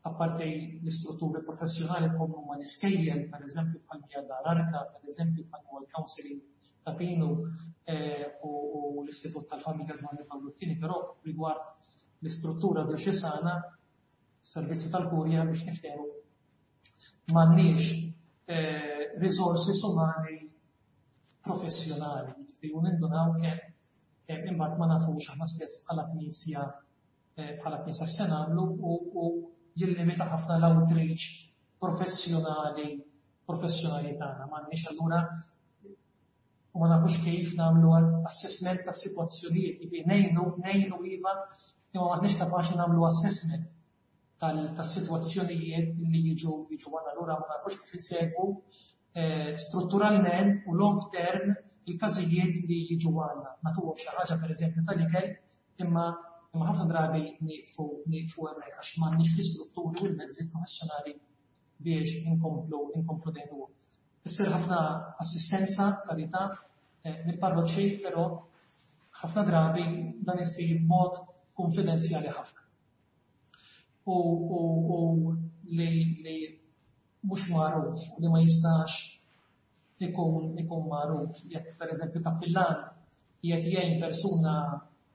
apparti l-istrutturi professjonali bħal huma l-iskejjel, per eżempju, bħal hija Dar Arka, per eżempju, bħal huwa l-counseling. Ta' Pinu u l-Istitut tal-Familja Ġwanni Pawlu t-Tieni, però rigward l-istruttura djoċesana, servizzi tal-Kurja biex niftehmu m'għandniex riżorsi umani professjonali, jiġifieri u nindunaw kemm kemm imbagħad ma nafux aħna stess bħala Knisja bħala Knisja x'se nagħmlu u jillimita ħafna l-outreach professjonali professjonali tagħna. M'għandniex allura u ma nafux kif nagħmlu assessment ta' sitwazzjonijiet, jiġifieri ngħinu ngħinu iva, imma m'aħniex kapaċi nagħmlu assessment tas-sitwazzjonijiet li jiġu jiġu għandna allura ma nafux kif insegwu strutturalment u long term il-każijiet li jiġu għandna. Nagħtuhom xi ħaġa pereżempju tal-ikel imma imma ħafna drabi nieqfu nieqfu hemmhekk għax m'għandniex l-istrutturi u l-mezzi professjonali biex inkomplu inkomplu ngħinuhom. Issir ħafna assistenza, karità mill-parroċċi, però ħafna drabi dan isir b'mod kunfidenzjali ħafna. U, u, u li, li mhux magħruf, li ma jistax ikun ikun magħruf. Jekk pereżempju kappillan jekk jgħin persuna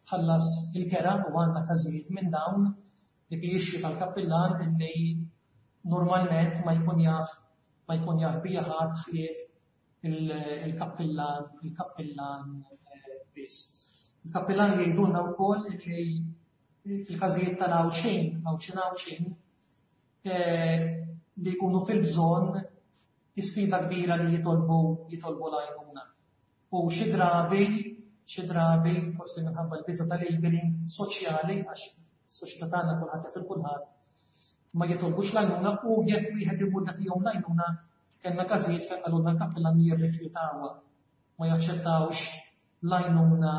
tħallas il-kera u għandna każijiet minn dawn, dik ixxi tal-kappillan illi normalment ma jkun jaf ma jkun jaf bija ħadd ħlief il-kappillan il-kappillan biss. Il-kappillan jgħidulna wkoll li fil-każijiet tal-Għawdxin, Għawdxin Għawdxin, li jkunu fil-bżonn sfida kbira li jitolbu jitolbu l-għajnuna. U xi drabi, xi drabi, forsi minħabba l-biża tal-labeling soċjali, għax is-soċjetà tagħna kulħadd jaf il-kulħadd, ma jitolbux l-għajnuna u jekk wieħed imur jagħtihom l-għajnuna, kellna każijiet fejn qalulna l-kappillan jirrifjutawha, ma jaċċettawx l-għajnuna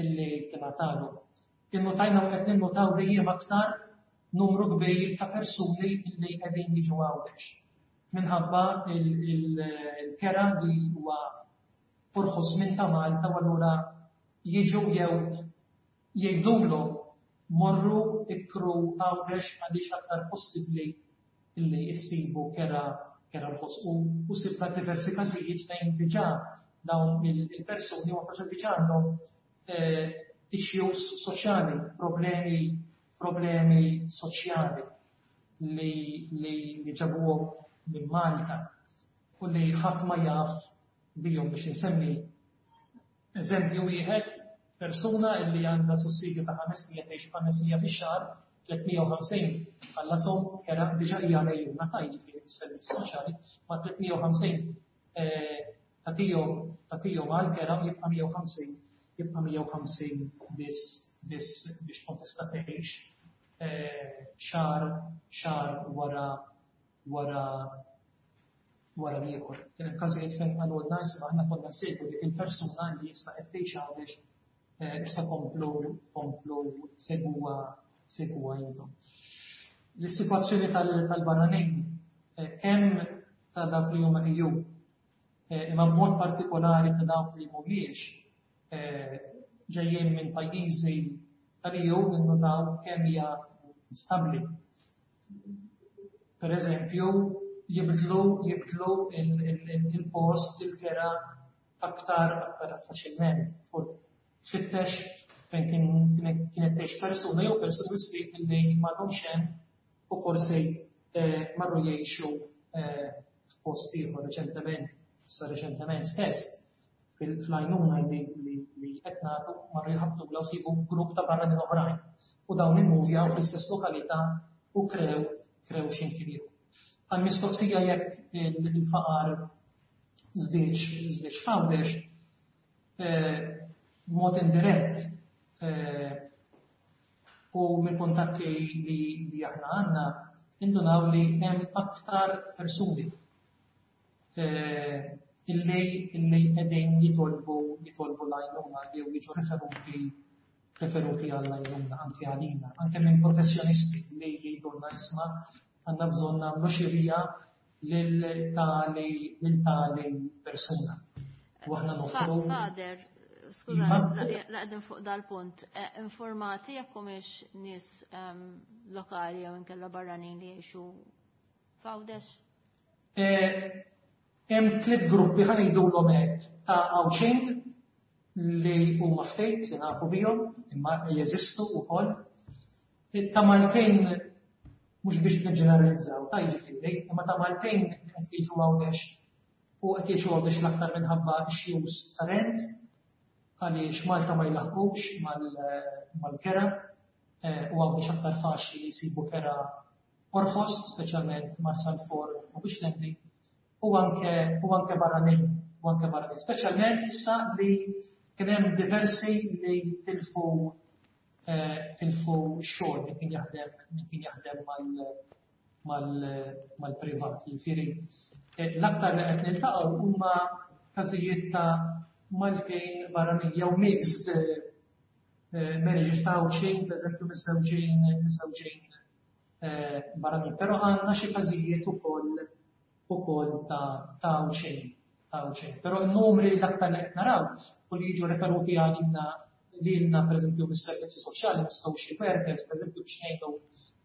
illi tingħatalhom. Innotajna u qed ninnotaw dejjem aktar numru kbir ta' persuni li qegħdin jiġu Għawdex minħabba il-kera li huwa orħos minn ta' Malta u allura jiġu jew jgħidulhom morru ikru Għawdex għaliex aktar possibbli illi issibu kera kera rħos. U sibna diversi każijiet fejn diġà dawn il-persuni u persuni diġà għandhom issues soċjali, problemi problemi soċjali li li ġabuhom minn Malta u li ħadd ma jaf bihom. Biex insemmi eżempju wieħed, persuna illi għandha sussidju ta' 500 tgħix 500 fix-xahar, 350 ħallasom kera diġà hija għajnuna ta' jiġifieri is-servizzi soċjali, ma' 350 tagħtihom tagħtihom għal kera jibqa' 150 jibqa' 150 biss biss biex tkun tista' tgħix xahar xahar wara wara wara l-ieħor. Kien hemm każijiet fejn qalulna isma' aħna konna nsegwu dik il-persuna li issa qed tgħix Għawdex issa komplu komplu segwuha segwuha intom. L-sitwazzjoni tal-barranin kemm ta' dawk li huma EU imma b'mod partikolari ta' dawk li mhumiex ġejjin minn pajjiżi tal-EU ninnutaw kemm hija stabbli. Per eżempju, jibdlu jibdlu il-post, il-kera aktar aktar faċilment. Tfittex fejn kienet tgħix persuna jew persuna ssib li m'għadhomx hemm u forsi marru jgħixu f'post ieħor reċentement, sa reċentement stess fil-għajnuna li qed nagħtu marru jħabbtu u sibu grupp ta' barranin oħrajn u dawn immuvjaw fl-istess lokalità u krew krew x'imkien ieħor. Għal-mistoqsija jekk il-faqar żdiedx żdiedx f'Għawdex, b'mod indirett u mill-kuntatti li aħna għandna indunaw li hemm aktar persuni illi illi qegħdin jitolbu jitolbu l-għajnuna jew jiġu referuti referuti għall-għajnuna anke għalina, anke minn professjonisti li jgħidulna isma' għandna bżonn nagħmlu xirja lil tali lil tali persuna. U aħna noffru. Father, skuża, laqdin fuq dal-punt, informati jekk humiex nies lokali jew inkella barranin li jgħixu f'Għawdex? Hemm tliet gruppi, ħa ngħidulhom hekk, ta' Għawdxin li huma ftit li nafu bihom, imma jeżistu wkoll. Ta' Maltin, mhux biex niġġeneralizzaw, ta' jiġifieri, imma ta' Maltin li qed jgħixu Għawdex u qed jgħixu Għawdex l-aktar minħabba issues ta' rent, għaliex Malta ma jlaħqux mal-kera u Għawdex aktar faċli li jsibu kera orħos, speċjalment Marsalforn u Bixlenni, u anke u anke barranin, u anke barranin, speċjalment issa li kien hemm diversi li tilfu tilfu x-xogħol min kien jaħdem min kien jaħdem mal-privat. Jiġifieri l-aktar li qed niltaqgħu huma każijiet ta' Maltin barranin jew mixed marriages ta' Għawdxin, pereżempju miżżewġin miżżewġin barranin. Però għandna xi każijiet ukoll ukoll ta' ta' Għawdxin, ta' Għawdxin. Però n-numri l-aktar li qed naraw u li jiġu referuti għalina lilna pereżempju mis-servizzi soċjali, mis-social workers, pereżempju biex ngħidu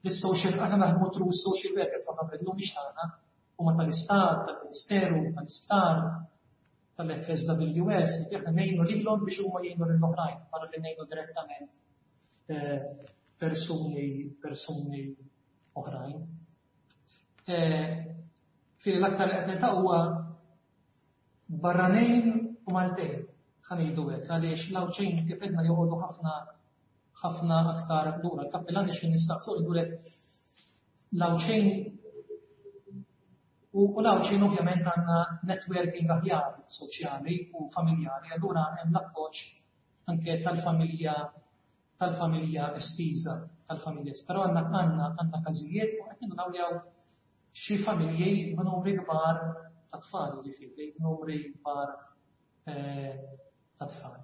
lis-social, aħna naħdmu through social workers, ma tagħmel mhix tagħna, huma tal-Istat, tal-Ministeru, tal-Isptar, tal-FSWS, li aħna ngħinu lilhom biex huma jgħinu lill-oħrajn, barra li ngħinu direttament persuni persuni oħrajn. Fili l-aktar li qed niltaqgħu huwa barranin u Maltejn, ħa ngħidu hekk, għaliex l-Għawdxejn kif għedna joqogħdu ħafna ħafna aktar lura. Il-kappillani xi nistaqsu jgħidulek l-Għawdxejn u l-Għawdxejn ovvjament għandna networking aħjar soċjali u familjari, allura hemm l-appoġġ anke tal-familja tal-familja estiża tal-familja. Però għandna għandna għandna każijiet u qed nindunaw li hawn xi familji b'numri kbar ta' tfal, jiġifieri numri kbar ta' tfal.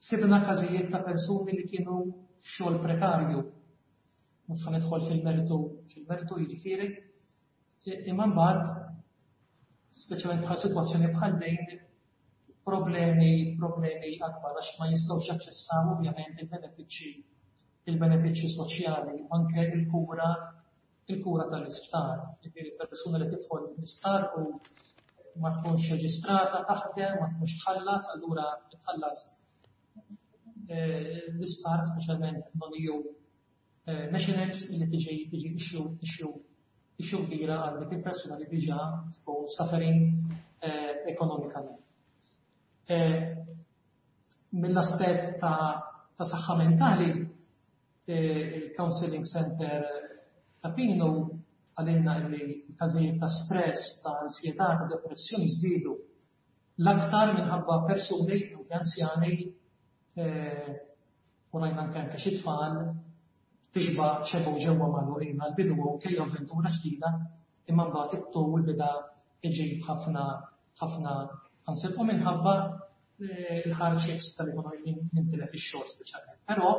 Sibna każijiet ta' persuni li kienu f'xogħol prekarju. Mhux ħa nidħol fil-mertu fil-mertu jiġifieri, imma mbagħad speċjalment bħal sitwazzjoni bħal din problemi problemi akbar għax ma jistgħux jaċċessaw ovvjament il-benefiċċji il-benefiċċji soċjali u anke il-kura il-kura tal-isptar. Jiġifieri persuna li tidħol l-isptar u ma tkunx reġistrata taħdem, ma tkunx tħallas, allura tħallas l-isptar speċjalment non-EU nationals li tiġi tiġi issue issue issue kbira għal dik il-persuna li diġà tkun suffering ekonomikament. Mill-aspett ta' ta' saħħa mentali, il-Counseling Center ta' Pinu għalinna li l-każijiet ta' stress, ta' ansjetà, ta' depressjoni żdiedu l-aktar minħabba persuni anke anzjani u rajna anke anke xi tfal tixba' xebgħu ġewwa magħluqin għall-bidu okej avventura ġdida imma mbagħad it-tul beda iġib ħafna ħafna ansjetà u minħabba l-hardships tal-ekonomija min tilef ix-xogħol speċjalment. Però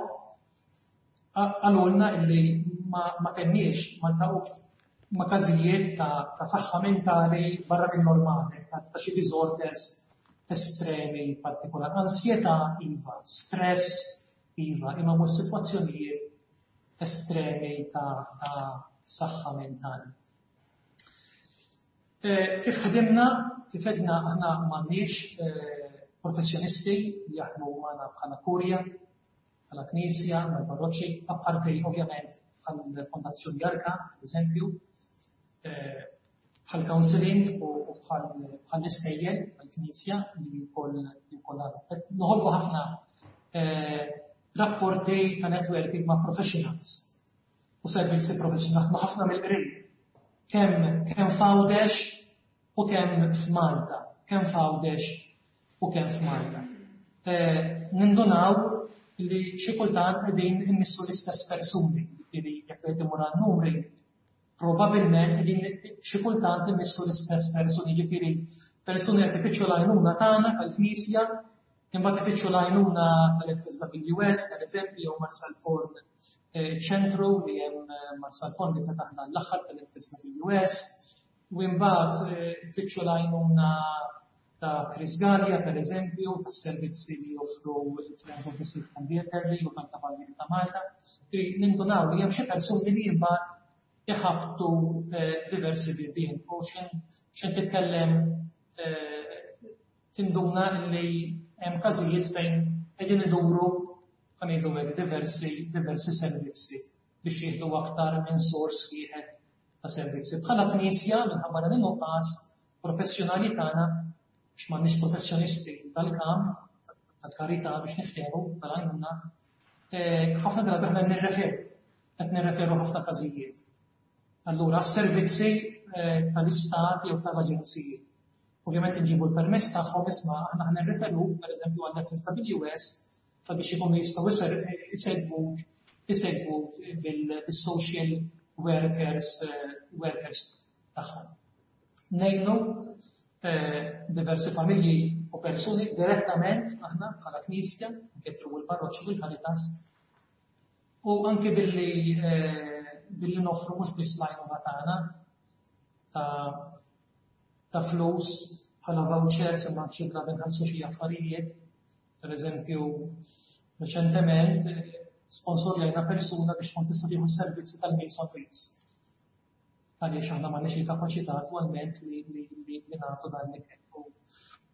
qalulna illi ma kenniex ma ltaqgħux ma' każijiet ta' saħħa mentali barra minn normali, ta' xi disorders estremi partikolari. Ansjetà iva, stress iva, imma mhux sitwazzjonijiet estremi ta' saħħa mentali. Kif ħdimna, kif għedna aħna m'għandniex professjonisti li jaħdmu magħna bħala kurja, bħala knisja, mal-parroċċi, apparti ovvjament bħal-Fondazzjoni Arka, per eżempju, bħal counseling u bħal l-iskejjel tal-knisja li wkoll li wkoll għandna. Noħolqu ħafna rapporti ta' networking ma' professionals u servizzi professjonali ma' ħafna mill-qrib. Kemm kemm f'Għawdex u kemm f'Malta, kemm f'Għawdex u kemm f'Malta. Nindunaw li xi kultant qegħdin immissu l-istess persuni, jiġifieri jekk qed imur għan-numri, probabbilment qegħdin xi kultant immissu l-istess persuni, jiġifieri persuni qed ifittxu l-għajnuna tagħna tal-Knisja, imbagħad ifittxu l-għajnuna tal-FSWS, pereżempju, jew Marsalforn ċentru li hemm Marsalforn li fetaħna l-aħħar tal-FSWS, u imbagħad ifittxu l-għajnuna ta' Chris Gallia, per eżempju, ta' servizzi li joffru l-Friends of the Sick and the Elderly u tal-Kavallieri ta' Malta. Nindunaw li hemm xi persuni li imbagħad iħabbtu diversi bibien u x'in titkellem tinduna li hemm każijiet fejn qegħdin iduru, ħa ngħidu hekk, diversi diversi servizzi biex jieħdu aktar minn sors wieħed ta' servizzi. Bħala Knisja, minħabba dan in-nuqqas professjonali tagħna, biex m'għandniex professjonisti tal-kamp, tal-karità biex niftehmu, tal-għajnuna, ħafna drabi aħna nirreferu, qed nirreferu ħafna każijiet. Allura, s-servizzi tal-istat jew tal-aġenziji. Ovvjament nġibu l-permess tagħhom, isma' aħna ħa nirreferu, pereżempju, għall-FSWS sabiex ikunu jistgħu isegwu bil-social workers tagħhom. Ngħinu diversi familji u persuni direttament aħna bħala Knisja, anke through il-parroċċi u l-Caritas, u anke billi noffru mhux biss l-għajnuna tagħna ta' flus bħala vouchers, imma xi drabi nħallsu xi affarijiet. Per eżempju, reċentement sponsorjajna persuna biex tkun tista' tieħu s-servizzi tal-Meals on Wheels. Għaliex aħna m'għandniex il-kapaċità attwalment li nagħtu dan l-ikel.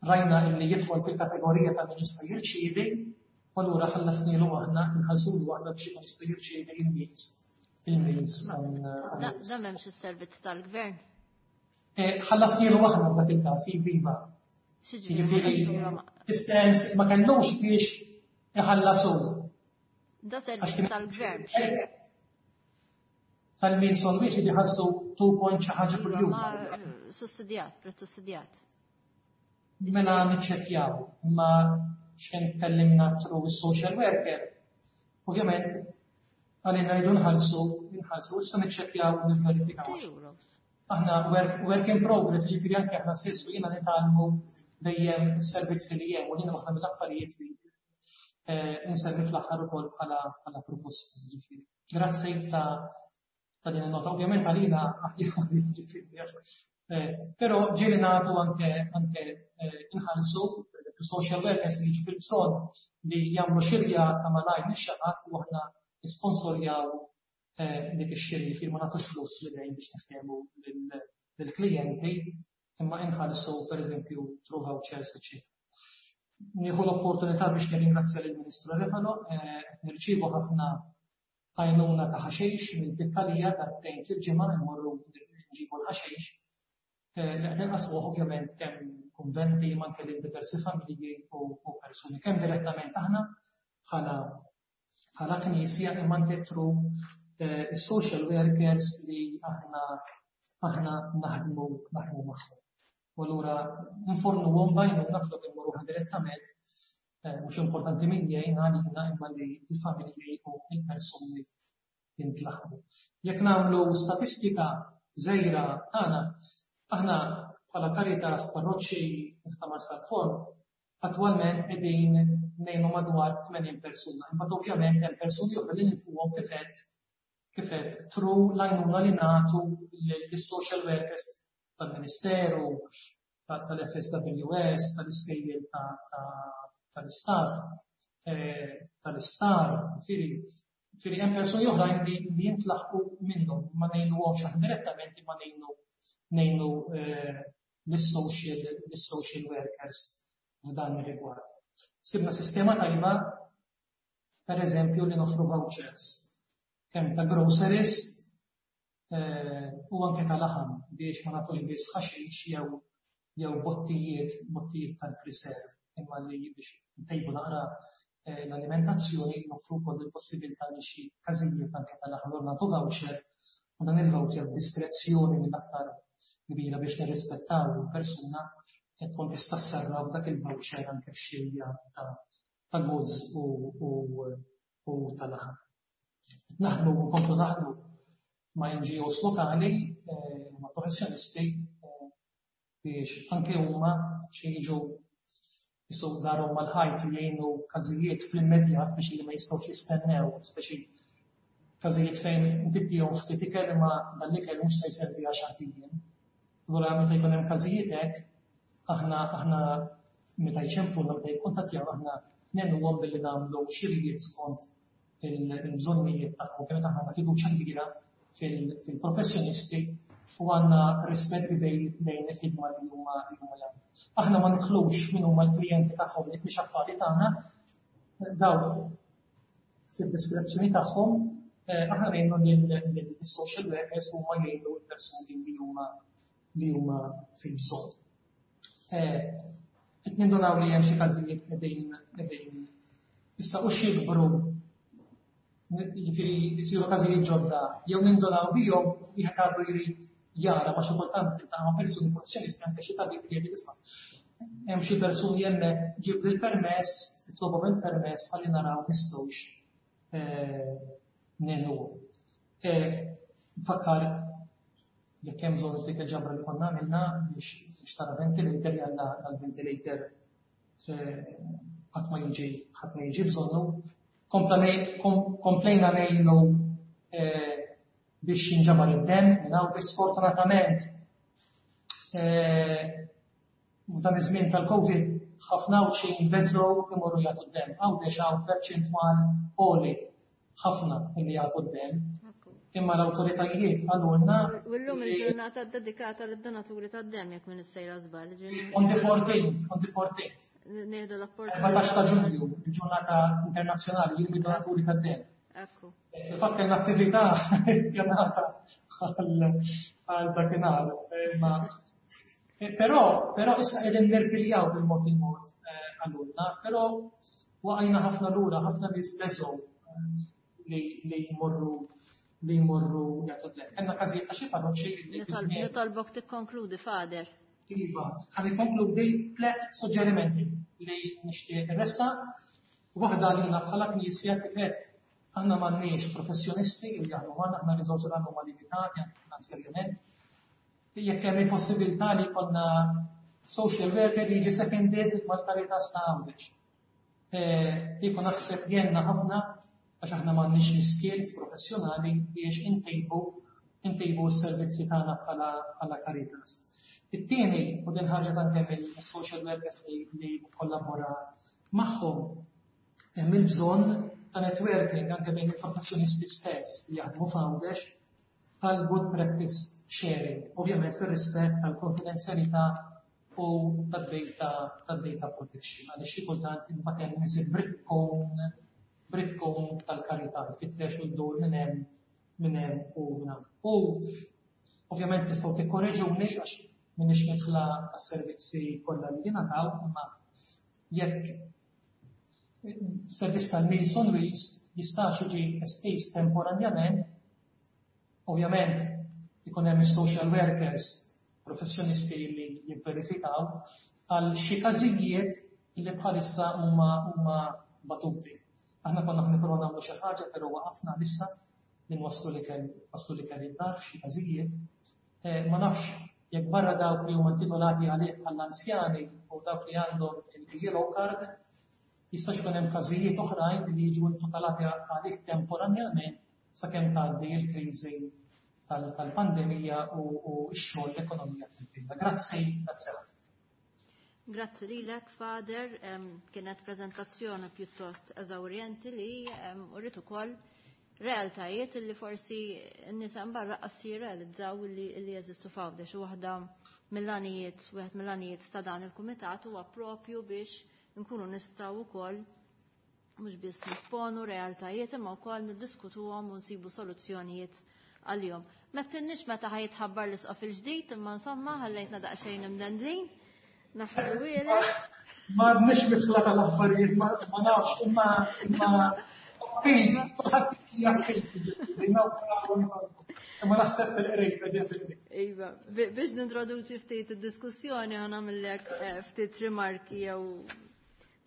Rajna illi jidħol fil-kategorija ta' min jista' jirċievi, u allura ħallasnielu aħna, nħallsulu aħna biex ikun jista' jirċievi il-meals on Da m'hemmx is-servizz tal-gvern? Ħallasnielu aħna f'dak il-każ, iva. Jiġifieri, istess ma kellux biex iħallasu. Da servizz tal-gvern. Tal-Meals on Wheels jħallsu 2 point xi ħaġa kuljum. Sussidjat, prezz sussidjat. Mela niċċekkjaw, imma xejn kellimna through social worker. Ovvjament, għalina rridu nħallsu, nħallsu, issa niċċekkjaw u nivverifikaw. Aħna work in progress, jiġifieri anke aħna stess u jiena nitgħallmu dejjem servizzi li hemm u din waħda mill-affarijiet li nsemmi fl-aħħar ukoll bħala proposta, jiġifieri. Grazzi ta' din il-nota. Ovvjament għalina aħjar, jiġifieri, però ġieli nagħtu anke inħallsu social workers li jiġu fil-bżonn li jagħmlu xirja ta' malajr lil xi ħadd u aħna nisponsorjaw dik ix-xirja, fil ma nagħtux flus li dejjem biex niftehmu lill-klijenti, imma inħallsu pereżempju through vouchers, eċċetera. Nieħu l-opportunità biex nirringrazzja lill-Ministru Refalo, nirċievu ħafna għajnuna ta' ħaxix mill-Pitkalija darbtejn fil-ġimgħa nmorru nġibu l-ħaxix. Li qed inqasmuh ovvjament kemm kunventi ma anke lil diversi familji u persuni, kemm direttament aħna bħala Knisja imma anke through social workers li aħna naħdmu magħhom. U allura nfornuhom b'għajnuna flok immorru direttament, mhux importanti min jgħin għalina imma li l-familji u l-persuni jintlaħqu. Jekk nagħmlu statistika żgħira tagħna, aħna bħala Caritas parroċċi ta' Marsalforn attwalment qegħdin ngħinu madwar 80 persuna. Imbagħad ovvjament hemm persuni oħra li nilħquhom kifet through l-għajnuna li nagħtu lis-social workers tal-Ministeru, tal-FSWS, tal-iskejjel tal-Istat, tal-isptar, ġifieri hemm persuni oħrajn li jintlaħqu minnhom, ma ngħinuhomx aħna direttament imma ngħinu lis-social workers f'dan ir-rigward. Sibna sistema tajba, per eżempju, li noffru vouchers, kemm ta' groceries u anke ta' laħam biex ma nagħtux biss ħaxix jew bottijiet tal-preserve, imma li biex ntejbu naqra l-alimentazzjoni noffru wkoll il-possibilità li xi każijiet anke tal-laħam nagħtu voucher, u dan il-voucher b'diskrezzjoni mill-aktar kbira biex nirrispettaw il-persuna qed tkun tista' ssarraf dak il-voucher anke f'xirja ta' goods u tal-laħam. Naħdmu u nkomplu naħdmu ma' NGOs lokali, ma' professjonisti, biex anke huma xi jiġu jisu darhom mal-ħajt li jgħinu każijiet fl-immedjat biex li ma jistgħux jistennew, speċi każijiet fejn inti tihom ftit ikel imma dan l-ikel mhux se jservi għax ijiem. Allura meta jkun hemm każijiet hekk, aħna meta jċempluna, meta jikkuntattjaw, aħna ngħinuhom billi nagħmlu xirijiet skont il-bżonnijiet tagħhom. Ovvjament aħna fiduċja kbira. fil-professjonisti u għandna rispett kbir lejn il-ħidma li huma jagħmlu. Aħna ma nidħlux min huma l-klijenti tagħhom, dik mhix affari tagħna, daw fid-diskrezzjoni tagħhom, aħna ngħinu lill-social workers u huma jgħinu l-persuni li huma fil-bżonn. Qed nindunaw li hemm xi każijiet qegħdin issa u xikbru, jiġifieri jsiru każijiet ġodda, jew nindunaw bihom, wieħed għadu jrid jara ma xi kultant ta' ma' persuni professjonisti, anke xi tabib li jgħid, "Isma', hemm xi persuni hemmhekk, ġib il-permess, itlobhom il-permess ħalli naraw nistgħux ngħinuhom." Nfakkar jekk hemm bżonn f'dik il-ġabra li konna għamilna biex tara ventilator, jalla dal-ventilator qatt ma jiġi bżonnu. Komplejna ngħinu biex jinġabar id-demm minn hawn. Sfortunatament f'dan iż-żmien tal-Covid ħafna Għawdxin beżgħu imorru jagħtu d-demm. Għawdex hawn perċentwal għoli ħafna illi jagħtu d-demm. Imma l-awtoritajiet qalulna U llum il-ġurnata dedikata lid-donaturi tad-demm, jekk m'iniex sejra żball. On the 14th, on the 14th. Nieħdu l-opportunità. 14 ta' Ġunju, il-ġurnata internazzjonali, jum id-donaturi tad-demm. Fil-fatt kellna attività ppjanata għal dakinhar. Imma però issa qegħdin nirpiljaw bil-mod il-mod, qalulna, però waqajna ħafna lura, ħafna nies beżgħu li jmorru jagħtu d-demm. Kellna każijiet ta' xi parroċċi li fi żmien Nitolbok tikkonkludi, Father. Iva, ħa nikkonkludi tlet suġġerimenti li nixtieq irressaq. Waħda lina bħala Knisja, kif għedt, aħna m'għandniex professjonisti li jaħdmu magħna, aħna riżorsi tagħna huma limitati anke finanzjarjament. Jekk hemm il-possibilità li jkollna social worker li jiġi seconded mal-Caritas ta' Għawdex. Kieku naħseb jgħinna ħafna għax aħna m'għandniex l-skills professjonali biex intejbu s-servizzi tagħna bħala Caritas. It-tieni, u din ħarġet anke mill-social workers li kollabora magħhom, hemm il-bżonn ta' networking anke bejn il-professjonisti stess li jaħdmu f'Għawdex għal good practice sharing, ovvjament fir-rispett tal-konfidenzjalità u tad-data protection, għaliex xi kultant imbagħad hemm isir brikkun tal-karità, jfittex u ddur minn hemm u minn hawn. U ovvjament tistgħu tikkoreġuni għax m'iniex midħla għas-servizzi kollha li jingħataw, imma jekk servizz tal-Meals on Wheels jistax jiġi estiż temporanjament, ovvjament ikun hemm social workers professjonisti li jivverifikaw għal xi każijiet li bħalissa huma batuti. Aħna konna nipprova nagħmlu xi ħaġa, però waqafna issa li waslu li kell id-dar f'xi każijiet. Ma nafx jekk barra dawk li huma intitolati għalih bħall-anzjani u dawk li għandhom il-yellow card, jistax ikun hemm każijiet oħrajn li jiġu intitolati għalih temporanjament sakemm tgħaddi l-kriżi tal-pandemija u x-xogħol l-ekonomija tal-bidla. Grazzi, grazzi ħafna. Grazzi lilek, Father. Kienet prezentazzjoni pjuttost eżawrjenti li uriet ukoll realtajiet li forsi n-nies barra qas jirrealizzaw li jeżistu f'Għawdex. U waħda mill-għanijiet, wieħed mill-għanijiet ta' dan il-kumitat huwa propju biex nkunu nistgħu wkoll mhux biss nisponu realtajiet imma wkoll niddiskutuhom u nsibu soluzzjonijiet għalihom. Ma tinniex meta ħa jitħabbar l-isqof il-ġdid, imma insomma ħallejtna daqsxejn imdendlin. Naħlu. Ma għadniex midħla tal-affarijiet, ma nafx, imma fejn, imma naħseb fil-qrib, qegħdin fil-qrib. Iva, biex nintroduċi ftit id-diskussjoni, ħa nagħmillek ftit rimarki jew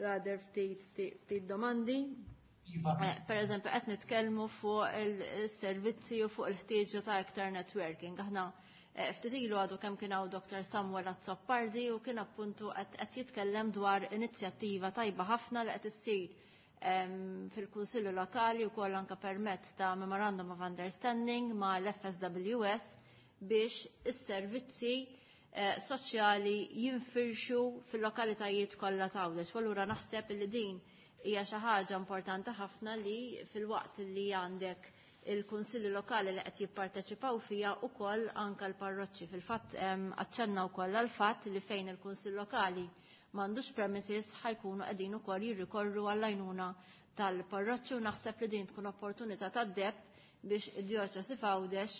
rather ftit domandi. Iva. Per eżempju, qed nitkellmu fuq il-servizzi u fuq il-ħtieġa ta' iktar networking. Aħna ftit ilu għadu kemm kien hawn Dr. Samuel Azzopardi u kien appuntu qed jitkellem dwar inizjattiva tajba ħafna li qed issir fil-Kunsillu Lokali u koll anka permezz ta' Memorandum of Understanding ma' l-FSWS biex is-servizzi soċjali jinfirxu fil-lokalitajiet kollha ta' Għawdex. U allura naħseb li din hija xi ħaġa importanti ħafna li fil-waqt li għandek il-kunsilli lokali li qed jipparteċipaw fija ukoll anke l-parroċċi. Fil-fatt aċċenna wkoll għall-fatt li fejn il-kunsill lokali m'għandux premises ħajkunu qegħdin ukoll jirrikorru għall-għajnuna tal-parroċċi u naħseb li din tkun opportunità tad-deb biex id-djoċesi f'Għawdex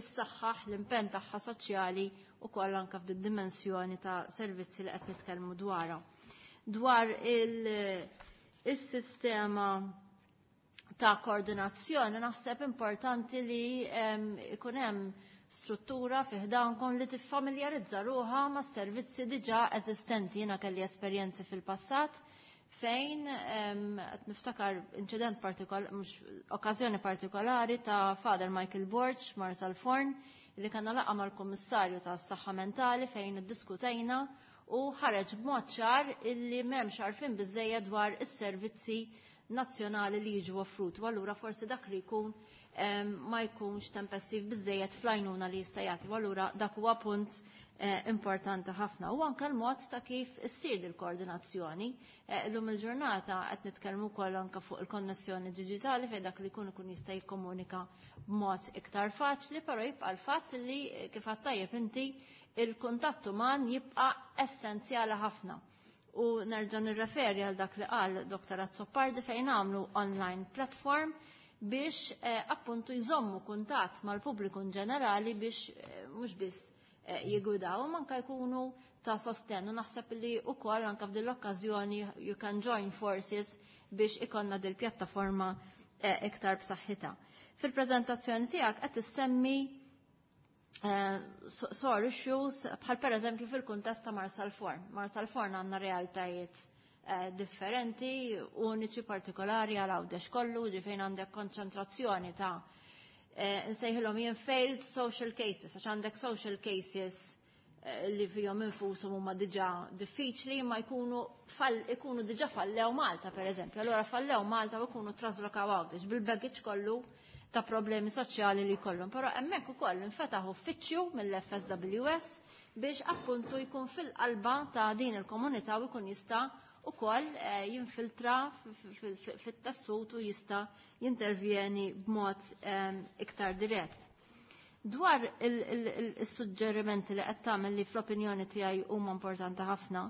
issaħħaħ l-impenn tagħha soċjali ukoll anke f'din dimensjoni ta' servizzi li qed nitkellmu dwarha. Dwar il-sistema ta' koordinazzjoni naħseb importanti li ikun hemm struttura fi ħdankom li tiffamiljarizza ruħha ma' servizzi diġà eżistenti. Jiena kelli esperjenzi fil-passat fejn qed niftakar inċident partikol mhux okkażjoni partikolari ta' Father Michael Borg Marsal Forn li kellna laqgħa mal-Kummissarju tas-Saħħa Mentali fejn iddiskutejna u ħareġ b'mod ċar illi m'hemmx għarfien biżejjed dwar is-servizzi nazzjonali li jiġu offrut. U allura forsi dak li jkun ma jkunx tempestiv biżejjed fl-għajnuna li jista' jagħti. U allura dak huwa punt importanti ħafna. U anke l-mod ta' kif issir il-koordinazzjoni. Illum il-ġurnata qed nitkellmu wkoll anke fuq il-konnessjoni diġitali fejn dak li jkun ikun jista' jikkomunika b'mod iktar faċli, però jibqa' l-fatt li kif għedt tajjeb inti il-kuntatt uman jibqa' essenzjali ħafna. U nerġa' nirreferi għal dak li qal Dr. Azzopardi fejn għamlu online platform biex appuntu jżommu kuntatt mal-pubbliku in ġenerali biex mhux biss jigwidaw, manka jkunu ta' sosten. U naħseb li wkoll anke f'din l-okkażjoni you can join forces biex ikonna dil pjattaforma iktar b'saħħitha. Fil-preżentazzjoni tiegħek qed issemmi sor issues bħal per eżempju fil-kuntest ta' Marsalforn. Marsalforn għandna realtajiet differenti, uniċi partikolari għal Għawdex kollu, ġifejn għandek konċentrazzjoni ta' nsejħilhom jien failed social cases, għax għandek social cases li fihom infushom huma diġà diffiċli ma jkunu ikunu diġà fallew Malta per eżempju. Allura fallew Malta u jkunu traslokaw Għawdex bil-baggage kollu ta' problemi soċjali li jkollhom. Però hemmhekk ukoll infetaħ uffiċċju mill-FSWS biex appuntu jkun fil-qalba ta' din il-komunità u jkun jista' ukoll jinfiltra fit-tessut u jista' jintervjeni b'mod iktar dirett. Dwar il-suġġerimenti li qed tagħmel li fl-opinjoni tiegħi huma importanti ħafna,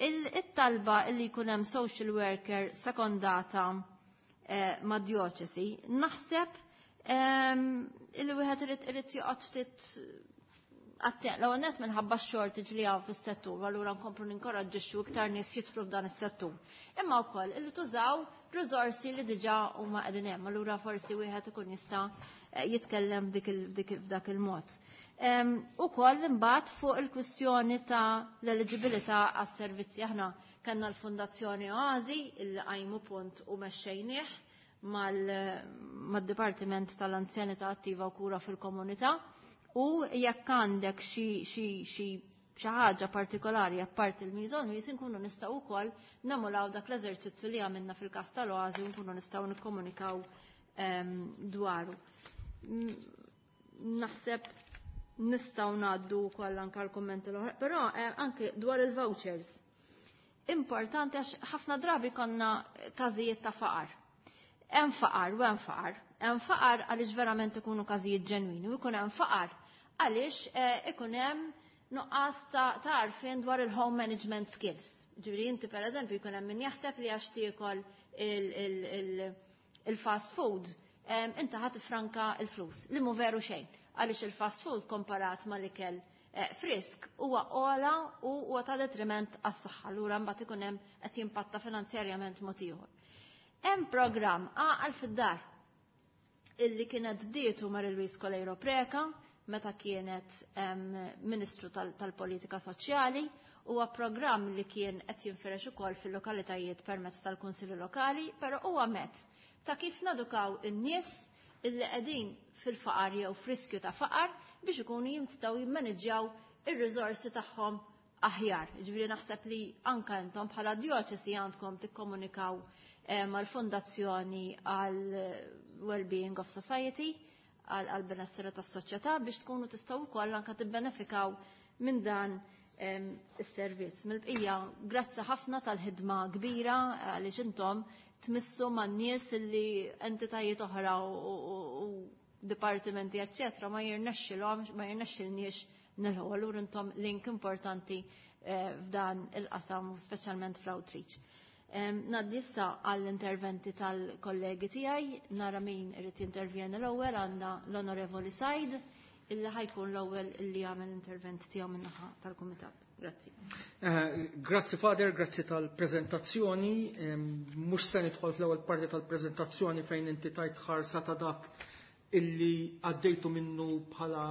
it-talba li jkun hemm social worker sekondata ma' djoċesi, naħseb illi wieħed irid joqgħod ftit attent, l net minħabba shortage li hawn fis-settur, allura nkomplu ninkoraġġixxu iktar nies jidħlu f'dan is-settur. Imma wkoll illi tużaw riżorsi li diġà huma qegħdin hemm, allura forsi wieħed ikun jista' jitkellem f'dak il-mod. Ukoll imbagħad fuq il-kwistjoni ta' l-eliġibilità għas-servizzi aħna kellna l-Fondazzjoni Oasi illi qajmu punt u mexxejnieh mad-Dipartiment tal-Anzjanità Attiva u Kura fil-Komunità u jekk għandek xi ħaġa partikolari apparti il-miżon jis nkunu nistgħu wkoll namulaw dak l-eżerċizzju li għamilna fil-każ tal-Oasi u nkunu nistgħu nikkomunikaw dwaru. Naħseb nistgħu ngħaddu wkoll anke l-kummenti l-oħra, però anke dwar il-vouchers. Importanti għax ħafna drabi konna każijiet ta' faqar. Hemm faqar u hemm faqar. Hemm faqar għaliex verament ikunu każijiet ġenwini u jkun hemm faqar għaliex ikun hemm nuqqas ta' għarfien dwar il-home management skills. Ġifieri inti pereżempju jkun hemm min jaħseb li għax tiekol il-fast food, inti ħadd ifranka l-flus, li mhu veru xejn. Għaliex il-fast food komparat mal-ikel frisk huwa ogħla u huwa ta' detriment għas-saħħa. Allura mbagħad ikun hemm qed jimpatta finanzjarjament mod ieħor. Hemm programm għaqal fid-dar illi kienet bdietu Marie Louise Coleiro Preca meta kienet Ministru tal-Politika Soċjali, huwa programm li kien qed jinfirex ukoll fil-lokalitajiet permezz tal-Kunsilli Lokali, però huwa mezz ta' kif nadukaw in-nies illi qegħdin fil-faqar jew f'riskju ta' faqar biex ikunu jistgħu jimmaniġġjaw ir-riżorsi tagħhom aħjar. Ġifieri naħseb li anke intom bħala djoċesi għandkom tikkomunikaw mal-Fondazzjoni għal Wellbeing of Society, għal benessere tas-soċjetà biex tkunu tistgħu wkoll anke tibbenefikaw minn dan is-servizz. Mill-bqija, grazzi ħafna tal-ħidma kbira għaliex intom tmissu man-nies li entitajiet oħra u dipartimenti eccetera ma jirnexxilhomx, ma jirnexxilniex nilħu. Allura intom link importanti f'dan il-qasam, speċjalment fl-outreach. Ngħaddi issa għall-interventi tal-kollegi tiegħi, nara min irid jintervjeni l-ewwel. Għandna l-Onorevoli Said, illi ħa jkun l-ewwel illi jagħmel intervent tiegħu min-naħa tal-Kumitat. Grazzi. Grazzi Father, grazzi tal-prezentazzjoni. Mhux se nidħol fl-ewwel parti tal-prezentazzjoni fejn inti tajt ħarsa ta' dak illi għaddejtu minnu bħala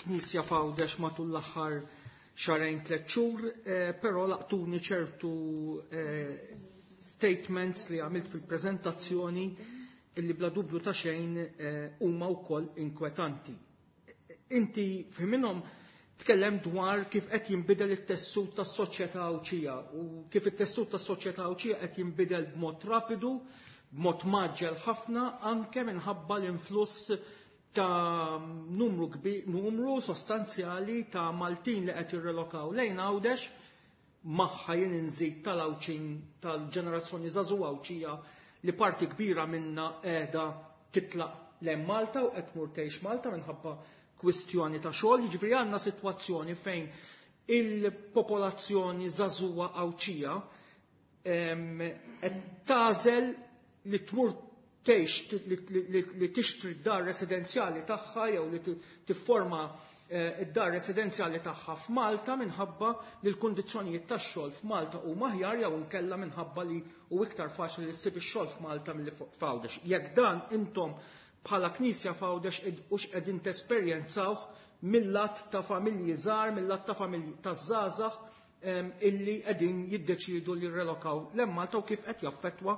knisja f'Għawdex matul l-aħħar xahrejn, 3 xhur, però laqtuni ċertu statements li għamilt fil-prezentazzjoni illi bla dubju ta' xejn huma wkoll inkwetanti. Inti fi minnhom tkellem dwar kif qed jinbidel it-tessut tas-soċjetà Għawdxija u kif it-tessut tas-soċjetà Għawdxija qed jinbidel b'mod rapidu, b'mod maġġel ħafna, anke minħabba l-influss ta' numru kbir, numru sostanzjali ta' Maltin li qed jirrelokaw lejn Għawdex, magħha jien inżid tal-Għawdxin tal-ġenerazzjoni żagħżugħa Għawdxija li parti kbira minna qiegħda titlaq lejn Malta u qed tmur tgħix Malta minħabba kwistjoni ta' xogħol. Jiġifieri għandna sitwazzjoni fejn il-popolazzjoni żagħżugħa Għawdxija qed tagħżel li tmur tgħix, li tixtri d-dar residenzjali tagħha jew li tifforma id-dar residenzjali tagħha f'Malta minħabba li l-kundizzjonijiet tax-xogħol f'Malta huma aħjar jew inkella minħabba li hu iktar faċli li ssib ix-xogħol f'Malta milli f'Għawdex. Jekk dan intom bħala knisja f'Għawdex hux qegħdin tesperjenzawh mill-lat ta' familji żgħar, mill-lat ta' familji ta' żgħażagħ illi qegħdin jiddeċiedu li jirrelokaw lejn Malta u kif qed jaffettwa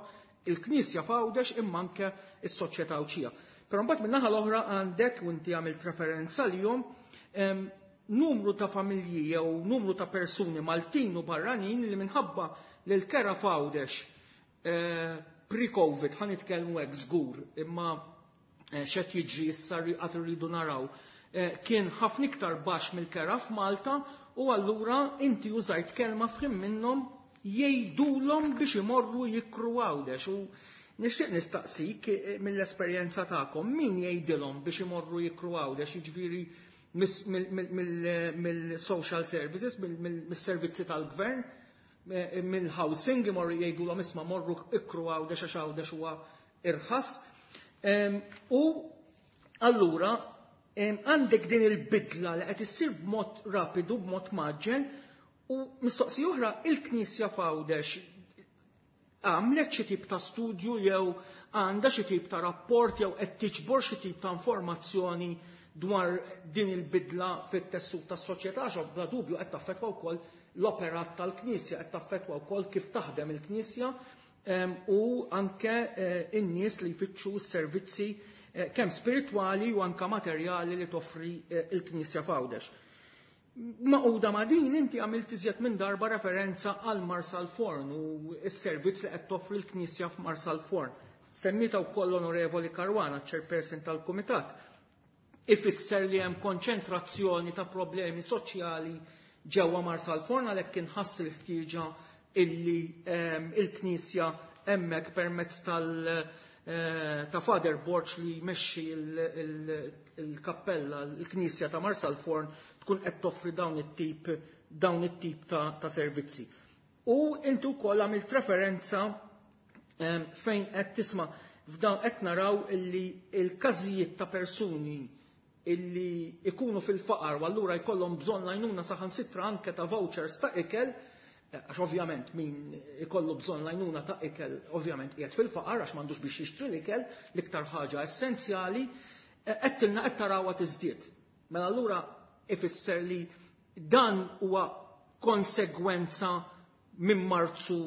il-knisja f'Għawdex imma anke s-soċjetà Għawdxija. Però mbagħad min-naħa l-oħra għandek, u inti għamilt referenza lihom, numru ta' familji jew numru ta' persuni Maltin u barranin li minħabba li l-kera f'Għawdex pre-Covid, ħa nitkellmu hekk żgur, imma x'qed jiġri issa qatt irridu naraw, kien ħafna iktar baxx mill-kera f'Malta, u allura inti użajt kelma f'ħin minnhom jgħidulhom biex imorru jikru Għawdex. U nixtieq nistaqsik mill-esperjenza tagħkom min jgħidilhom biex imorru jikru Għawdex, jiġifieri mill-social services, mill-servizzi tal-gvern, mill-housing imorru jgħidulhom isma' morru ikru Għawdex għax Għawdex huwa irħas. U allura għandek din il-bidla li qed issir b'mod rapidu, b'mod maġġel, u mistoqsija oħra, il-Knisja f'Għawdex għamlet xi tip ta' studju jew għandha xi tip ta' rapport jew qed tiġbor xi tip ta' informazzjoni dwar din il-bidla fit-tessut tas-soċjetà, għax bla dubju qed taffettwa wkoll l-operat tal-Knisja, qed taffettwa wkoll kif taħdem il-Knisja, u anke in-nies li jfittxu s-servizzi kemm spiritwali u anke materjali li toffri il-Knisja f'Għawdex. Maquda ma' din inti għamilt iżjed minn darba referenza għal Marsalforn u s-servizz li qed toffri l-Knisja f'Marsalforn. Semmita wkoll l-Onorevoli Caruana, chairperson tal-Kumitat. Ifisser li hemm konċentrazzjoni ta' problemi soċjali ġewwa Marsalforn, għalhekk inħass il-ħtieġa illi il-Knisja hemmhekk permezz ta' Father Borg li jmexxi il-kappella, il-Knisja ta' Marsalforn, tkun qed toffri dawn it-tip ta' servizzi. U inti wkoll għamilt referenza fejn qed tisma' f'dan qed naraw illi il-każijiet ta' persuni illi ikunu fil-faqar u allura jkollhom bżonn l-għajnuna saħansitra anke ta' vouchers ta' ikel, għax ovvjament min ikollu bżonn l-għajnuna ta' ikel ovvjament qiegħed fil-faqar għax m'għandux biex jixtri l-ikel, l-iktar ħaġa essenzjali, qed tilna qed tarawha tiżdied. Mela allura ifisser li dan huwa konsegwenza minn Marzu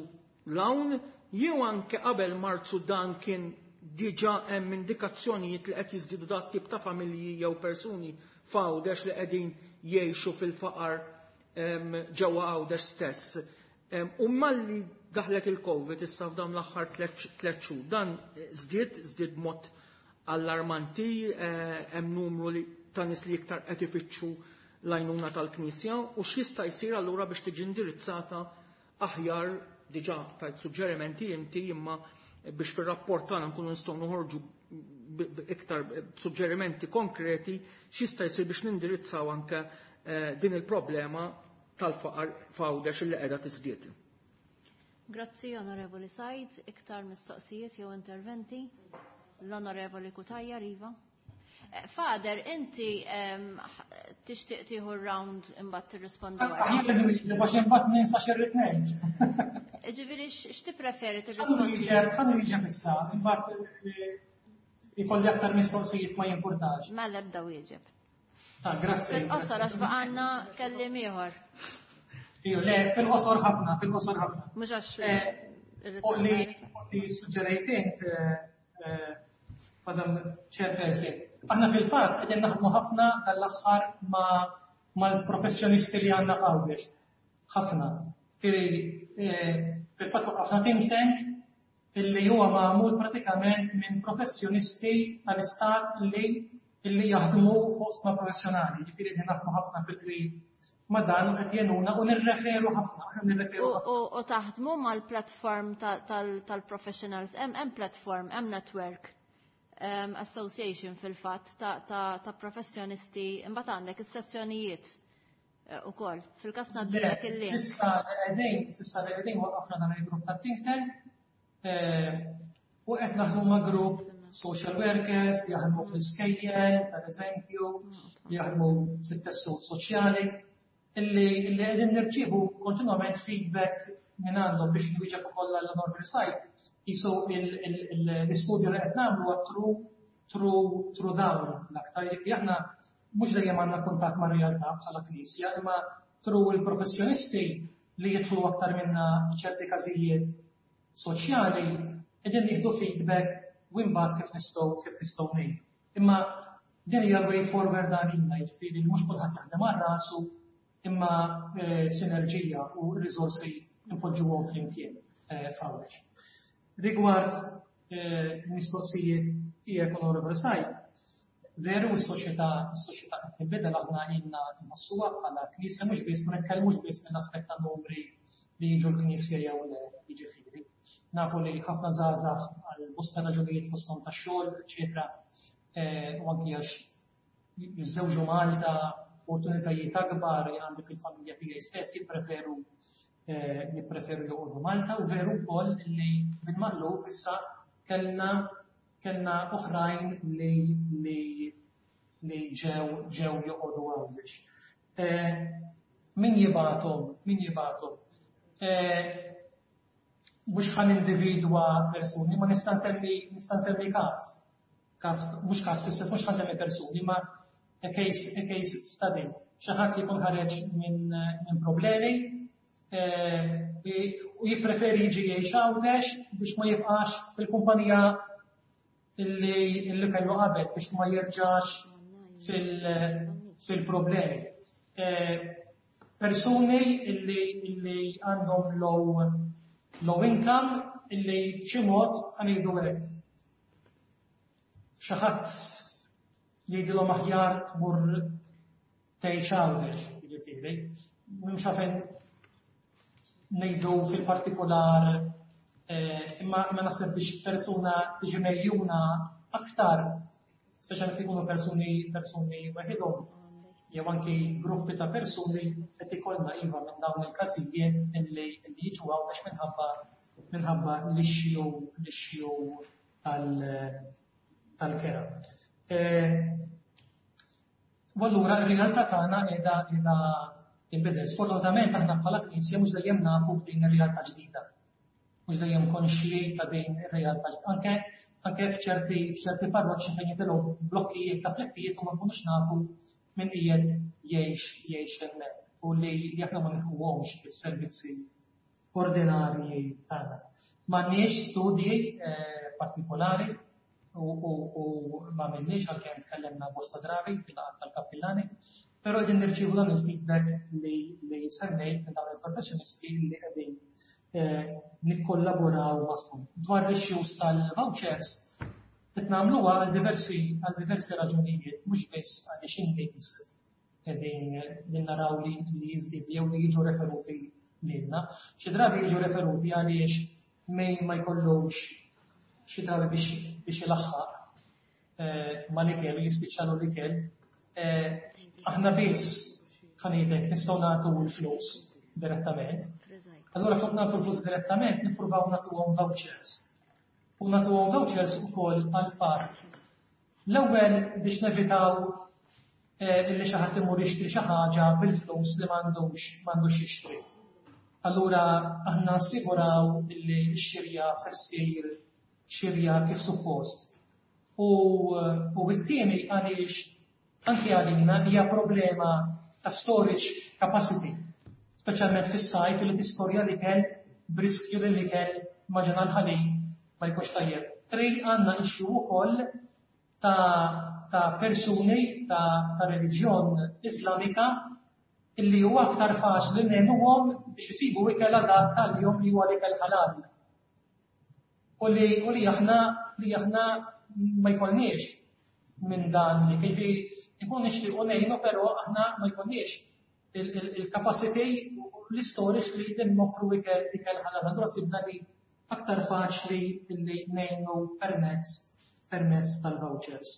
l-hawn, jew anke qabel Marzu dan kien diġà hemm indikazzjonijiet li qed jiżdiedu dat tip ta' familji jew persuni f'Għawdex li qegħdin jgħixu fil-faqar ġewwa Għawdex stess. U malli daħlet il-Covid issa f'dawn l-aħħar tliet xhur, dan żdied b'mod allarmanti, hemm numru li ta' nies li iktar qed ifittxu l-għajnuna tal-Knisja, u x'jista' jsir allura biex tiġi indirizzata aħjar, diġà tajt suġġerimenti inti, imma Biex fir-rapport tagħna nkunu nistgħu noħorġu iktar suġġerimenti konkreti x'jista' jsir biex nindirizzaw anke din il-problema tal-faqar f'Għawdex illi qiegħda tiżdied. Grazzi, Onorevoli Said. Iktar mistoqsijiet jew interventi? L-Onorevoli Cutajar, Iva. Father, inti tixtieq tieħu round imbagħad tirrispondi wara. Għax imbagħad ninsa x'irrid ngħid. Ġifieri x'tippreferi tirrispondi? Ħa nwieġeb issa, imbagħad ikolli aktar mistoqsijiet ma jimpurtax. Mela ebda wieġeb. Ah, grazzi. Fil-qosor għax baqgħalna kelliem ieħor. Iju, le, fil-qosor ħafna, fil-qosor ħafna. Mhux għax Fuq li suġġerejt int, Madam Chairperson, aħna fil-fatt qegħdin naħdmu ħafna dal-aħħar mal-professjonisti li għandna f'Għawdex. Ħafna. Fil-fatt waqqafna think tank illi huwa magħmul pratikament minn professjonisti tal-istat li illi jaħdmu fuq sma professjonali. Ġifieri qegħdin naħdmu ħafna fil-qrib ma' dan u qed jgħinuna u nirreferu ħafna, aħna nirreferu ħafna. U taħdmu mal-platform tal-professionals, hemm platform, hemm network, association fil-fatt ta' professjonisti, imbagħad għandek is-sessjonijiet ukoll. Fil-każ ngħaddilek il-link. S'issa li qegħdin waqqafna dan il-grupp ta' think tank u qed naħdmu ma' grupp social workers li jaħdmu fl-iskejjel, per eżempju, li jaħdmu fit-tessut soċjali, illi qegħdin nirċievu kontinwament feedback minn għandhom biex nwieġeb ukoll għall-Honorable Said. Jisu l-istudju li qed nagħmlu huwa true dawn l-aktar. Jekk aħna mhux dejjem għandna kuntatt mar-realtà bħala Knisja, imma true il-professjonisti li jidħlu aktar minna f'ċerti każijiet soċjali, qegħdin nieħdu feedback u imbagħad kif nistgħu ngħinu. Imma din hija l-way forward għalina, jiġifieri li mhux kulħadd jaħdem għal rasu, imma sinerġija u riżorsi npoġġuhom flimkien f'Għawdex. Rigward mistoqsijiet tiegħek, Onorevole Said, veru s-soċjetà qed tinbidel, aħna ilna nħossuha bħala Knisja, mhux biss ma nitkellmux biss mill-aspett ta' numri li jiġu l-Knisja jew le, jiġifieri. Nafu li ħafna żgħażagħ għal bosta raġunijiet fosthom ta' xogħol, eċetera, u anki għax jiżżewġu Malta, opportunitajiet akbar għandi fil-familja tiegħi stess jippreferu joqogħdu Malta, u veru wkoll li bil-maqlub issa kellna oħrajn li ġew joqogħdu Għawdex. Min jibgħathom? Min jibgħathom? Mhux ħan individwa persuni, ma nista' nsemmi każ. Każ, mhux każ fis-sens, mhux ħan semmi persuni, ma a case study. Xi ħadd li jkun ħareġ minn problemi u jippreferi jiġi jgħix Għawdex biex ma jibqax fil-kumpanija illi kellu qabel, biex ma jerġax fil-problemi. Persuni illi għandhom low income illi b'xi mod ħa ngħidu hekk. Xi ħadd jgħidilhom aħjar tmur tgħix Għawdex, jiġifieri. Mhux għalfejn ngħidu fil-partikolar, imma naħseb biex persuna tiġi megħjuna aktar, speċjalment ikunu persuni weħidhom, jew anki gruppi ta' persuni, qed ikollna iva minn dawn il-każijiet illi jiġu Għawdex minħabba l-issue tal-kera. U allura r-realtà tagħna qiegħda tinbidel. Sfortunatament aħna bħala Knisja mhux dejjem nafu din ir-realtà ġdida. Mhux dejjem konxji ta' din ir-realtà ġdida. Anke f'ċerti parroċċi fejn jitilgħu blokkijiet ta' flettijiet u ma nkunux nafu min qiegħed jgħix hemmhekk u li aħna ma nilħuhomx fis-servizzi ordinarji tagħna. M'għandniex studji partikolari u ma minniex, għalkemm tkellimna bosta drabi fil-laqgħat tal-kappillani, però qegħdin nirċievu dan il-feedback li semmejt minn dawn il-professjonisti li qegħdin nikkollaboraw magħhom. Dwar l-issues tal-vouchers, qed nagħmluha għal diversi raġunijiet, mhux biss għaliex in-nies qegħdin naraw li jiżdied jew li jiġu referuti lilna. Xi drabi jiġu referuti għaliex min ma jkollux xi drabi biex ilaħħaq mal-ikel u jispiċċalu l-ikel, aħna biss, ħa ngħidlek, nistgħu nagħtu l-flus direttament. Allura flok nagħtu l-flus direttament nippruvaw nagħtuhom vouchers. U nagħtuhom vouchers ukoll għal fatt. L-ewwel biex nevitaw illi xi ħadd imur jixtri xi ħaġa bil-flus li m'għandux jixtri. Allura aħna assiguraw illi x-xirja se ssir xirja kif suppost. U t-tieni għaliex anke għalina hija problema ta' storage capacity, speċjalment fis-sajf li tistorja l-ikel b'riskju li l-ikel maġen għal-ħalib ma jkunx tajjeb. Tri għandna issue ukoll ta' persuni ta' reliġjon Islamika illi huwa aktar faċli ngħinuhom biex isibu ikel adatt għalihom li huwa l-ikel ħalal. U li aħna ma jkollniex minn dan li kif ikun nixtiequ ngħinu, però aħna ma jkollniex il-capacity l-storage li noffru ikel ħalal. Allura sibna li aktar faċli li ngħinu permezz tal-vouchers.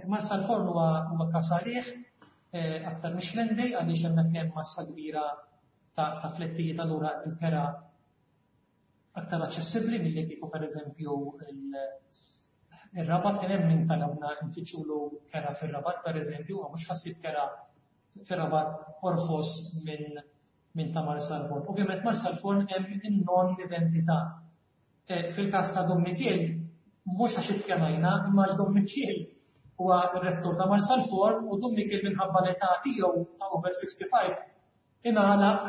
Marsalforn huwa każ għalih, aktar mhix Xlendi għaliex hemmhekk hemm massa kbira ta' flettijiet, allura il-kera aktar aċċessibbli milli kieku pereżempju ir-Rabat. Kien hemm min talabna nfittxulu kera fir-Rabat pereżempju, u mhux ħassib kera fir-Rabat orħos minn ta' Marsalforn. Ovvjament Marsalforn hemm in-non identità. Fil-każ ta' Dom Mikiel, mhux għax ippjanajna, imma għax Dom Mikiel huwa r-rettur ta' Marsalforn u Dom Mikiel minħabba l-età tiegħu ta' over 65 ingħalaq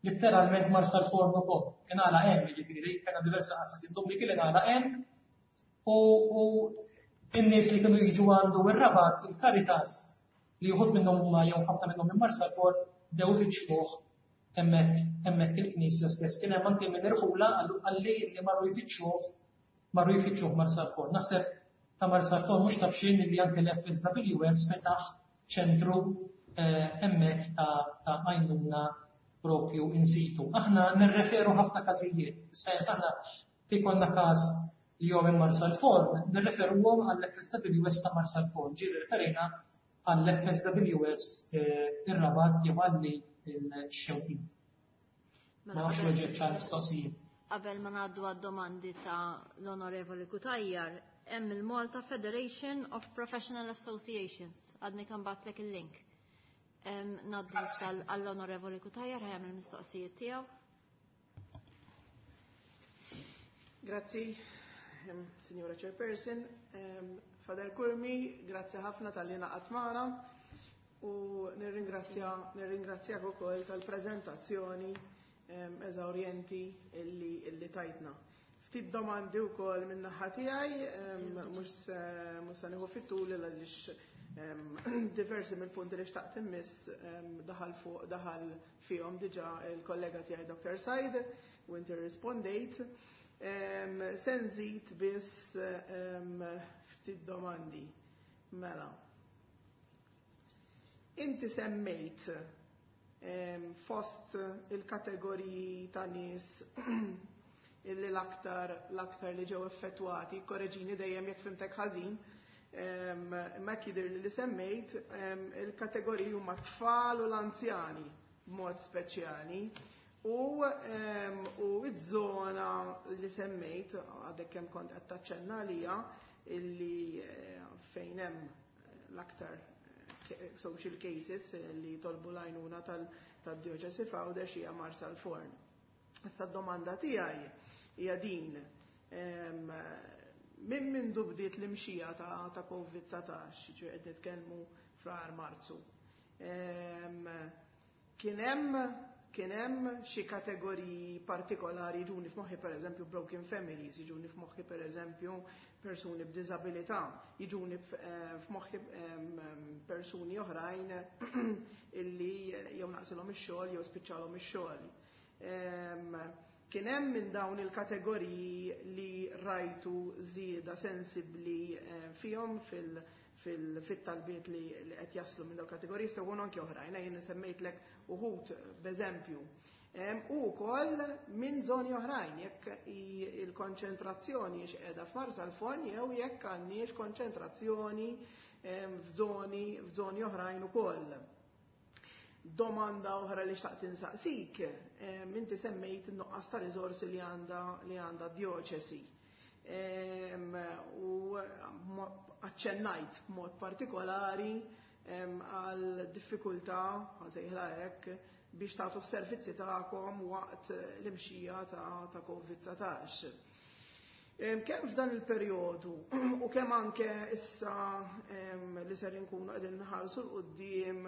letteralment Marsalforn ukoll. Ingħalaq hemm, jiġifieri, kellna diversi qassisin, Dom Mikiel ingħalaq hemm u n-nies li kienu jiġu għandu ir-Rabat, il-Caritas, li uħud minnhom huma jew ħafna minnhom minn Marsalforn, bdew ifittxuh hemmhekk il-knisja stess. Kien hemm anke minn irħula għalli li marru jfittxuh Marsalforn. Naħseb ta' Marsalforn mhux ta' b'xejn li anke l-FSWS fetaħ ċentru hemmhekk ta' għajnuna propju in situ. Aħna nirreferu ħafna każijiet, sens aħna ikollna każ li huwa minn Marsalforn, nirreferuhom għall-FSWS ta' Marsalforn, ġieli referejna għall-FSWS ir-Rabat jew għalli il-Xewkija. Ma nafx weġġeb ċar mistoqsijiet. Qabel ma ngħaddu għad-domandi ta' l-Onorevoli Cutajar, hemm il-Malta Federation of Professional Associations. Għadni kemm bgħattlek il-link. Ngħaddu għall-Onorevoli Cutajar ħa jagħmel il-mistoqsijiet tiegħu. Grazzi, Signora Chairperson. Father Curmi, grazzi ħafna talli ngħaqadt magħna u nirringrazzjak ukoll tal-preżentazzjoni eżawrjenti illi tajtna. Ftit domandi wkoll minn naħa tiegħi, mhux se nieħu fit-tul għaliex diversi mill-punti li xtaqt immiss daħal fihom diġà il-kollega tiegħi Dr. Said u inti rispondejt. Se nżid biss ftit domandi. Mela. Inti semmejt fost il-kategoriji ta' nies illi l-aktar li ġew effettwati, korreġini dejjem jekk fhimtek ħażin, imma jidher li semmejt il-kategoriji huma tfal u l-anzjani b'mod speċjali. U iż-żona li semmejt, għadek kemm kont qed taċċenna għalija, illi fejn hemm l-aktar social cases li jitolbu l-għajnuna tad-djoċesi f'Għawdex hija Marsalforn. Issa d-domanda tiegħi hija din. Minn mindu bdiet l-imxija ta' Covid-19, ġifieri qed nitkellmu fl-aħħar Marzu. Kien hemm xi kategoriji partikolari jiġuni f'moħħi pereżempju broken families, jiġuni f'moħħi pereżempju persuni b'diżabilità, jiġuni f'moħħi persuni oħrajn illi jew naqsilhom ix-xogħol jew spiċċalhom ix-xogħol. Kien hemm minn dawn il-kategoriji li rajtu żieda sensibbli fihom fit-talbiet li qed jaslu minn dawn kategoriji, jistgħu jkunu anke oħrajn, jien semmejtlek uħud b'eżempju. U wkoll minn żoni oħrajn, jekk il-konċentrazzjoni qiegħda f'Marsalforn jew jekk għandniex konċentrazzjoni f'żoni oħrajn ukoll. Domanda oħra li xtaqt insaqsik, inti semmejt in-nuqqas ta' riżorsi li għandha d-djoċesi. U aċċennajt b'mod partikolari għal diffikultà, ħa nsejħilha hekk, biex tagħtu s-servizzi tagħkom waqt l-imxija ta' Covid-19. Kemm f'dan il-perjodu u kemm anke issa li ser inkunu qegħdin nħarsu 'l quddiem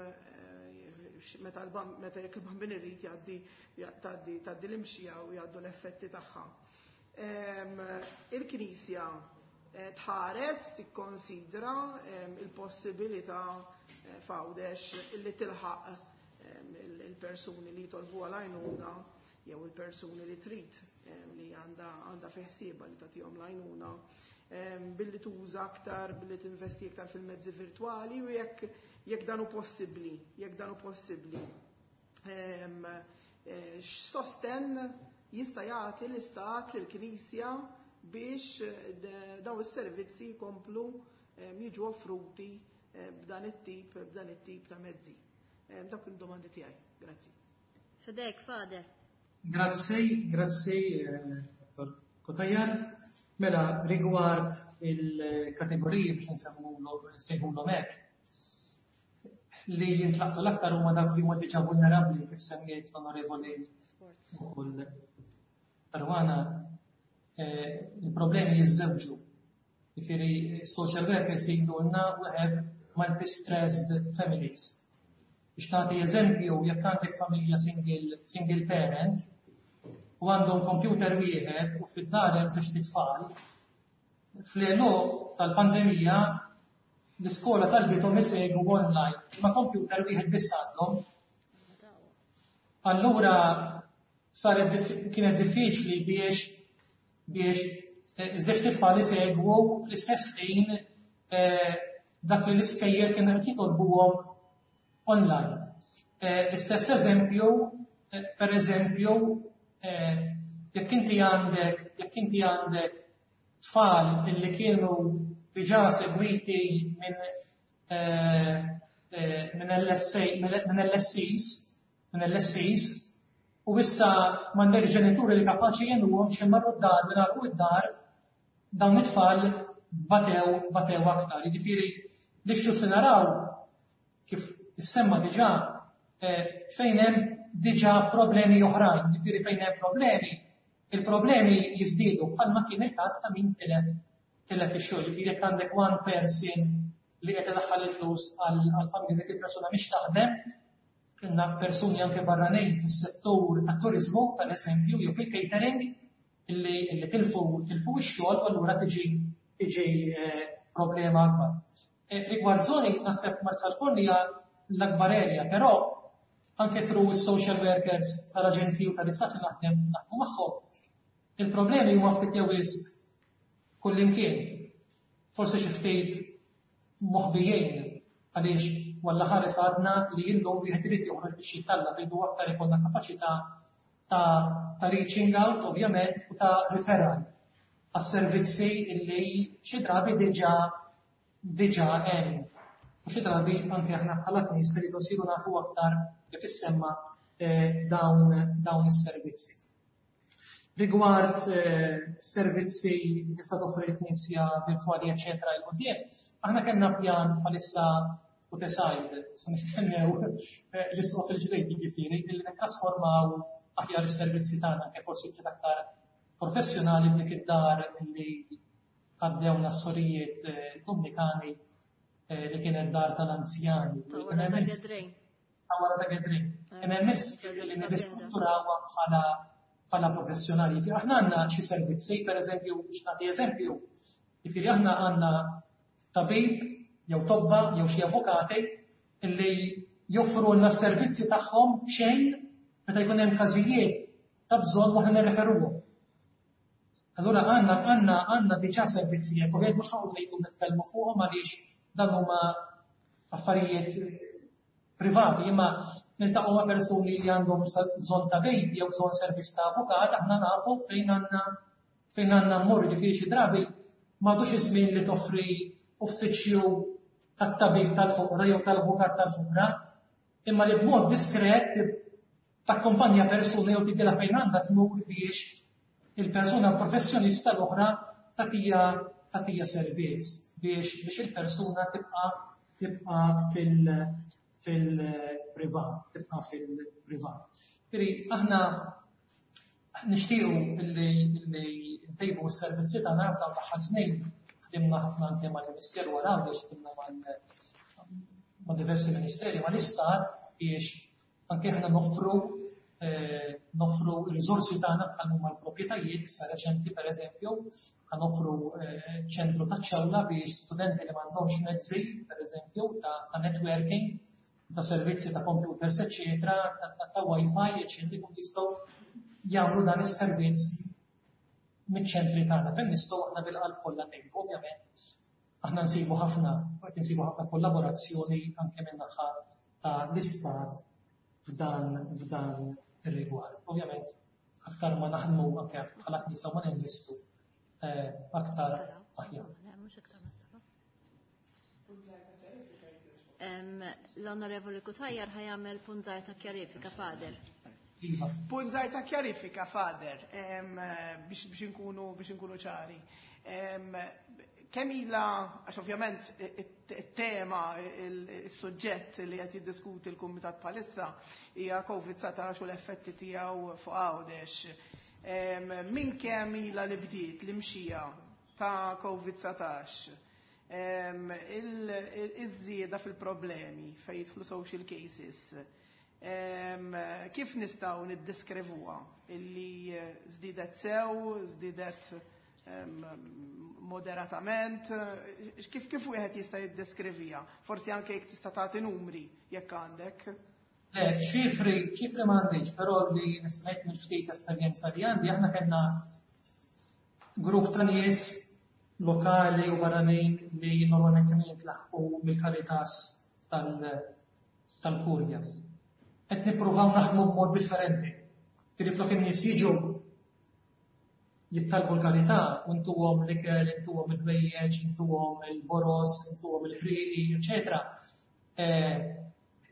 meta jekk il-Bambin irid jgħaddi tgħaddi l-imxija u jgħaddu l-effetti tagħha. Il-Knisja tħares, tikkonsidra il-possibilità f'Għawdex illi tilħaq il-persuni li jitolbu għal-għajnuna jew il-persuni li trid li għandha fi ħsiebha li tagħtihom l-għajnuna billi tuża aktar, billi tinvesti aktar fil-mezzi virtwali u jekk dan hu possibbli, jekk dan hu possibbli. X'sostenn jista' jagħti l-Istat lill-Knisja biex daw is-servizzi jkomplu jiġu offruti b'dan it-tip ta' mezzi. Dak il-domandi tiegħi. Grazzi. Fidejk, Father. Grazzi, grazzi, Dottor Cutajar. Mela, rigward il-kategoriji biex nsejħulhom hekk, li jintlaqtu l-aktar huma dawk li huma diġà vulnerabbli kif semmiet l-Onorevoli ukoll Caruana, il-problemi jiżżewġu. Jiġifieri social workers jgħidulna we have multi-stressed families. Biex tagħti eżempju, jekk għandek familja single parent u għandhom computer wieħed u fid-dar hemm żewġt itfal, fl-għeluq tal-pandemija l-iskola talbithom isegwu online, imma computer wieħed biss għandhom. Allura saret kienet diffiċli biex iż-żewġt itfal isegwu fl-istess ħin dak li l-iskejjel kienu qed jitolbuhom online. L-istess eżempju, per eżempju, jekk inti għandek tfal illi kienu diġà segwiti minn LSA, minn L S Cs, minn L S Cs, u issa m'għandek ġenituri li kapaċi jgħinuhom xi marru d-dar, minn id-dar, dawn it-tfal batew aktar. Jiġifieri l-issue se naraw kif issemma diġà fejn hemm diġà problemi oħrajn, jiġifieri fejn hemm problemi, il-problemi jiżdiedu bħalma kien il-każ ta' min tilef ix-xogħol. Jiġifieri jekk għandek one person li qed idaħħal il-flus għall-familja dik il-persuna mhix taħdem, kienna persuni anke barranin fis-settur tat-turiżmu, per eżempju, jew fil-catering, illi tilfu x-xogħol u allura tiġi problema akbar. Rigward żoni, naħseb Marsalforn hija l-akbar area, però anke through social workers tal-aġenziji u tal-istat li naħdmu magħhom, il-problemi huma ftit jew wisq kullimkien. Forsi xi ftit moħbijin għaliex walla ħares għadna li illum wieħed irid joħroġ biex jittallab, irridu aktar ikollna kapaċità ta' reaching out, ovvjament, u ta' referral għas-servizzi illi xi drabi diġà hemm. U xi drabi anke aħna bħala Knisja rridu nsiru nafu aktar kif issemma dawn is-servizzi. Rigward servizzi li tista' toffri l-Knisja virtwali, eċċetera, 'il quddiem, aħna kellna pjan bħalissa u tesajt, se nistennew l-isqof il-ġdid jiġifieri illi nittrasformaw aħjar is-servizzi tagħna anke forsi ftit aktar professjonali f'dik id-dar illi għaddewna s-sorijiet Dominikani li kienet dar tal-anzjani. Ta' wara ta' Gedrejn. Ta' wara ta' Gedrejn. Kien hemm li nirristrutturawha bħala professjonali. Jiġifieri aħna għandna xi servizzi, per eżempju, biex nagħti eżempju, jiġifieri aħna għandna tabib jew tobba jew xi avukati illi joffrulna s-servizzi tagħhom b'xejn meta jkun hemm każijiet ta' bżonn u aħna nirreferuhom. Allura għandna diġà servizzi jekk u mhux ħadd li jkun nitkellmu fuqhom għaliex dan huma affarijiet privati, imma niltaqgħu ma' persuni li għandhom bżonn ta' bejt jew bżonn servizz ta' avukat, aħna nafu fejn għandna mmorru. Ġifieri xi drabi m'għadux iż-żmien li toffri uffiċċju tat-tabib tal-foqra jew tal-avukat tal-foqra, imma li b'mod diskret takkompanja persuna jew tgħidilha fejn għandha tmur biex il-persuna professjonista l-oħra tagħtiha servizz biex il-persuna tibqa' fil-privat, tibqa' fil-privat. Ġifieri aħna nixtiequ illi ntejbu s-servizzi tagħna. Dawn l-aħħar snin ħdimna ħafna anke mal-Ministeru għal Għawdex, ħdimna ma' diversi ministeri, ma' l-Istat, biex anke aħna noffru risorsi tagħna bħal huma l-proprjetajiet. Issa reċenti, pereżempju, ħa noffru ċentru ta' ċella biex studenti li m'għandhomx mezzi, pereżempju, ta' networking, ta' servizzi ta' computers, eccetera, ta' wifi, eccetera, jkun jistgħu jagħmlu dan is-servizz miċ-ċentri tagħna fejn nistgħu aħna bil-qalb kollha ngħidu. Ovvjament aħna nsibu ħafna, qed insibu ħafna kollaborazzjoni anke minn naħa ta' l-istat f'dan ir-rigward. Ovvjament aktar ma naħdmu anke bħala knisja ma ninvestu aktar aħjar. L-Onorevoli Cutajar ħa jagħmel punt żgħir ta' kjarifika, Father. Iva. Punt żgħir ta' kjarifika, Father, biex nkunu ċari. Kemm ila, għax ovvjament it-tema, il-suġġett li qed jiddiskuti l-Kumitat bħalissa hija COVID-19 u l-effetti tiegħu fuq Għawdex. Min kemm ila li bdiet l-imxija ta' COVID-19? Iż-żieda fil-problemi fejn jidħlu social cases, kif nistgħu niddeskrivuha? Illi żdiedet sew, żdiedet moderatament, kif wieħed jista' jiddeskriviha? Forsi anke jekk tista' tagħti numri jekk għandek. Le, ċifri m'għandix, però li nismet mill-ftit esperjenza li għandi, aħna kellna grupp ta' nies lokali u barranin li normalment kienu jintlaħqu mill-Caritas tal-Kurja. Qed nippruvaw naħdmu b'mod differenti. Ġifieri flok in-nies jiġu jittalbu l-karità, u ntuhom l-ikel, intuhom il-ħwejjeġ, intuhom il-boroż, intuhom il-ħrieqi, eċetera.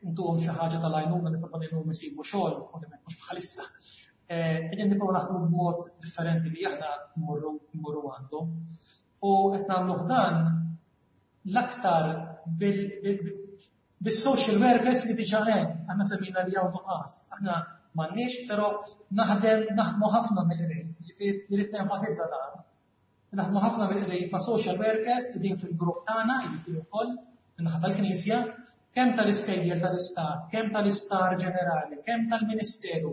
Intuhom xi ħaġa tal-għajnuna, nipprova ngħinuhom isibu xogħol, ovvjament mhux bħalissa. Qegħdin nipprovaw naħdmu b'mod differenti li aħna mmorru għandhom. U qed nagħmluh dan l-aktar bis-social workers li diġà hemm. Aħna semmejna li hawn nuqqas. Aħna m'għandniex, però naħdmu ħafna mill-qrib. Ġifieri irrid nenfasizza dan. Naħdmu ħafna mill-qrib ma' social workers qegħdin fil-grupp tagħna, jiġifieri wkoll min-naħa tal-Knisja, kemm tal-iskejjel tal-Istat, kemm tal-Isptar Ġenerali, kemm tal-Ministeru,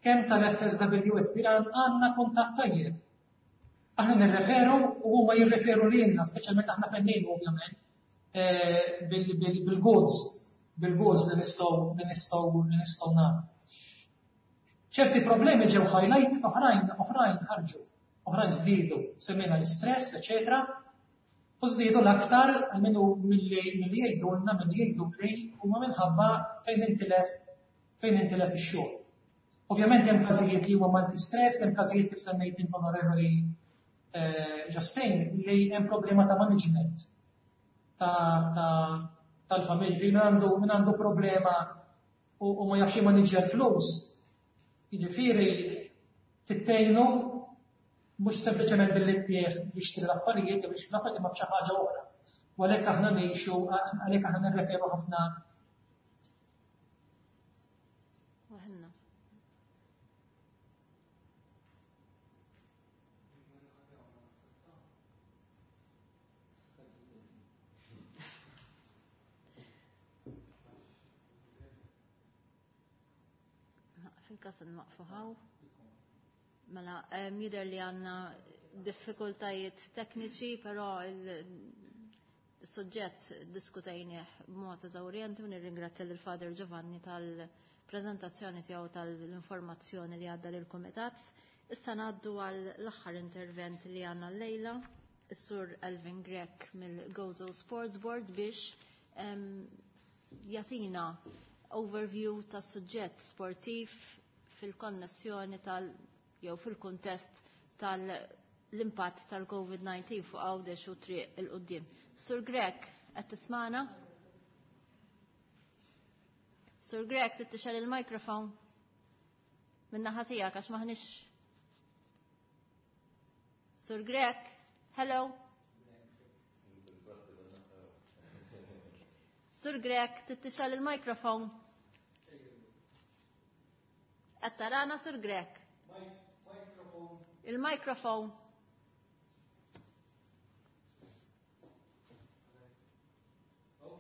kemm tal-FSWS, għandna kuntatt tajjeb. Aħna nirreferu u huma jirreferu lilna, speċjalment aħna fejn ovvjament, bil-goods li nistgħu nagħtu. Ċerti problemi ġew highlight, oħrajn ħarġu, oħrajn żdiedu, semmejna l-istress, eċetera. U żdiedu l-aktar minnu milli jgħidulna, milli jgħidu li huma minħabba fejn intilef ix-xogħol. Ovvjament hemm każijiet li huma multi-stress, hemm każijiet kif semmejt int, Onorevoli Justin, li hemm problema ta' management tal-familji, min għandu problema u ma jafx jmaniġġja l-flus. Jiġifieri tgħinu mhux sempliċement billi ttih jixtri l-affarijiet jew jixtri l-affarijiet, imma b'xi ħaġa oħra. U għalhekk aħna ngħixu, għalhekk aħna nirreferu ħafna. Waħna. Fil-kas nwaqfu hawn. Mela, jidher li għandna diffikultajiet tekniċi, però il-suġġett diskutejnieh b'mod eżawrjenti u nirringrazzja lil Father Giovanni tal-preżentazzjoni tiegħu, tal-informazzjoni li għadda lill-Kumitat. Issa ngħaddu għal l-aħħar intervent li għandna llejla, is-Sur Elvin Grech mill-Gozo Sports Board, biex jagħtina overview tas-suġġett sportiv fil-konnessjoni tal jew fil-kuntest tal-impatt tal-COVID-19 fuq Għawdex u triq il-qudiem. Sur Grech, qed tismana? Sur Grech, trid tixgħel il-microphone? Min-naħa tiegħek għax m'aħniex. Sur Grech, hello. Sur Grech, trid tixgħel il-microphone? Qed tarana Sur Grech? Il-microphone.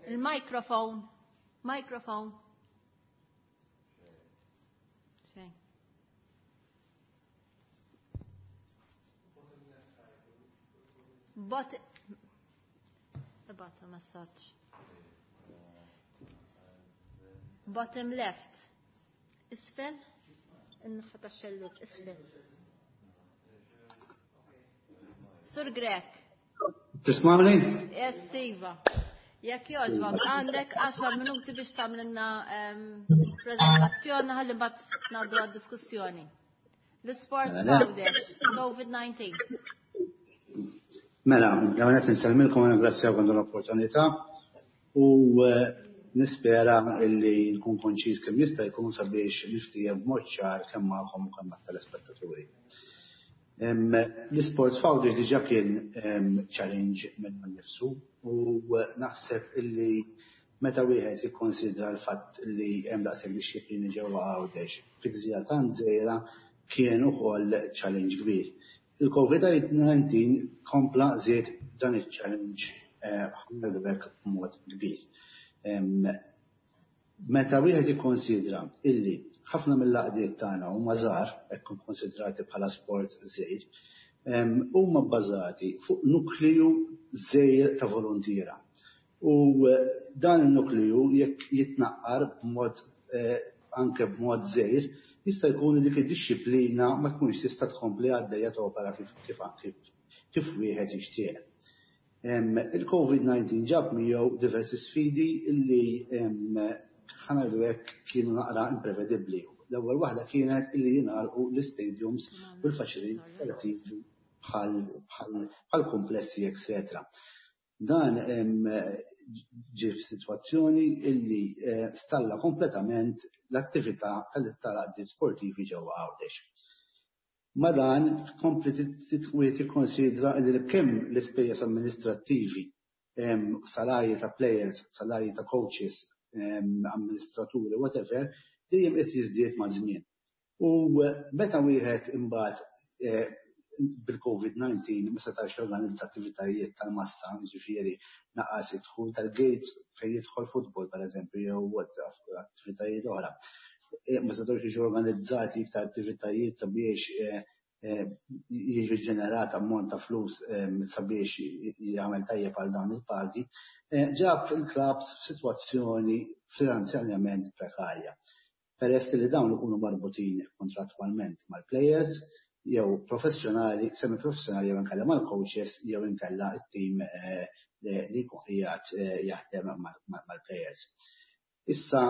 Il-microphone. Microphone. Xejn. Bot Ibgħatu messaġġ. Bottom left. Isfel. In-naħa tax-xelluk, isfel. Sur Grech. Tismawni? Yes, Iva. Jekk jogħġbok, għandek 10 minuti biex tagħmlilna prezentazzjoni ħalli mbagħad ngħaddu għad-diskussjoni. L-isport f'Għawdex, COVID-19. Mela, għanet nsellmilkom u ngrazzjakom l-opportunità u nispera illi nkun konċiż kemm jista' jkun sabiex niftiehem b'mod ċar kemm magħkom u kemm mat-telespettaturi. L-isports f'Għawdex diġà kien challenge minnu nnifsu u naħseb illi meta wieħed jikkonsidra l-fatt li hemm daqshekk dixxiplini ġewwa Għawdex fi gżira tant żgħira kien ukoll challenge kbir. Il-COVID-19 kompla żied dan iċ-challenge ħa b'mod kbir. Meta wieħed jikkonsidra illi ħafna mill-għaqdiet tagħna huma żgħar, hekk konsidrati bħala sport żgħir, huma bbażati fuq nukleu żgħir ta' volontiera. U dan il-nukleu jekk jitnaqqar b'mod anke b'mod żgħir, jista' jkun li dik id-dixxiplina ma tkunx tista' tkompli għaddejja topera kif kif kif kif wieħed jixtieq. Il-COVID-19 ġab miegħu diversi sfidi illi ħa ngħidu hekk kienu naqra imprevedibbli. L-ewwel waħda kienet illi jingħalqu l-istadiums u l-faċilitajiet sportivi bħal komplessi, etc. Dan ġie f'sitwazzjoni illi stalla kompletament l-attività tal-għaqdiet sportivi ġewwa Għawdex. Ma dan tkompli wieħed jikkonsidra li kemm l-ispejjeż amministrattivi, salarji ta' players, salarji ta' coaches, amministraturi, whatever, dejjem qed jiżdied maż-żmien. U meta wieħed imbagħad bil-COVID-19 ma setax jorganizza attivitajiet tal-massa, ġifieri naqas id-dħul tal-gates fejn jidħol futbol pereżempju jew attivitajiet oħra. Ma setgħux jiġu organizzati iktar attivitajiet sabiex jiġi ġenerat ammont ta' flus sabiex jagħmel tajjeb għal dawn il-pagi, ġab il-clubs f'sitwazzjoni finanzjarjament prekarja. Peress li dawn ikunu marbutin kontrattwalment mal-players, jew professjonali, semi-professjonali jew inkella mal-coaches jew inkella it-team li jkun qiegħed jaħdem mal-players. Issa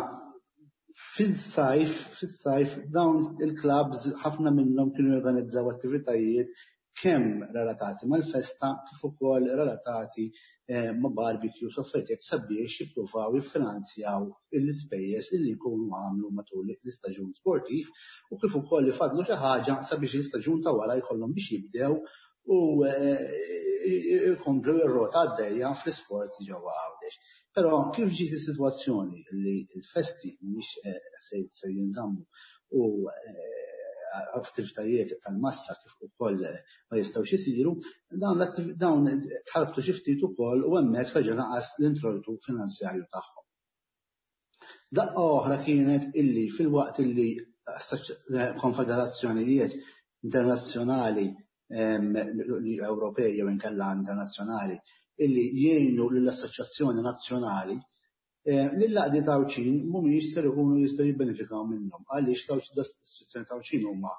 fis-sajf dawn il-clubs ħafna minnhom kienu jorganizzaw attivitajiet kemm relatati mal-festa kif ukoll relatati ma' barbecue u affarijiet sabiex jippruvaw jiffinanzjaw l-ispejjeż illi jkunu għamlu matul l-istaġun sportiv u kif ukoll ifadlu xi ħaġa sabiex l-istaġun ta' wara jkollhom biex jibdew u jkomplu r-rota għaddejja fl-isport ġewwa Għawdex. Però kif ġiet is-sitwazzjoni li l-festi mhumiex se jinżammu u attivitajiet tal-massa kif ukoll ma jistgħux isiru, dawn tħarbtu xi ftit ukoll u hemmhekk reġa' naqas l-introjtu finanzjarju tagħhom. Daqqa oħra kienet illi fil-waqt illi konfederazzjonijiet internazzjonali Ewropej jew inkella internazzjonali illi jgħinu lill-Assoċjazzjoni Nazzjonali lill-għaqdiet Għawdxin mhumiex ser ikunu jistgħu jibbenefikaw minnhom għaliex l-Assoċjazzjoni Għawdxin huma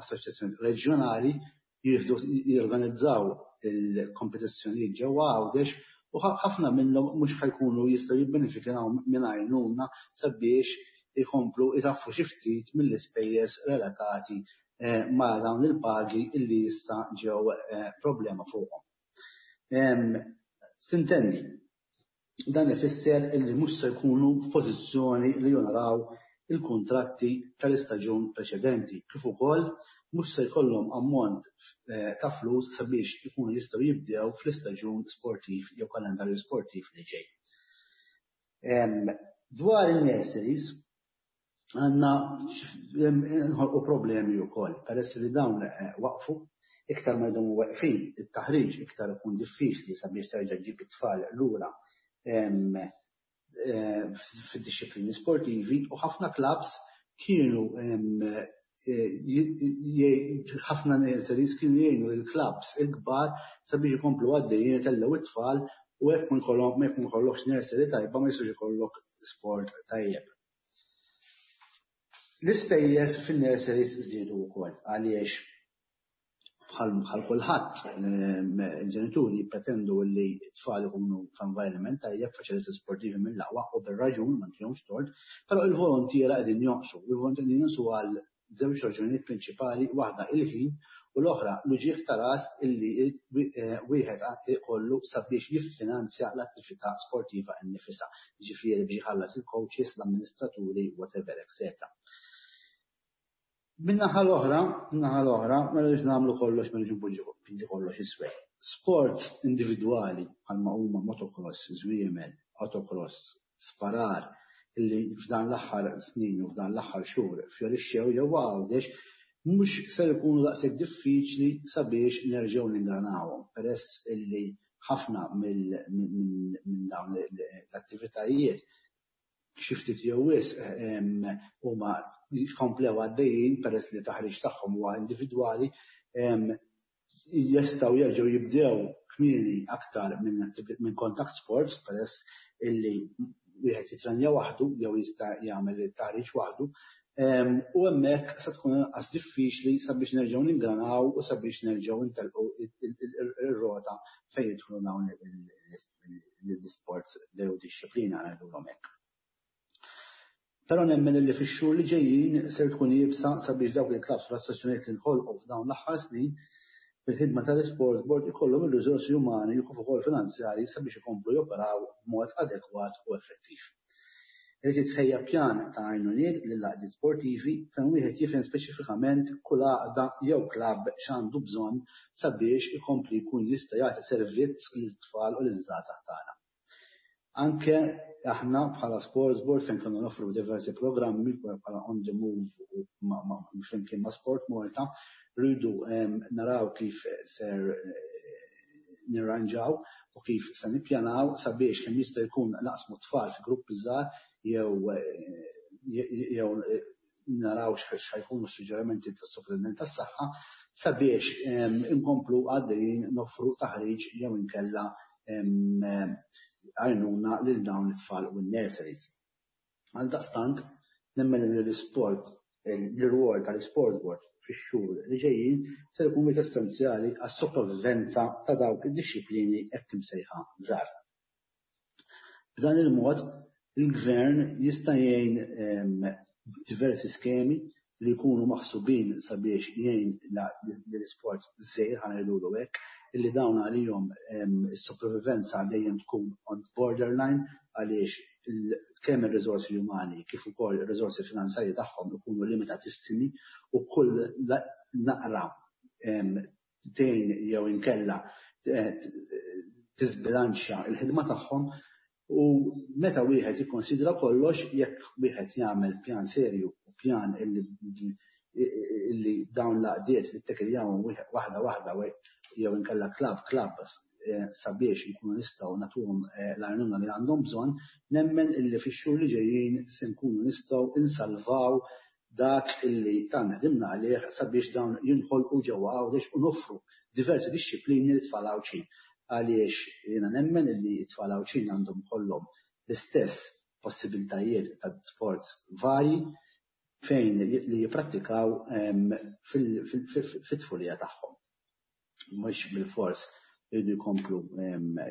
assoċjazzjoni reġjonali jieħdu jorganizzaw il-kompetizzjonijiet ġewwa Għawdex. U ħafna minnhom mhux ħa jkunu jistgħu jibbenefikaw minn għajnuna sabiex ikomplu itaffu xi ftit mill-ispejjeż relatati ma' dawn il-pagi illi issa ġew problema fuqhom. S'intendi, dan ifisser illi mhux se jkunu f'pożizzjoni li jonoraw il-kuntratti tal-istaġun preċedenti, kif ukoll mhux se jkollhom ammont ta' flus sabiex ikunu jistgħu jibdew fl-istaġun sportiv jew kalendarju sportiv li ġej. Dwar in-nurseries, għandna nħolqu problemi wkoll, peress li dawn waqfu, iktar ma jdumu weqfin, it-taħriġ iktar ikun diffiċli sabiex terġa' ġġib it-tfal lura fid-dixxiplini sportivi u ħafna clubs kienu ħafna nurseries kienu jgħinu l-clubs il-kbar sabiex ikomplu għaddejjin itellgħu it-tfal u hekk ma jkollokx nursery tajba ma jistax ikollok sport tajjeb. L-ispejjeż fin-nurseries żdiedu wkoll għaliex bħal kulħadd il-ġenituri jippretendu li t-tfal ikunu f'environment tajjeb, faċilitajiet sportivi mill-aqwa u bir-raġun ma ntihomx tort, però il-volontiera qegħdin jonqsu. Il-volontiera qegħdin jonqsu għal żewġ raġunijiet prinċipali, waħda il-ħin u l-oħra l-uġigħ ta' ras illi wieħed ikollu sabiex jiffinanzja l-attività sportiva nnifisha, jiġifieri biex iħallas il-coaches, l-amministraturi, whatever, etc. Min-naħa l-oħra, min-naħa l-oħra, ma rridux nagħmlu kollox, ma rridux npoġġu kollox iswed. Sports individwali bħalma huma motocross, żwiemel, autocross, sparar, illi f'dan l-aħħar snin u f'dan l-aħħar xhur fjorixxew ġewwa Għawdex, mhux ser ikunu daqshekk diffiċli sabiex nerġgħu ningranawhom, peress illi ħafna minn dawn l-attivitajiet xi ftit jew wisq huma jkomplew għaddejjin peress li taħriġ tagħhom huwa individwali, jistgħu jerġgħu jibdew kmieni aktar minn contact sports peress illi wieħed jitrenja waħdu jew jista' jagħmel it-taħriġ waħdu, u hemmhekk se tkun inqas diffiċli sabiex nerġgħu ningranaw u sabiex nerġgħu ntellqu ir-rota fejn jidħlu dawn l-isports jew dixxiplina ngħidulhom hekk. Però nemmen li fix-xhur li ġejjin ser tkun iebsa sabiex dawk il-clubs u l-assoċjazzjonijiet li nħolqu f'dawn l-aħħar snin bil-ħidma tal-Isport Board ikollhom ir-riżorsi umani u kif ukoll finanzjarji sabiex ikomplu joperaw b'mod adekwat u effettiv. Irid jitħejja pjan ta' għajnuniet lill-għaqdiet sportivi fejn wieħed jifhem speċifikament kull għaqda jew klabb x'għandu bżonn sabiex ikompli jkun jista' jagħti servizz lit-tfal u liż-żgħażagħ tagħna. Anke aħna bħala Sports Board fejn konna noffru diversi programmi bħala On the Move u flimkien ma' Sport Malta, rridu naraw kif ser nirranġaw u kif se nippjanaw sabiex kemm jista' jkun naqsmu tfal fi gruppi żgħar jew naraw x'ħajkunu s-suġġerimenti tas-Supretendent tas-Saħħa sabiex inkomplu għaddejjin noffru taħriġ jew inkella għajnuna lil dawn it-tfal u n-nurseries. Għaldaqstant, nemmen li l-isport, l-irwol tal-Isport Board fix-xhur li ġejjin ser ikun wieħed essenzjali għas-sopravivenza ta' dawk id-dixxiplini hekk imsejħa żgħar. B'dan il-mod, il-Gvern jista' jgħin diversi skemi li jkunu maħsubin sabiex jgħin l-isport żgħir, ħa ngħidulu hekk, illi dawn għalihom is-sopravivenza dejjem tkun on borderline għaliex kemm ir-riżorsi umani kif ukoll ir-riżorsi finanzjarji tagħhom ikunu limitatissimi u kull naqra tgħin jew inkella tiżbilanċja l-ħidma tagħhom u meta wieħed jikkonsidra kollox jekk wieħed jagħmel pjan serju u pjan illi dawn l-għaqdiet li ttekiljawhom waħda waħda jew inkella klabb klabb sabiex inkunu nistgħu nagħtuhom l-għajnuna li għandhom bżonn, nemmen illi fix-xhur li ġejjin se nkunu nistgħu insalvaw dak illi tant ħdimna għalih sabiex dawn jinħolqu ġewwa Għawdex u noffru diversi dixxiplini lit-tfal Għawdxin għaliex jiena nemmen illi t-tfal Għawdxin għandhom ikollhom l-istess possibiltajiet ta' sports varji fejn li jipprattikaw fit-tfulija tagħhom. Mhux bilfors Iridu jkomplu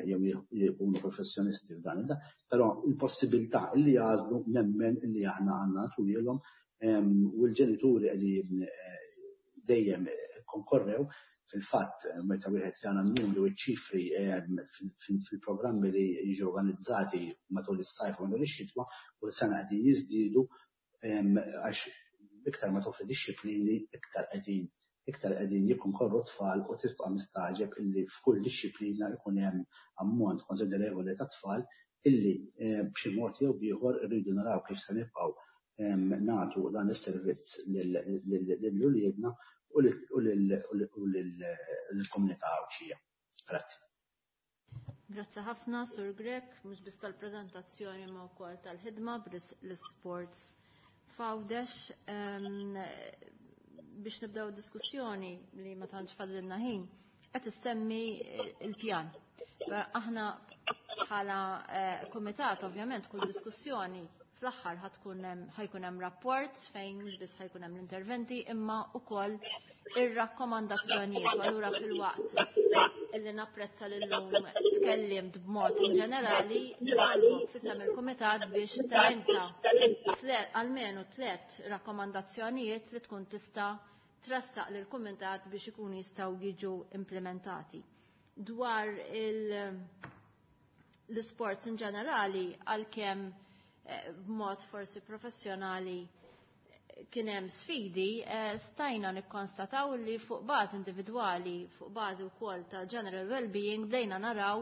jew jkunu professjonisti f'dan id però l-possibilità li jagħżlu nemmen li aħna għandna nagħtuhielhom u l-ġenituri qegħdin dejjem konkorrew. Fil-fatt, meta wieħed jara n-numri u ċ-ċifri fil-programmi li jiġu organizzati matul is-sajf u matul ix-xitwa, kull sena qegħdin jiżdiedu, għax iktar ma toffri dixxiplini, iktar qegħdin jikkonkorru tfal u tibqa' mistagħġeb illi f'kull dixxiplina jkun hemm ammont konsiderevoli ta' tfal illi b'xi mod jew b'ieħor irridu naraw kif se nibqgħu nagħtu dan is-servizz lil uliedna u lill-komunità Għawdxija. Grazzi. Grazzi ħafna, Sur Grech, mhux biss tal-preżentazzjoni ma wkoll tal-ħidma bl-sports f'Għawdex. Biex nibdew diskussjoni li ma tantx fadlilna ħin, qed issemmi il-pjan. Aħna bħala komitat, ovvjament, kull diskussjoni fl-aħħar ħajkun hemm rapport fejn mhux biss ħajkun hemm l-interventi imma wkoll ir-rakkomandazzjonijiet. U allura, filwaqt illi napprezza l-lum tkellimt b'mod ġenerali, nitolbok f'isem il-kumitat biex telenka almenu tliet rakkomandazzjonijiet li tkun tista' tressaq lil kumitat biex ikunu jistgħu jiġu implementati. Dwar l-sports in ġenerali, għalkemm b'mod forsi professjonali kien hemm sfidi, stajna nikkonstataw li fuq bażi individwali, fuq bażi wkoll ta' general well-being, bdejna naraw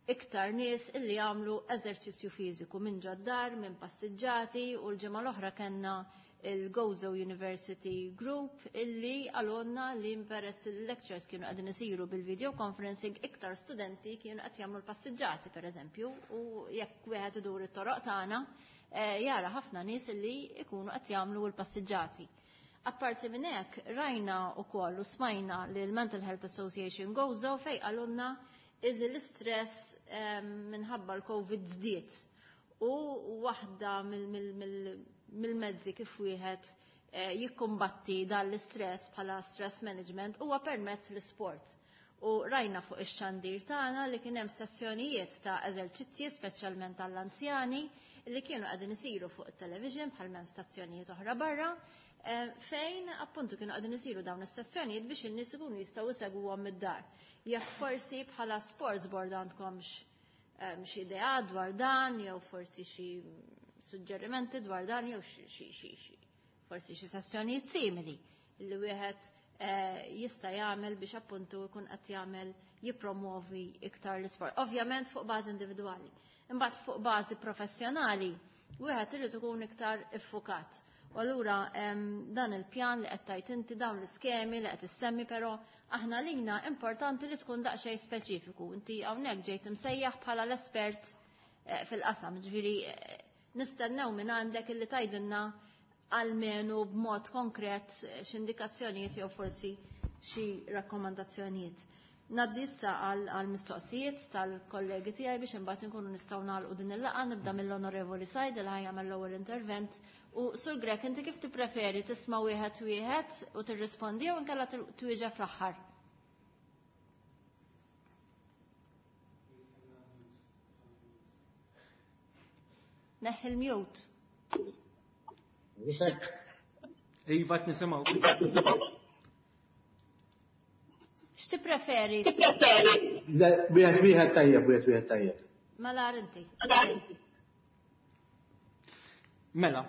iktar nies illi jagħmlu eżerċizzju fiżiku minn ġod-dar, minn passiġġati, u l-ġimgħa l-oħra kellna il-Gozo University Group illi qalulna li peress il-lectures kienu qegħdin isiru bil-video conferencing, iktar studenti kienu qed jagħmlu l-passiġġati, per eżempju, u jekk wieħed idur it-toroq tagħna jara ħafna nies illi ikunu qed jagħmlu l-passiġġati. Apparti minn hekk, rajna wkoll u smajna li l-Mental Health Association Gozo fej qalulna illi l-istress minħabba l-Covid żdied u waħda mill-mezzi kif wieħed jikkumbatti dan l-istress bħala stress management huwa permezz l-sport. U rajna fuq ix-xandir tagħna li kien hemm sessjonijiet ta' eżerċizzji, speċjalment għall-anzjani, li kienu qegħdin isiru fuq it-television bħal hemm stazzjonijiet oħra barra, fejn appuntu kienu qegħdin isiru dawn is-sessjonijiet biex in-nies ikunu jistgħu jsegwuhom mid-dar. Jekk forsi bħala sports board għandkomx xi idea dwar dan jew forsi xi suġġerimenti dwar dan jew xi forsi xi sessjonijiet simili li wieħed jista' jagħmel biex appuntu jkun qed jagħmel jippromovi iktar l-isport. Ovvjament fuq bażi individwali. Imbagħad fuq bażi professjonali wieħed irid ikun iktar iffukat. U allura dan il-pjan li qed tajt inti, dawn l-iskemi li qed issemmi, però aħna lina importanti li tkun daqsxejn speċifiku. Inti hawnhekk ġejt imsejjaħ bħala l-espert fil-qasam, ġifieri nistennew minn għandek illi tgħidilna almenu b'mod konkret x'indikazzjonijiet jew forsi xi rakkomandazzjonijiet. Ngħaddi issa għal mistoqsijiet tal-kollegi tiegħi biex imbagħad inkunu nistgħu nagħlqu din il-laqgħa. Nibda mill-Onorevoli Said li ħa jagħmel l-ewwel intervent, u Sur Grech, inti kif tippreferi, tisma' wieħed wieħed u tirrispondi jew inkella twieġeb fl-aħħar? Neħħi l-mute. Iva, nisimgħu. X'tippreferi? Wieħed wieħed tajjeb, wieħed wieħed tajjeb. Mela inti. Mela,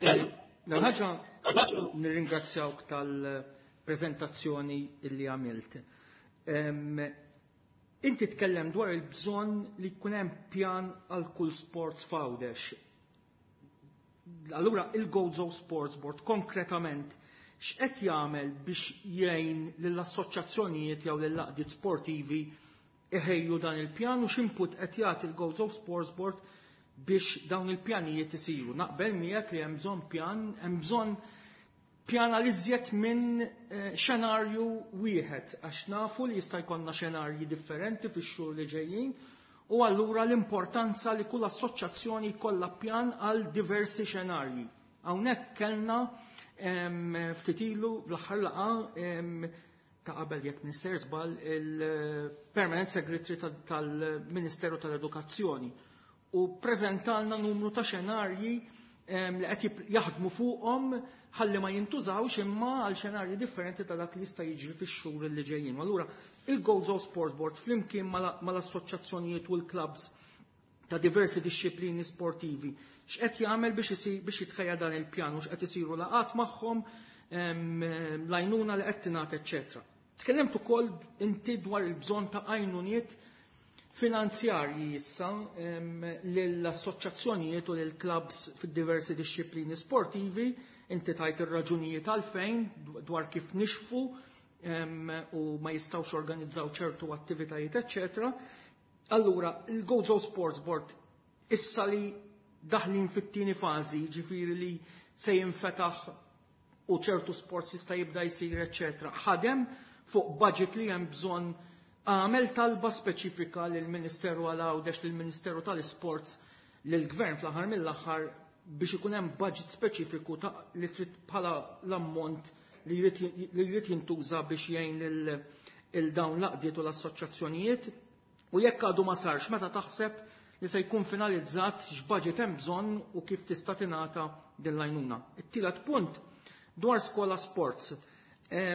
l-ħaġa nirringrazzjawk tal-prezentazzjoni illi għamilt. Inti tkellem dwar il-bżonn li jkun hemm pjan għal kull sports f'Għawdex. Allura il-Gozo Sports Board konkretament x'qed jagħmel biex jgħin lill-assoċjazzjonijiet jew lill-għaqdiet sportivi iħejju dan il-pjan u x'input qed jagħti il-Gozo Sports Board biex dawn il-pjanijiet isiru? Naqbel miegħek li hemm bżonn pjan, hemm bżonn pjan għal iżjed minn xenarju wieħed, għax nafu li jista' jkollna xenarji differenti fix-xhur li ġejjin u allura l-importanza li kull assoċjazzjoni jkollha pjan għal diversi xenarji. Hawnhekk kellna ftit ilu, fl-aħħar laqgħa. ta' qabel, jekk nister żball, il-Permanent Secretary tal-Ministeru tal-Edukazzjoni u preżentalna numru ta' xenarji li qed jaħdmu fuqhom ħalli ma jintużawx, imma għal xenarji differenti ta' dak li jista' jiġri fix-xhur li ġejjin. Allura il-Gozo Sport Board flimkien mal-assoċjazzjonijiet u l-clubs ta' diversi dixxiplini sportivi, x'qed jagħmel biex jitħejja dan il-pjan u x'qed isiru laqat magħhom, l-għajnuna li qed tingħata, eċċetera? Tkellimt ukoll inti dwar il-bżonn ta' għajnuniet finanzjarji issa lill-assoċjazzjonijiet u lill-clubs fid-diversi dixxiplini sportivi. Inti tajt ir-raġunijiet għalfejn dwar kif nixfu u ma jistgħux organizzaw ċertu attivitajiet, eċċetera. Allura, il-Gozo Sports Board, issa li daħlin fit-tieni fażi, ġifieri li se jinfetaħ u ċertu sports jista' jibda jsir, eċċetera, ħadem fuq budget li hemm bżonn, għamel talba speċifika lill-Ministeru għal Għawdex, lill-Ministeru tal-Isports, lill-Gvern fl-aħħar mill-aħħar, biex ikun hemm budget speċifiku ta' li trid bħala l-ammont li jrid jintuża biex jgħin lil dawn l-għaqdiet u l-assoċjazzjonijiet? U jekk għadu ma sarx, meta taħseb li se jkun finalizzat, x'budget hemm bżonn u kif tista' tingħata din l-għajnuna? It-tielet punt dwar Skola Sports.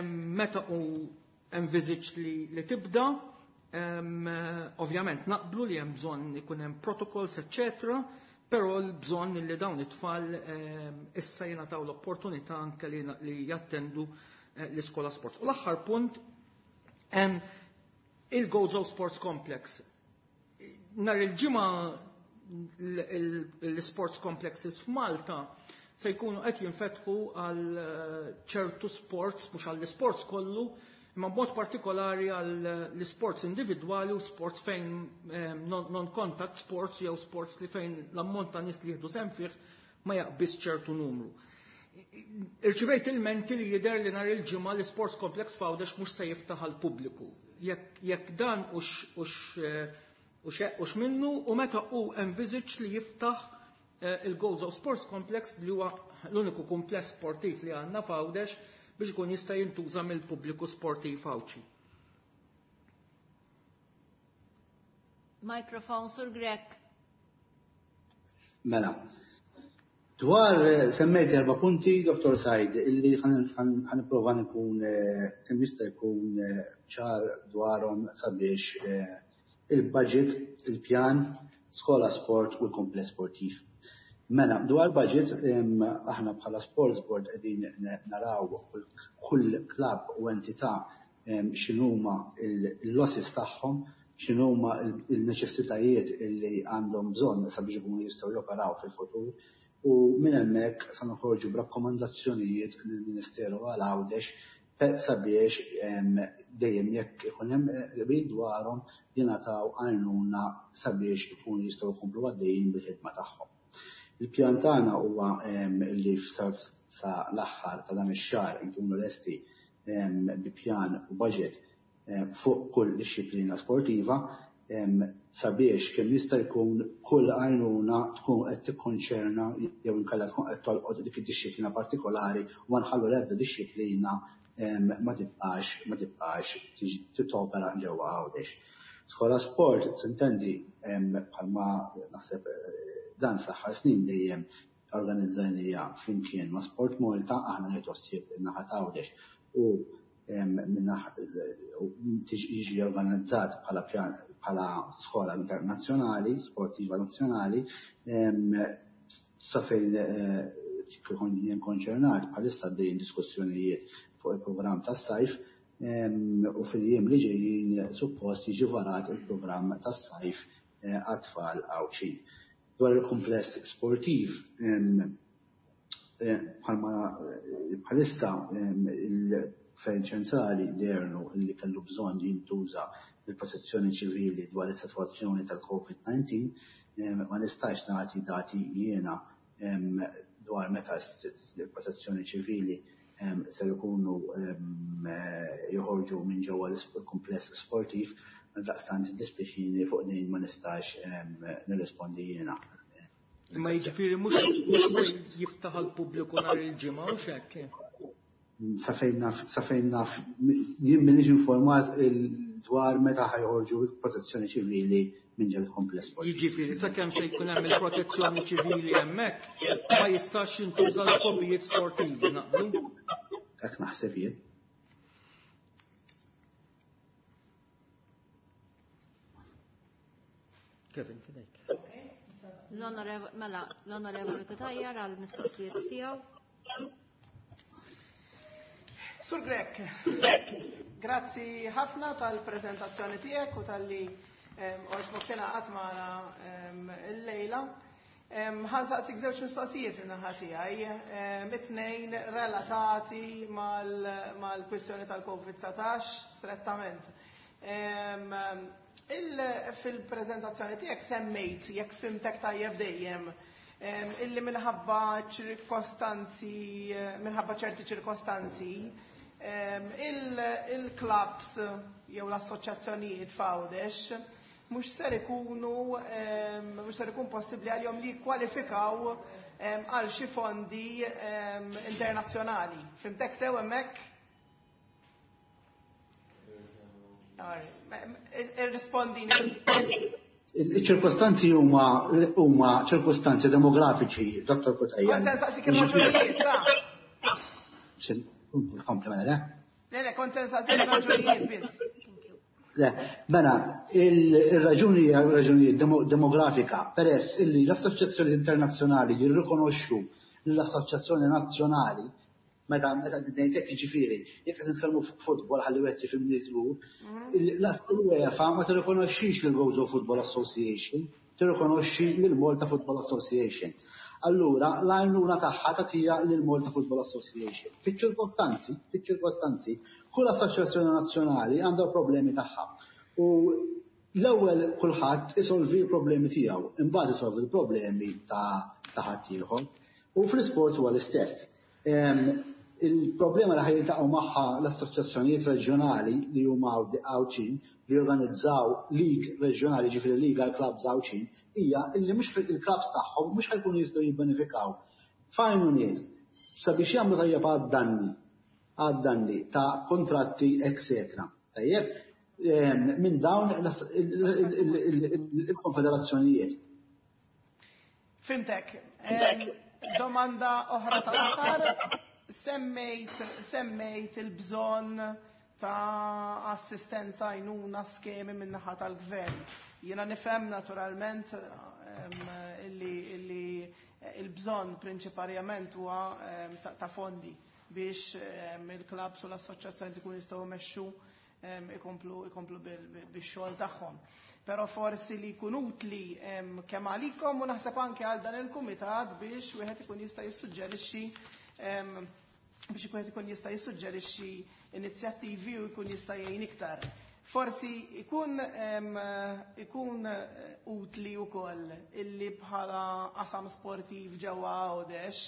Meta u envisaged li tibda? Ovvjament naqblu li hemm bżonn ikun hemm protocols, eċċetera, però l-bżonn li dawn it-tfal issa jingħataw l-opportunità anke li jattendu l-iskola sports. U l-aħħar punt, il-Gozo Sports Complex. Nhar il-ġimgħa l-sports complexes f'Malta se jkunu qed jinfetħu għal ċertu sports, mhux għall sports kollu, imma b'mod partikolari għal l-sports individwali u sports fejn non-contact sports jew sports li fejn l-ammont ta' nies li jieħdu sehem fih ma jaqbiż ċertu numru. Irċivejt ilmenti li jidher li nhar il-ġimgħa l-sports complex f'Għawdex mhux se jiftaħ għall-pubbliku. Jekk dan hux minnu u meta hu envisaged li jiftaħ il-Gozo Sports Complex, li huwa l-uniku kumpless sportiv li għandna f'Għawdex, biex ikun jista' jintuża mill-pubbliku sportiv Għawdxi? Microphone, Sur Grech. Mela, dwar semmejt erba' punti, Dr. Said, illi ħa nipprova nkun kemm jista' jkun ċar dwarhom sabiex il-budget, il-pjan, skola sport u l-kumpless sportiv. Mela, dwar budget, aħna bħala Sports Board qegħdin naraw kull club u entità x'inhuma il-losses tagħhom, x'inhuma il-neċessitajiet illi għandhom bżonn sabiex ikunu jistgħu joperaw fil-futur, u minn hemmhekk sa noħorġu b'rakkomandazzjonijiet lill-Ministeru għal Għawdex sabiex, dejjem jekk ikun hemm qbil dwarhom, jingħataw għajnuna sabiex ikunu jistgħu jkomplu għaddejjin bil-ħidma tagħhom. Il-pjan tagħna huwa li sa l-aħħar ta' dan ix-xahar nkunu lesti bi pjan u budget fuq kull dixxiplina sportiva sabiex kemm jista' jkun kull għajnuna tkun qed tikkonċerna jew inkella tkun qed tolqot dik id-dixxiplina partikolari u ma nħallu l-ebda dixxiplina ma tibqax titopera ġewwa Għawdex. Skola sport, sintendi, bħalma naħseb dan fl-aħħar snin dejjem organizzajnija flimkien ma' Sport Malta, aħna nieħdu ħsieb in-naħa t'Għawdex u jiġi organizzat bħala pjan, bħala skola internazzjonali, sportiva nazzjonali, sa fejn kien jien konċernat, bħalissa għaddejjin diskussjonijiet fuq il-programm tas-sajf u fil-jiem li ġejjin suppost jiġi varat il-programm tas-sajf għat-tfal Għawdxin. Dwar il-kumpless sportiv, bħalma bħalissa il-Gvern ċentrali dernu li kellu bżonn jintuża il-protezzjoni ċivili dwar is-sitwazzjoni tal-COVID-19, ma nistax nagħti dati jiena dwar meta il-protezzjoni ċivili ser ikunu joħorġu minn ġewwa l-kumpless sportiv, daqstant dispjaċini, fuq din ma nistax nirrispondi jiena. Imma jiġifieri mhux se jiftaħ għall-pubbliku nhar il-ġimgħa u hekk? Sa fejn naf, sa fejn naf, jien m'iniex informat dwar meta ħa joħorġu l-protezzjoni ċivili minn ġol kumpless sportiv. Jiġifieri sakemm se jkun hemm il-protezzjoni ċivili hemmhekk ma jistax jintuża skopijiet sportivi, naqblu? Hekk naħseb jien. Kevin, fidejk. Mela, l-Onorevoli Cutajar għal mistoqsijiet tiegħu. Sur Grech, grazzi ħafna tal-prezentazzjoni tiegħek u talli għoġbok tingħaqad magħna illejla. Ħa nsaqsik żewġ mistoqsijiet min-naħa tiegħi, it-tnejn relatati mal-kwistjoni tal-Covid-19 strettament. Fil-prezentazzjoni tiegħek semmejt, jekk fhimtek tajjeb dejjem, illi minħabba ċirkostanzi, minħabba ċerti ċirkostanzi, il-clubs jew l-assoċjazzjonijiet f'Għawdex mhux ser ikunu mhux ser ikun possibbli għalihom li jikkwalifikaw għal xi fondi internazzjonali. Fhimtek sew hemmhekk? Irrispondini. Il-ċirkostanzi huma ċirkostanzi demografiċi, Dr. Cutajar. Kont saqsik ir-raġunijiet, ta' Kompli mela, le? Le, le, kont saqsik ir-raġunijiet biss. Le, mela, il-raġuni hija raġuni demografika, peress illi l-assoċjazzjoni internazzjonali jirrikonoxxu l-assoċjazzjoni nazzjonali. Meta ngħid hekk, jiġifieri, jekk qed nitkellmu fuq futbol ħalli wieħed jifhimni żgur, l-UEFA ma tirrikonoxxix lil Gozo Football Association, tirrikonoxxi lil Malta Football Association. Allura, l-għajnuna tagħha tagħtiha lil Malta Football Association. Fiċ-ċirkostanzi, kull assoċjazzjoni nazzjonali għandha problemi tagħha. U l-ewwel kulħadd isolvi l-problemi tiegħu, imbagħad isolvi l-problemi ta' ħadd ieħor. U fl-isport huwa l-istess. Il-problema li ħa jiltaqgħu magħha l-assoċjazzjonijiet reġjonali li huma Għawdxin li jorganizzaw league reġjonali, ġifieri liga l-clubs Għawdxin, hija illi mhux il-clubs tagħhom mhux ħa jkunu jistgħu jibbenefikaw f'għajnuniet sabiex jagħmlu tajjeb għad-danni ta' kontratti, eccetera. Tajjeb, minn dawn il-konfederazzjonijiet. Fhimtek. Domanda oħra tal-aħħar. Semmejt il-bżonn ta' assistenza, għajnuna, skemi min-naħa tal-gvern. Jiena nifhem naturalment illi il-bżonn prinċiparjament huwa ta' fondi biex il-clubs u l-assoċjazzjoni ikun jistgħu jmexxu ikomplu bix-xogħol tagħhom. Però forsi li jkun utli kemm għalikom u naħseb anke għal dan il-kumitat biex wieħed ikun jista' jissuġġerixxi inizjattivi u jkun jista' jgħin iktar. Forsi ikun utli wkoll illi bħala qasam sportiv ġewwa Għawdex,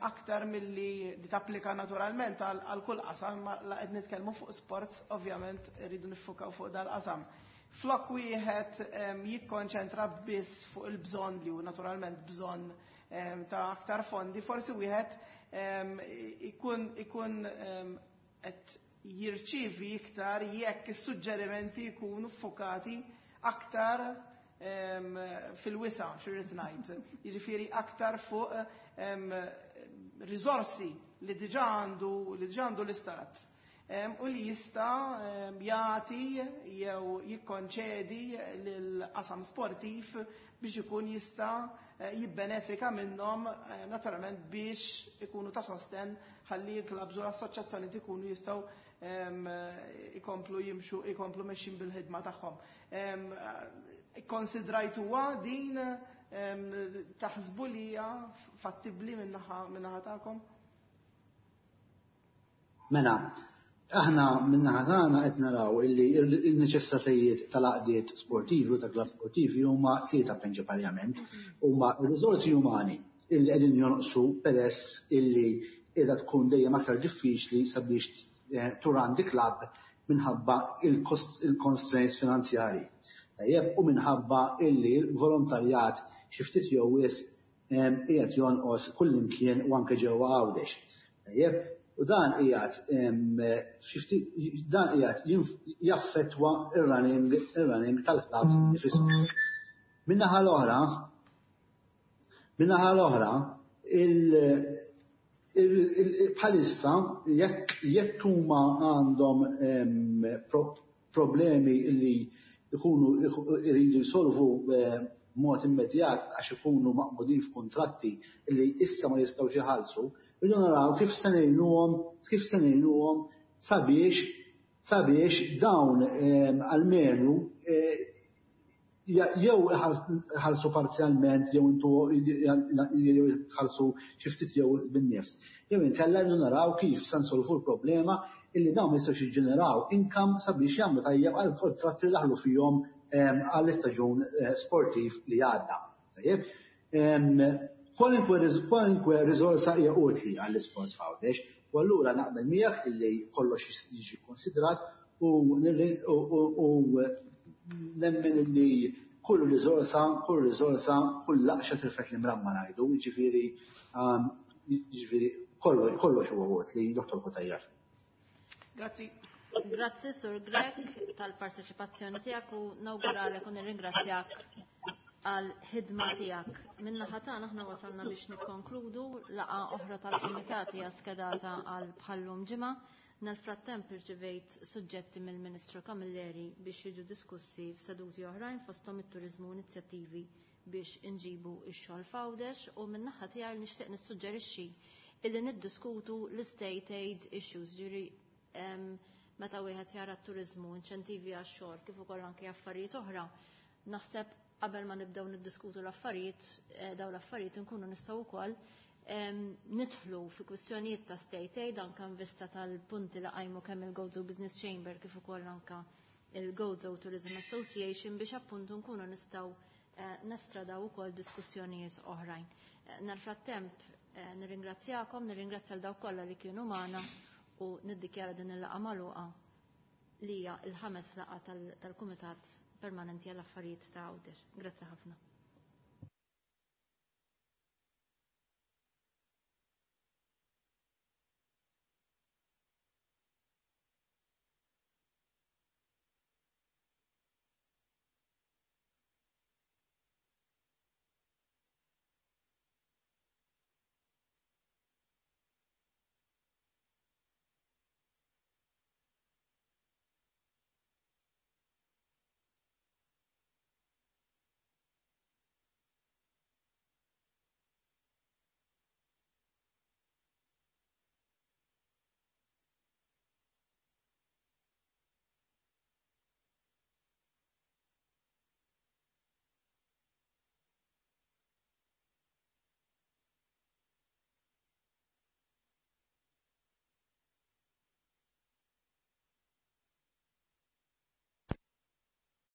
aktar milli di tapplika naturalment għal kull qasam, ma la qed nitkellmu fuq sports, ovvjament rridu niffukaw fuq dal-qasam. Flok wieħed jikkonċentra biss fuq il-bżonn li hu naturalment bżonn ta' aktar fondi, forsi wieħed ikun qed jirċievi iktar jekk is-suġġerimenti jkunu ffukati aktar fil-wisa', xi rrid ngħid. Jiġifieri aktar fuq risorsi li diġà għandu l-istat u li jista' jagħti jew jikkonċedi lil qasam sportiv biex ikun jista' jibbenefika minnhom, naturalment biex ikunu ta' sosten ħalli l-clubs u l-assoċjazzjoni ikunu jistgħu ikomplu jimxu, ikomplu mexjin bil-ħidma tagħhom. Konsidrajtuha din, taħsbu li hija fattibbli min-naħa tagħkom? Mela, aħna min-naħa tagħna qed naraw illi il-neċessitajiet tal-għaqdiet sportivi u ta' club sportivi huma tlieta prinċipalment. Huma r-riżorsi umani illi qegħdin jonqsu peress illi qiegħda tkun dejjem aktar diffiċli sabiex to run the club minħabba il-constraints finanzjari. Tajjeb, u minħabba illi l-volontarjat xi ftit jew wisq qiegħed jonqos kullimkien u anke ġewwa Għawdex. Tajjeb, U dan qiegħed dan qiegħed jaffettwa ir-running tal-clubs nifishom. Min-naħa l-oħra, min-naħa l-oħra, bħalissa jekk huma għandhom problemi li jkunu jridu jsolvu b'mod immedjat għax ikunu maqbudin f'kuntratti li issa ma jistgħux iħallsu, rridu naraw kif se ngħinuhom kif se ngħinuhom sabiex dawn almenu jew iħallsu parzjalment jew intu jew jħallsu xi ftit jew bin-nifs. Jew inkella rridu naraw kif se nsolvu l-problema illi dawn ma jistgħux jiġġeneraw income sabiex jagħmlu tajjeb għal kontratti li daħlu fihom għall-istaġun sportiv li għadda. Tajjeb? Kwalunkwe riżorsa hija utli għall-isports f'Għawdex, u allura naqbel miegħek illi kollox jiġi konsidrat u nemmen illi kull riżorsa, kull riżorsa, kull laqxa tirfed l-imramma ngħidu, jiġifieri kollox huwa utli, Dr. Cutajar. Grazzi. Grazzi Sur Grech tal-parteċipazzjoni tiegħek u nawguralek u nirringrazzjak għal ħidma tiegħek. Min-naħa tagħna aħna wasalna biex nikkonkludu laqgħa oħra tal-kumitat hija skedata għal bħallum ġimgħa. Nel-frattemp irċivejt suġġetti mill-Ministru Camilleri biex jiġu diskussi f'seduti oħrajn fosthom it-turiżmu inizjattivi biex inġibu x-xogħol f'Għawdex u min-naħa tiegħi nixtieq nissuġġerixxi illi niddiskutu l-state aid issues, ġiri meta wieħed jara t-turiżmu, inċentivi għax-xogħol kif ukoll anke affarijiet oħra, naħseb qabel ma nibdew niddiskutu l-affarijiet, daw l-affarijiet inkunu nistgħu wkoll nidħlu fi kwistjonijiet ta' state aid anke vista tal-punti li qajmu kemm il-Gozo Business Chamber kif ukoll anke il-Gozo Tourism Association biex appuntu nkunu nistgħu nestradaw ukoll diskussjonijiet oħrajn. Nel-frattemp nirringrazzjakom, nirringrazzja l dawk kollha li kienu magħna u niddikjara din il-laqgħa magħluqa li hija l-ħames laqgħa tal-Kumitat Permanenti għall-Affarijiet ta' Għawdex. Grazzi ħafna.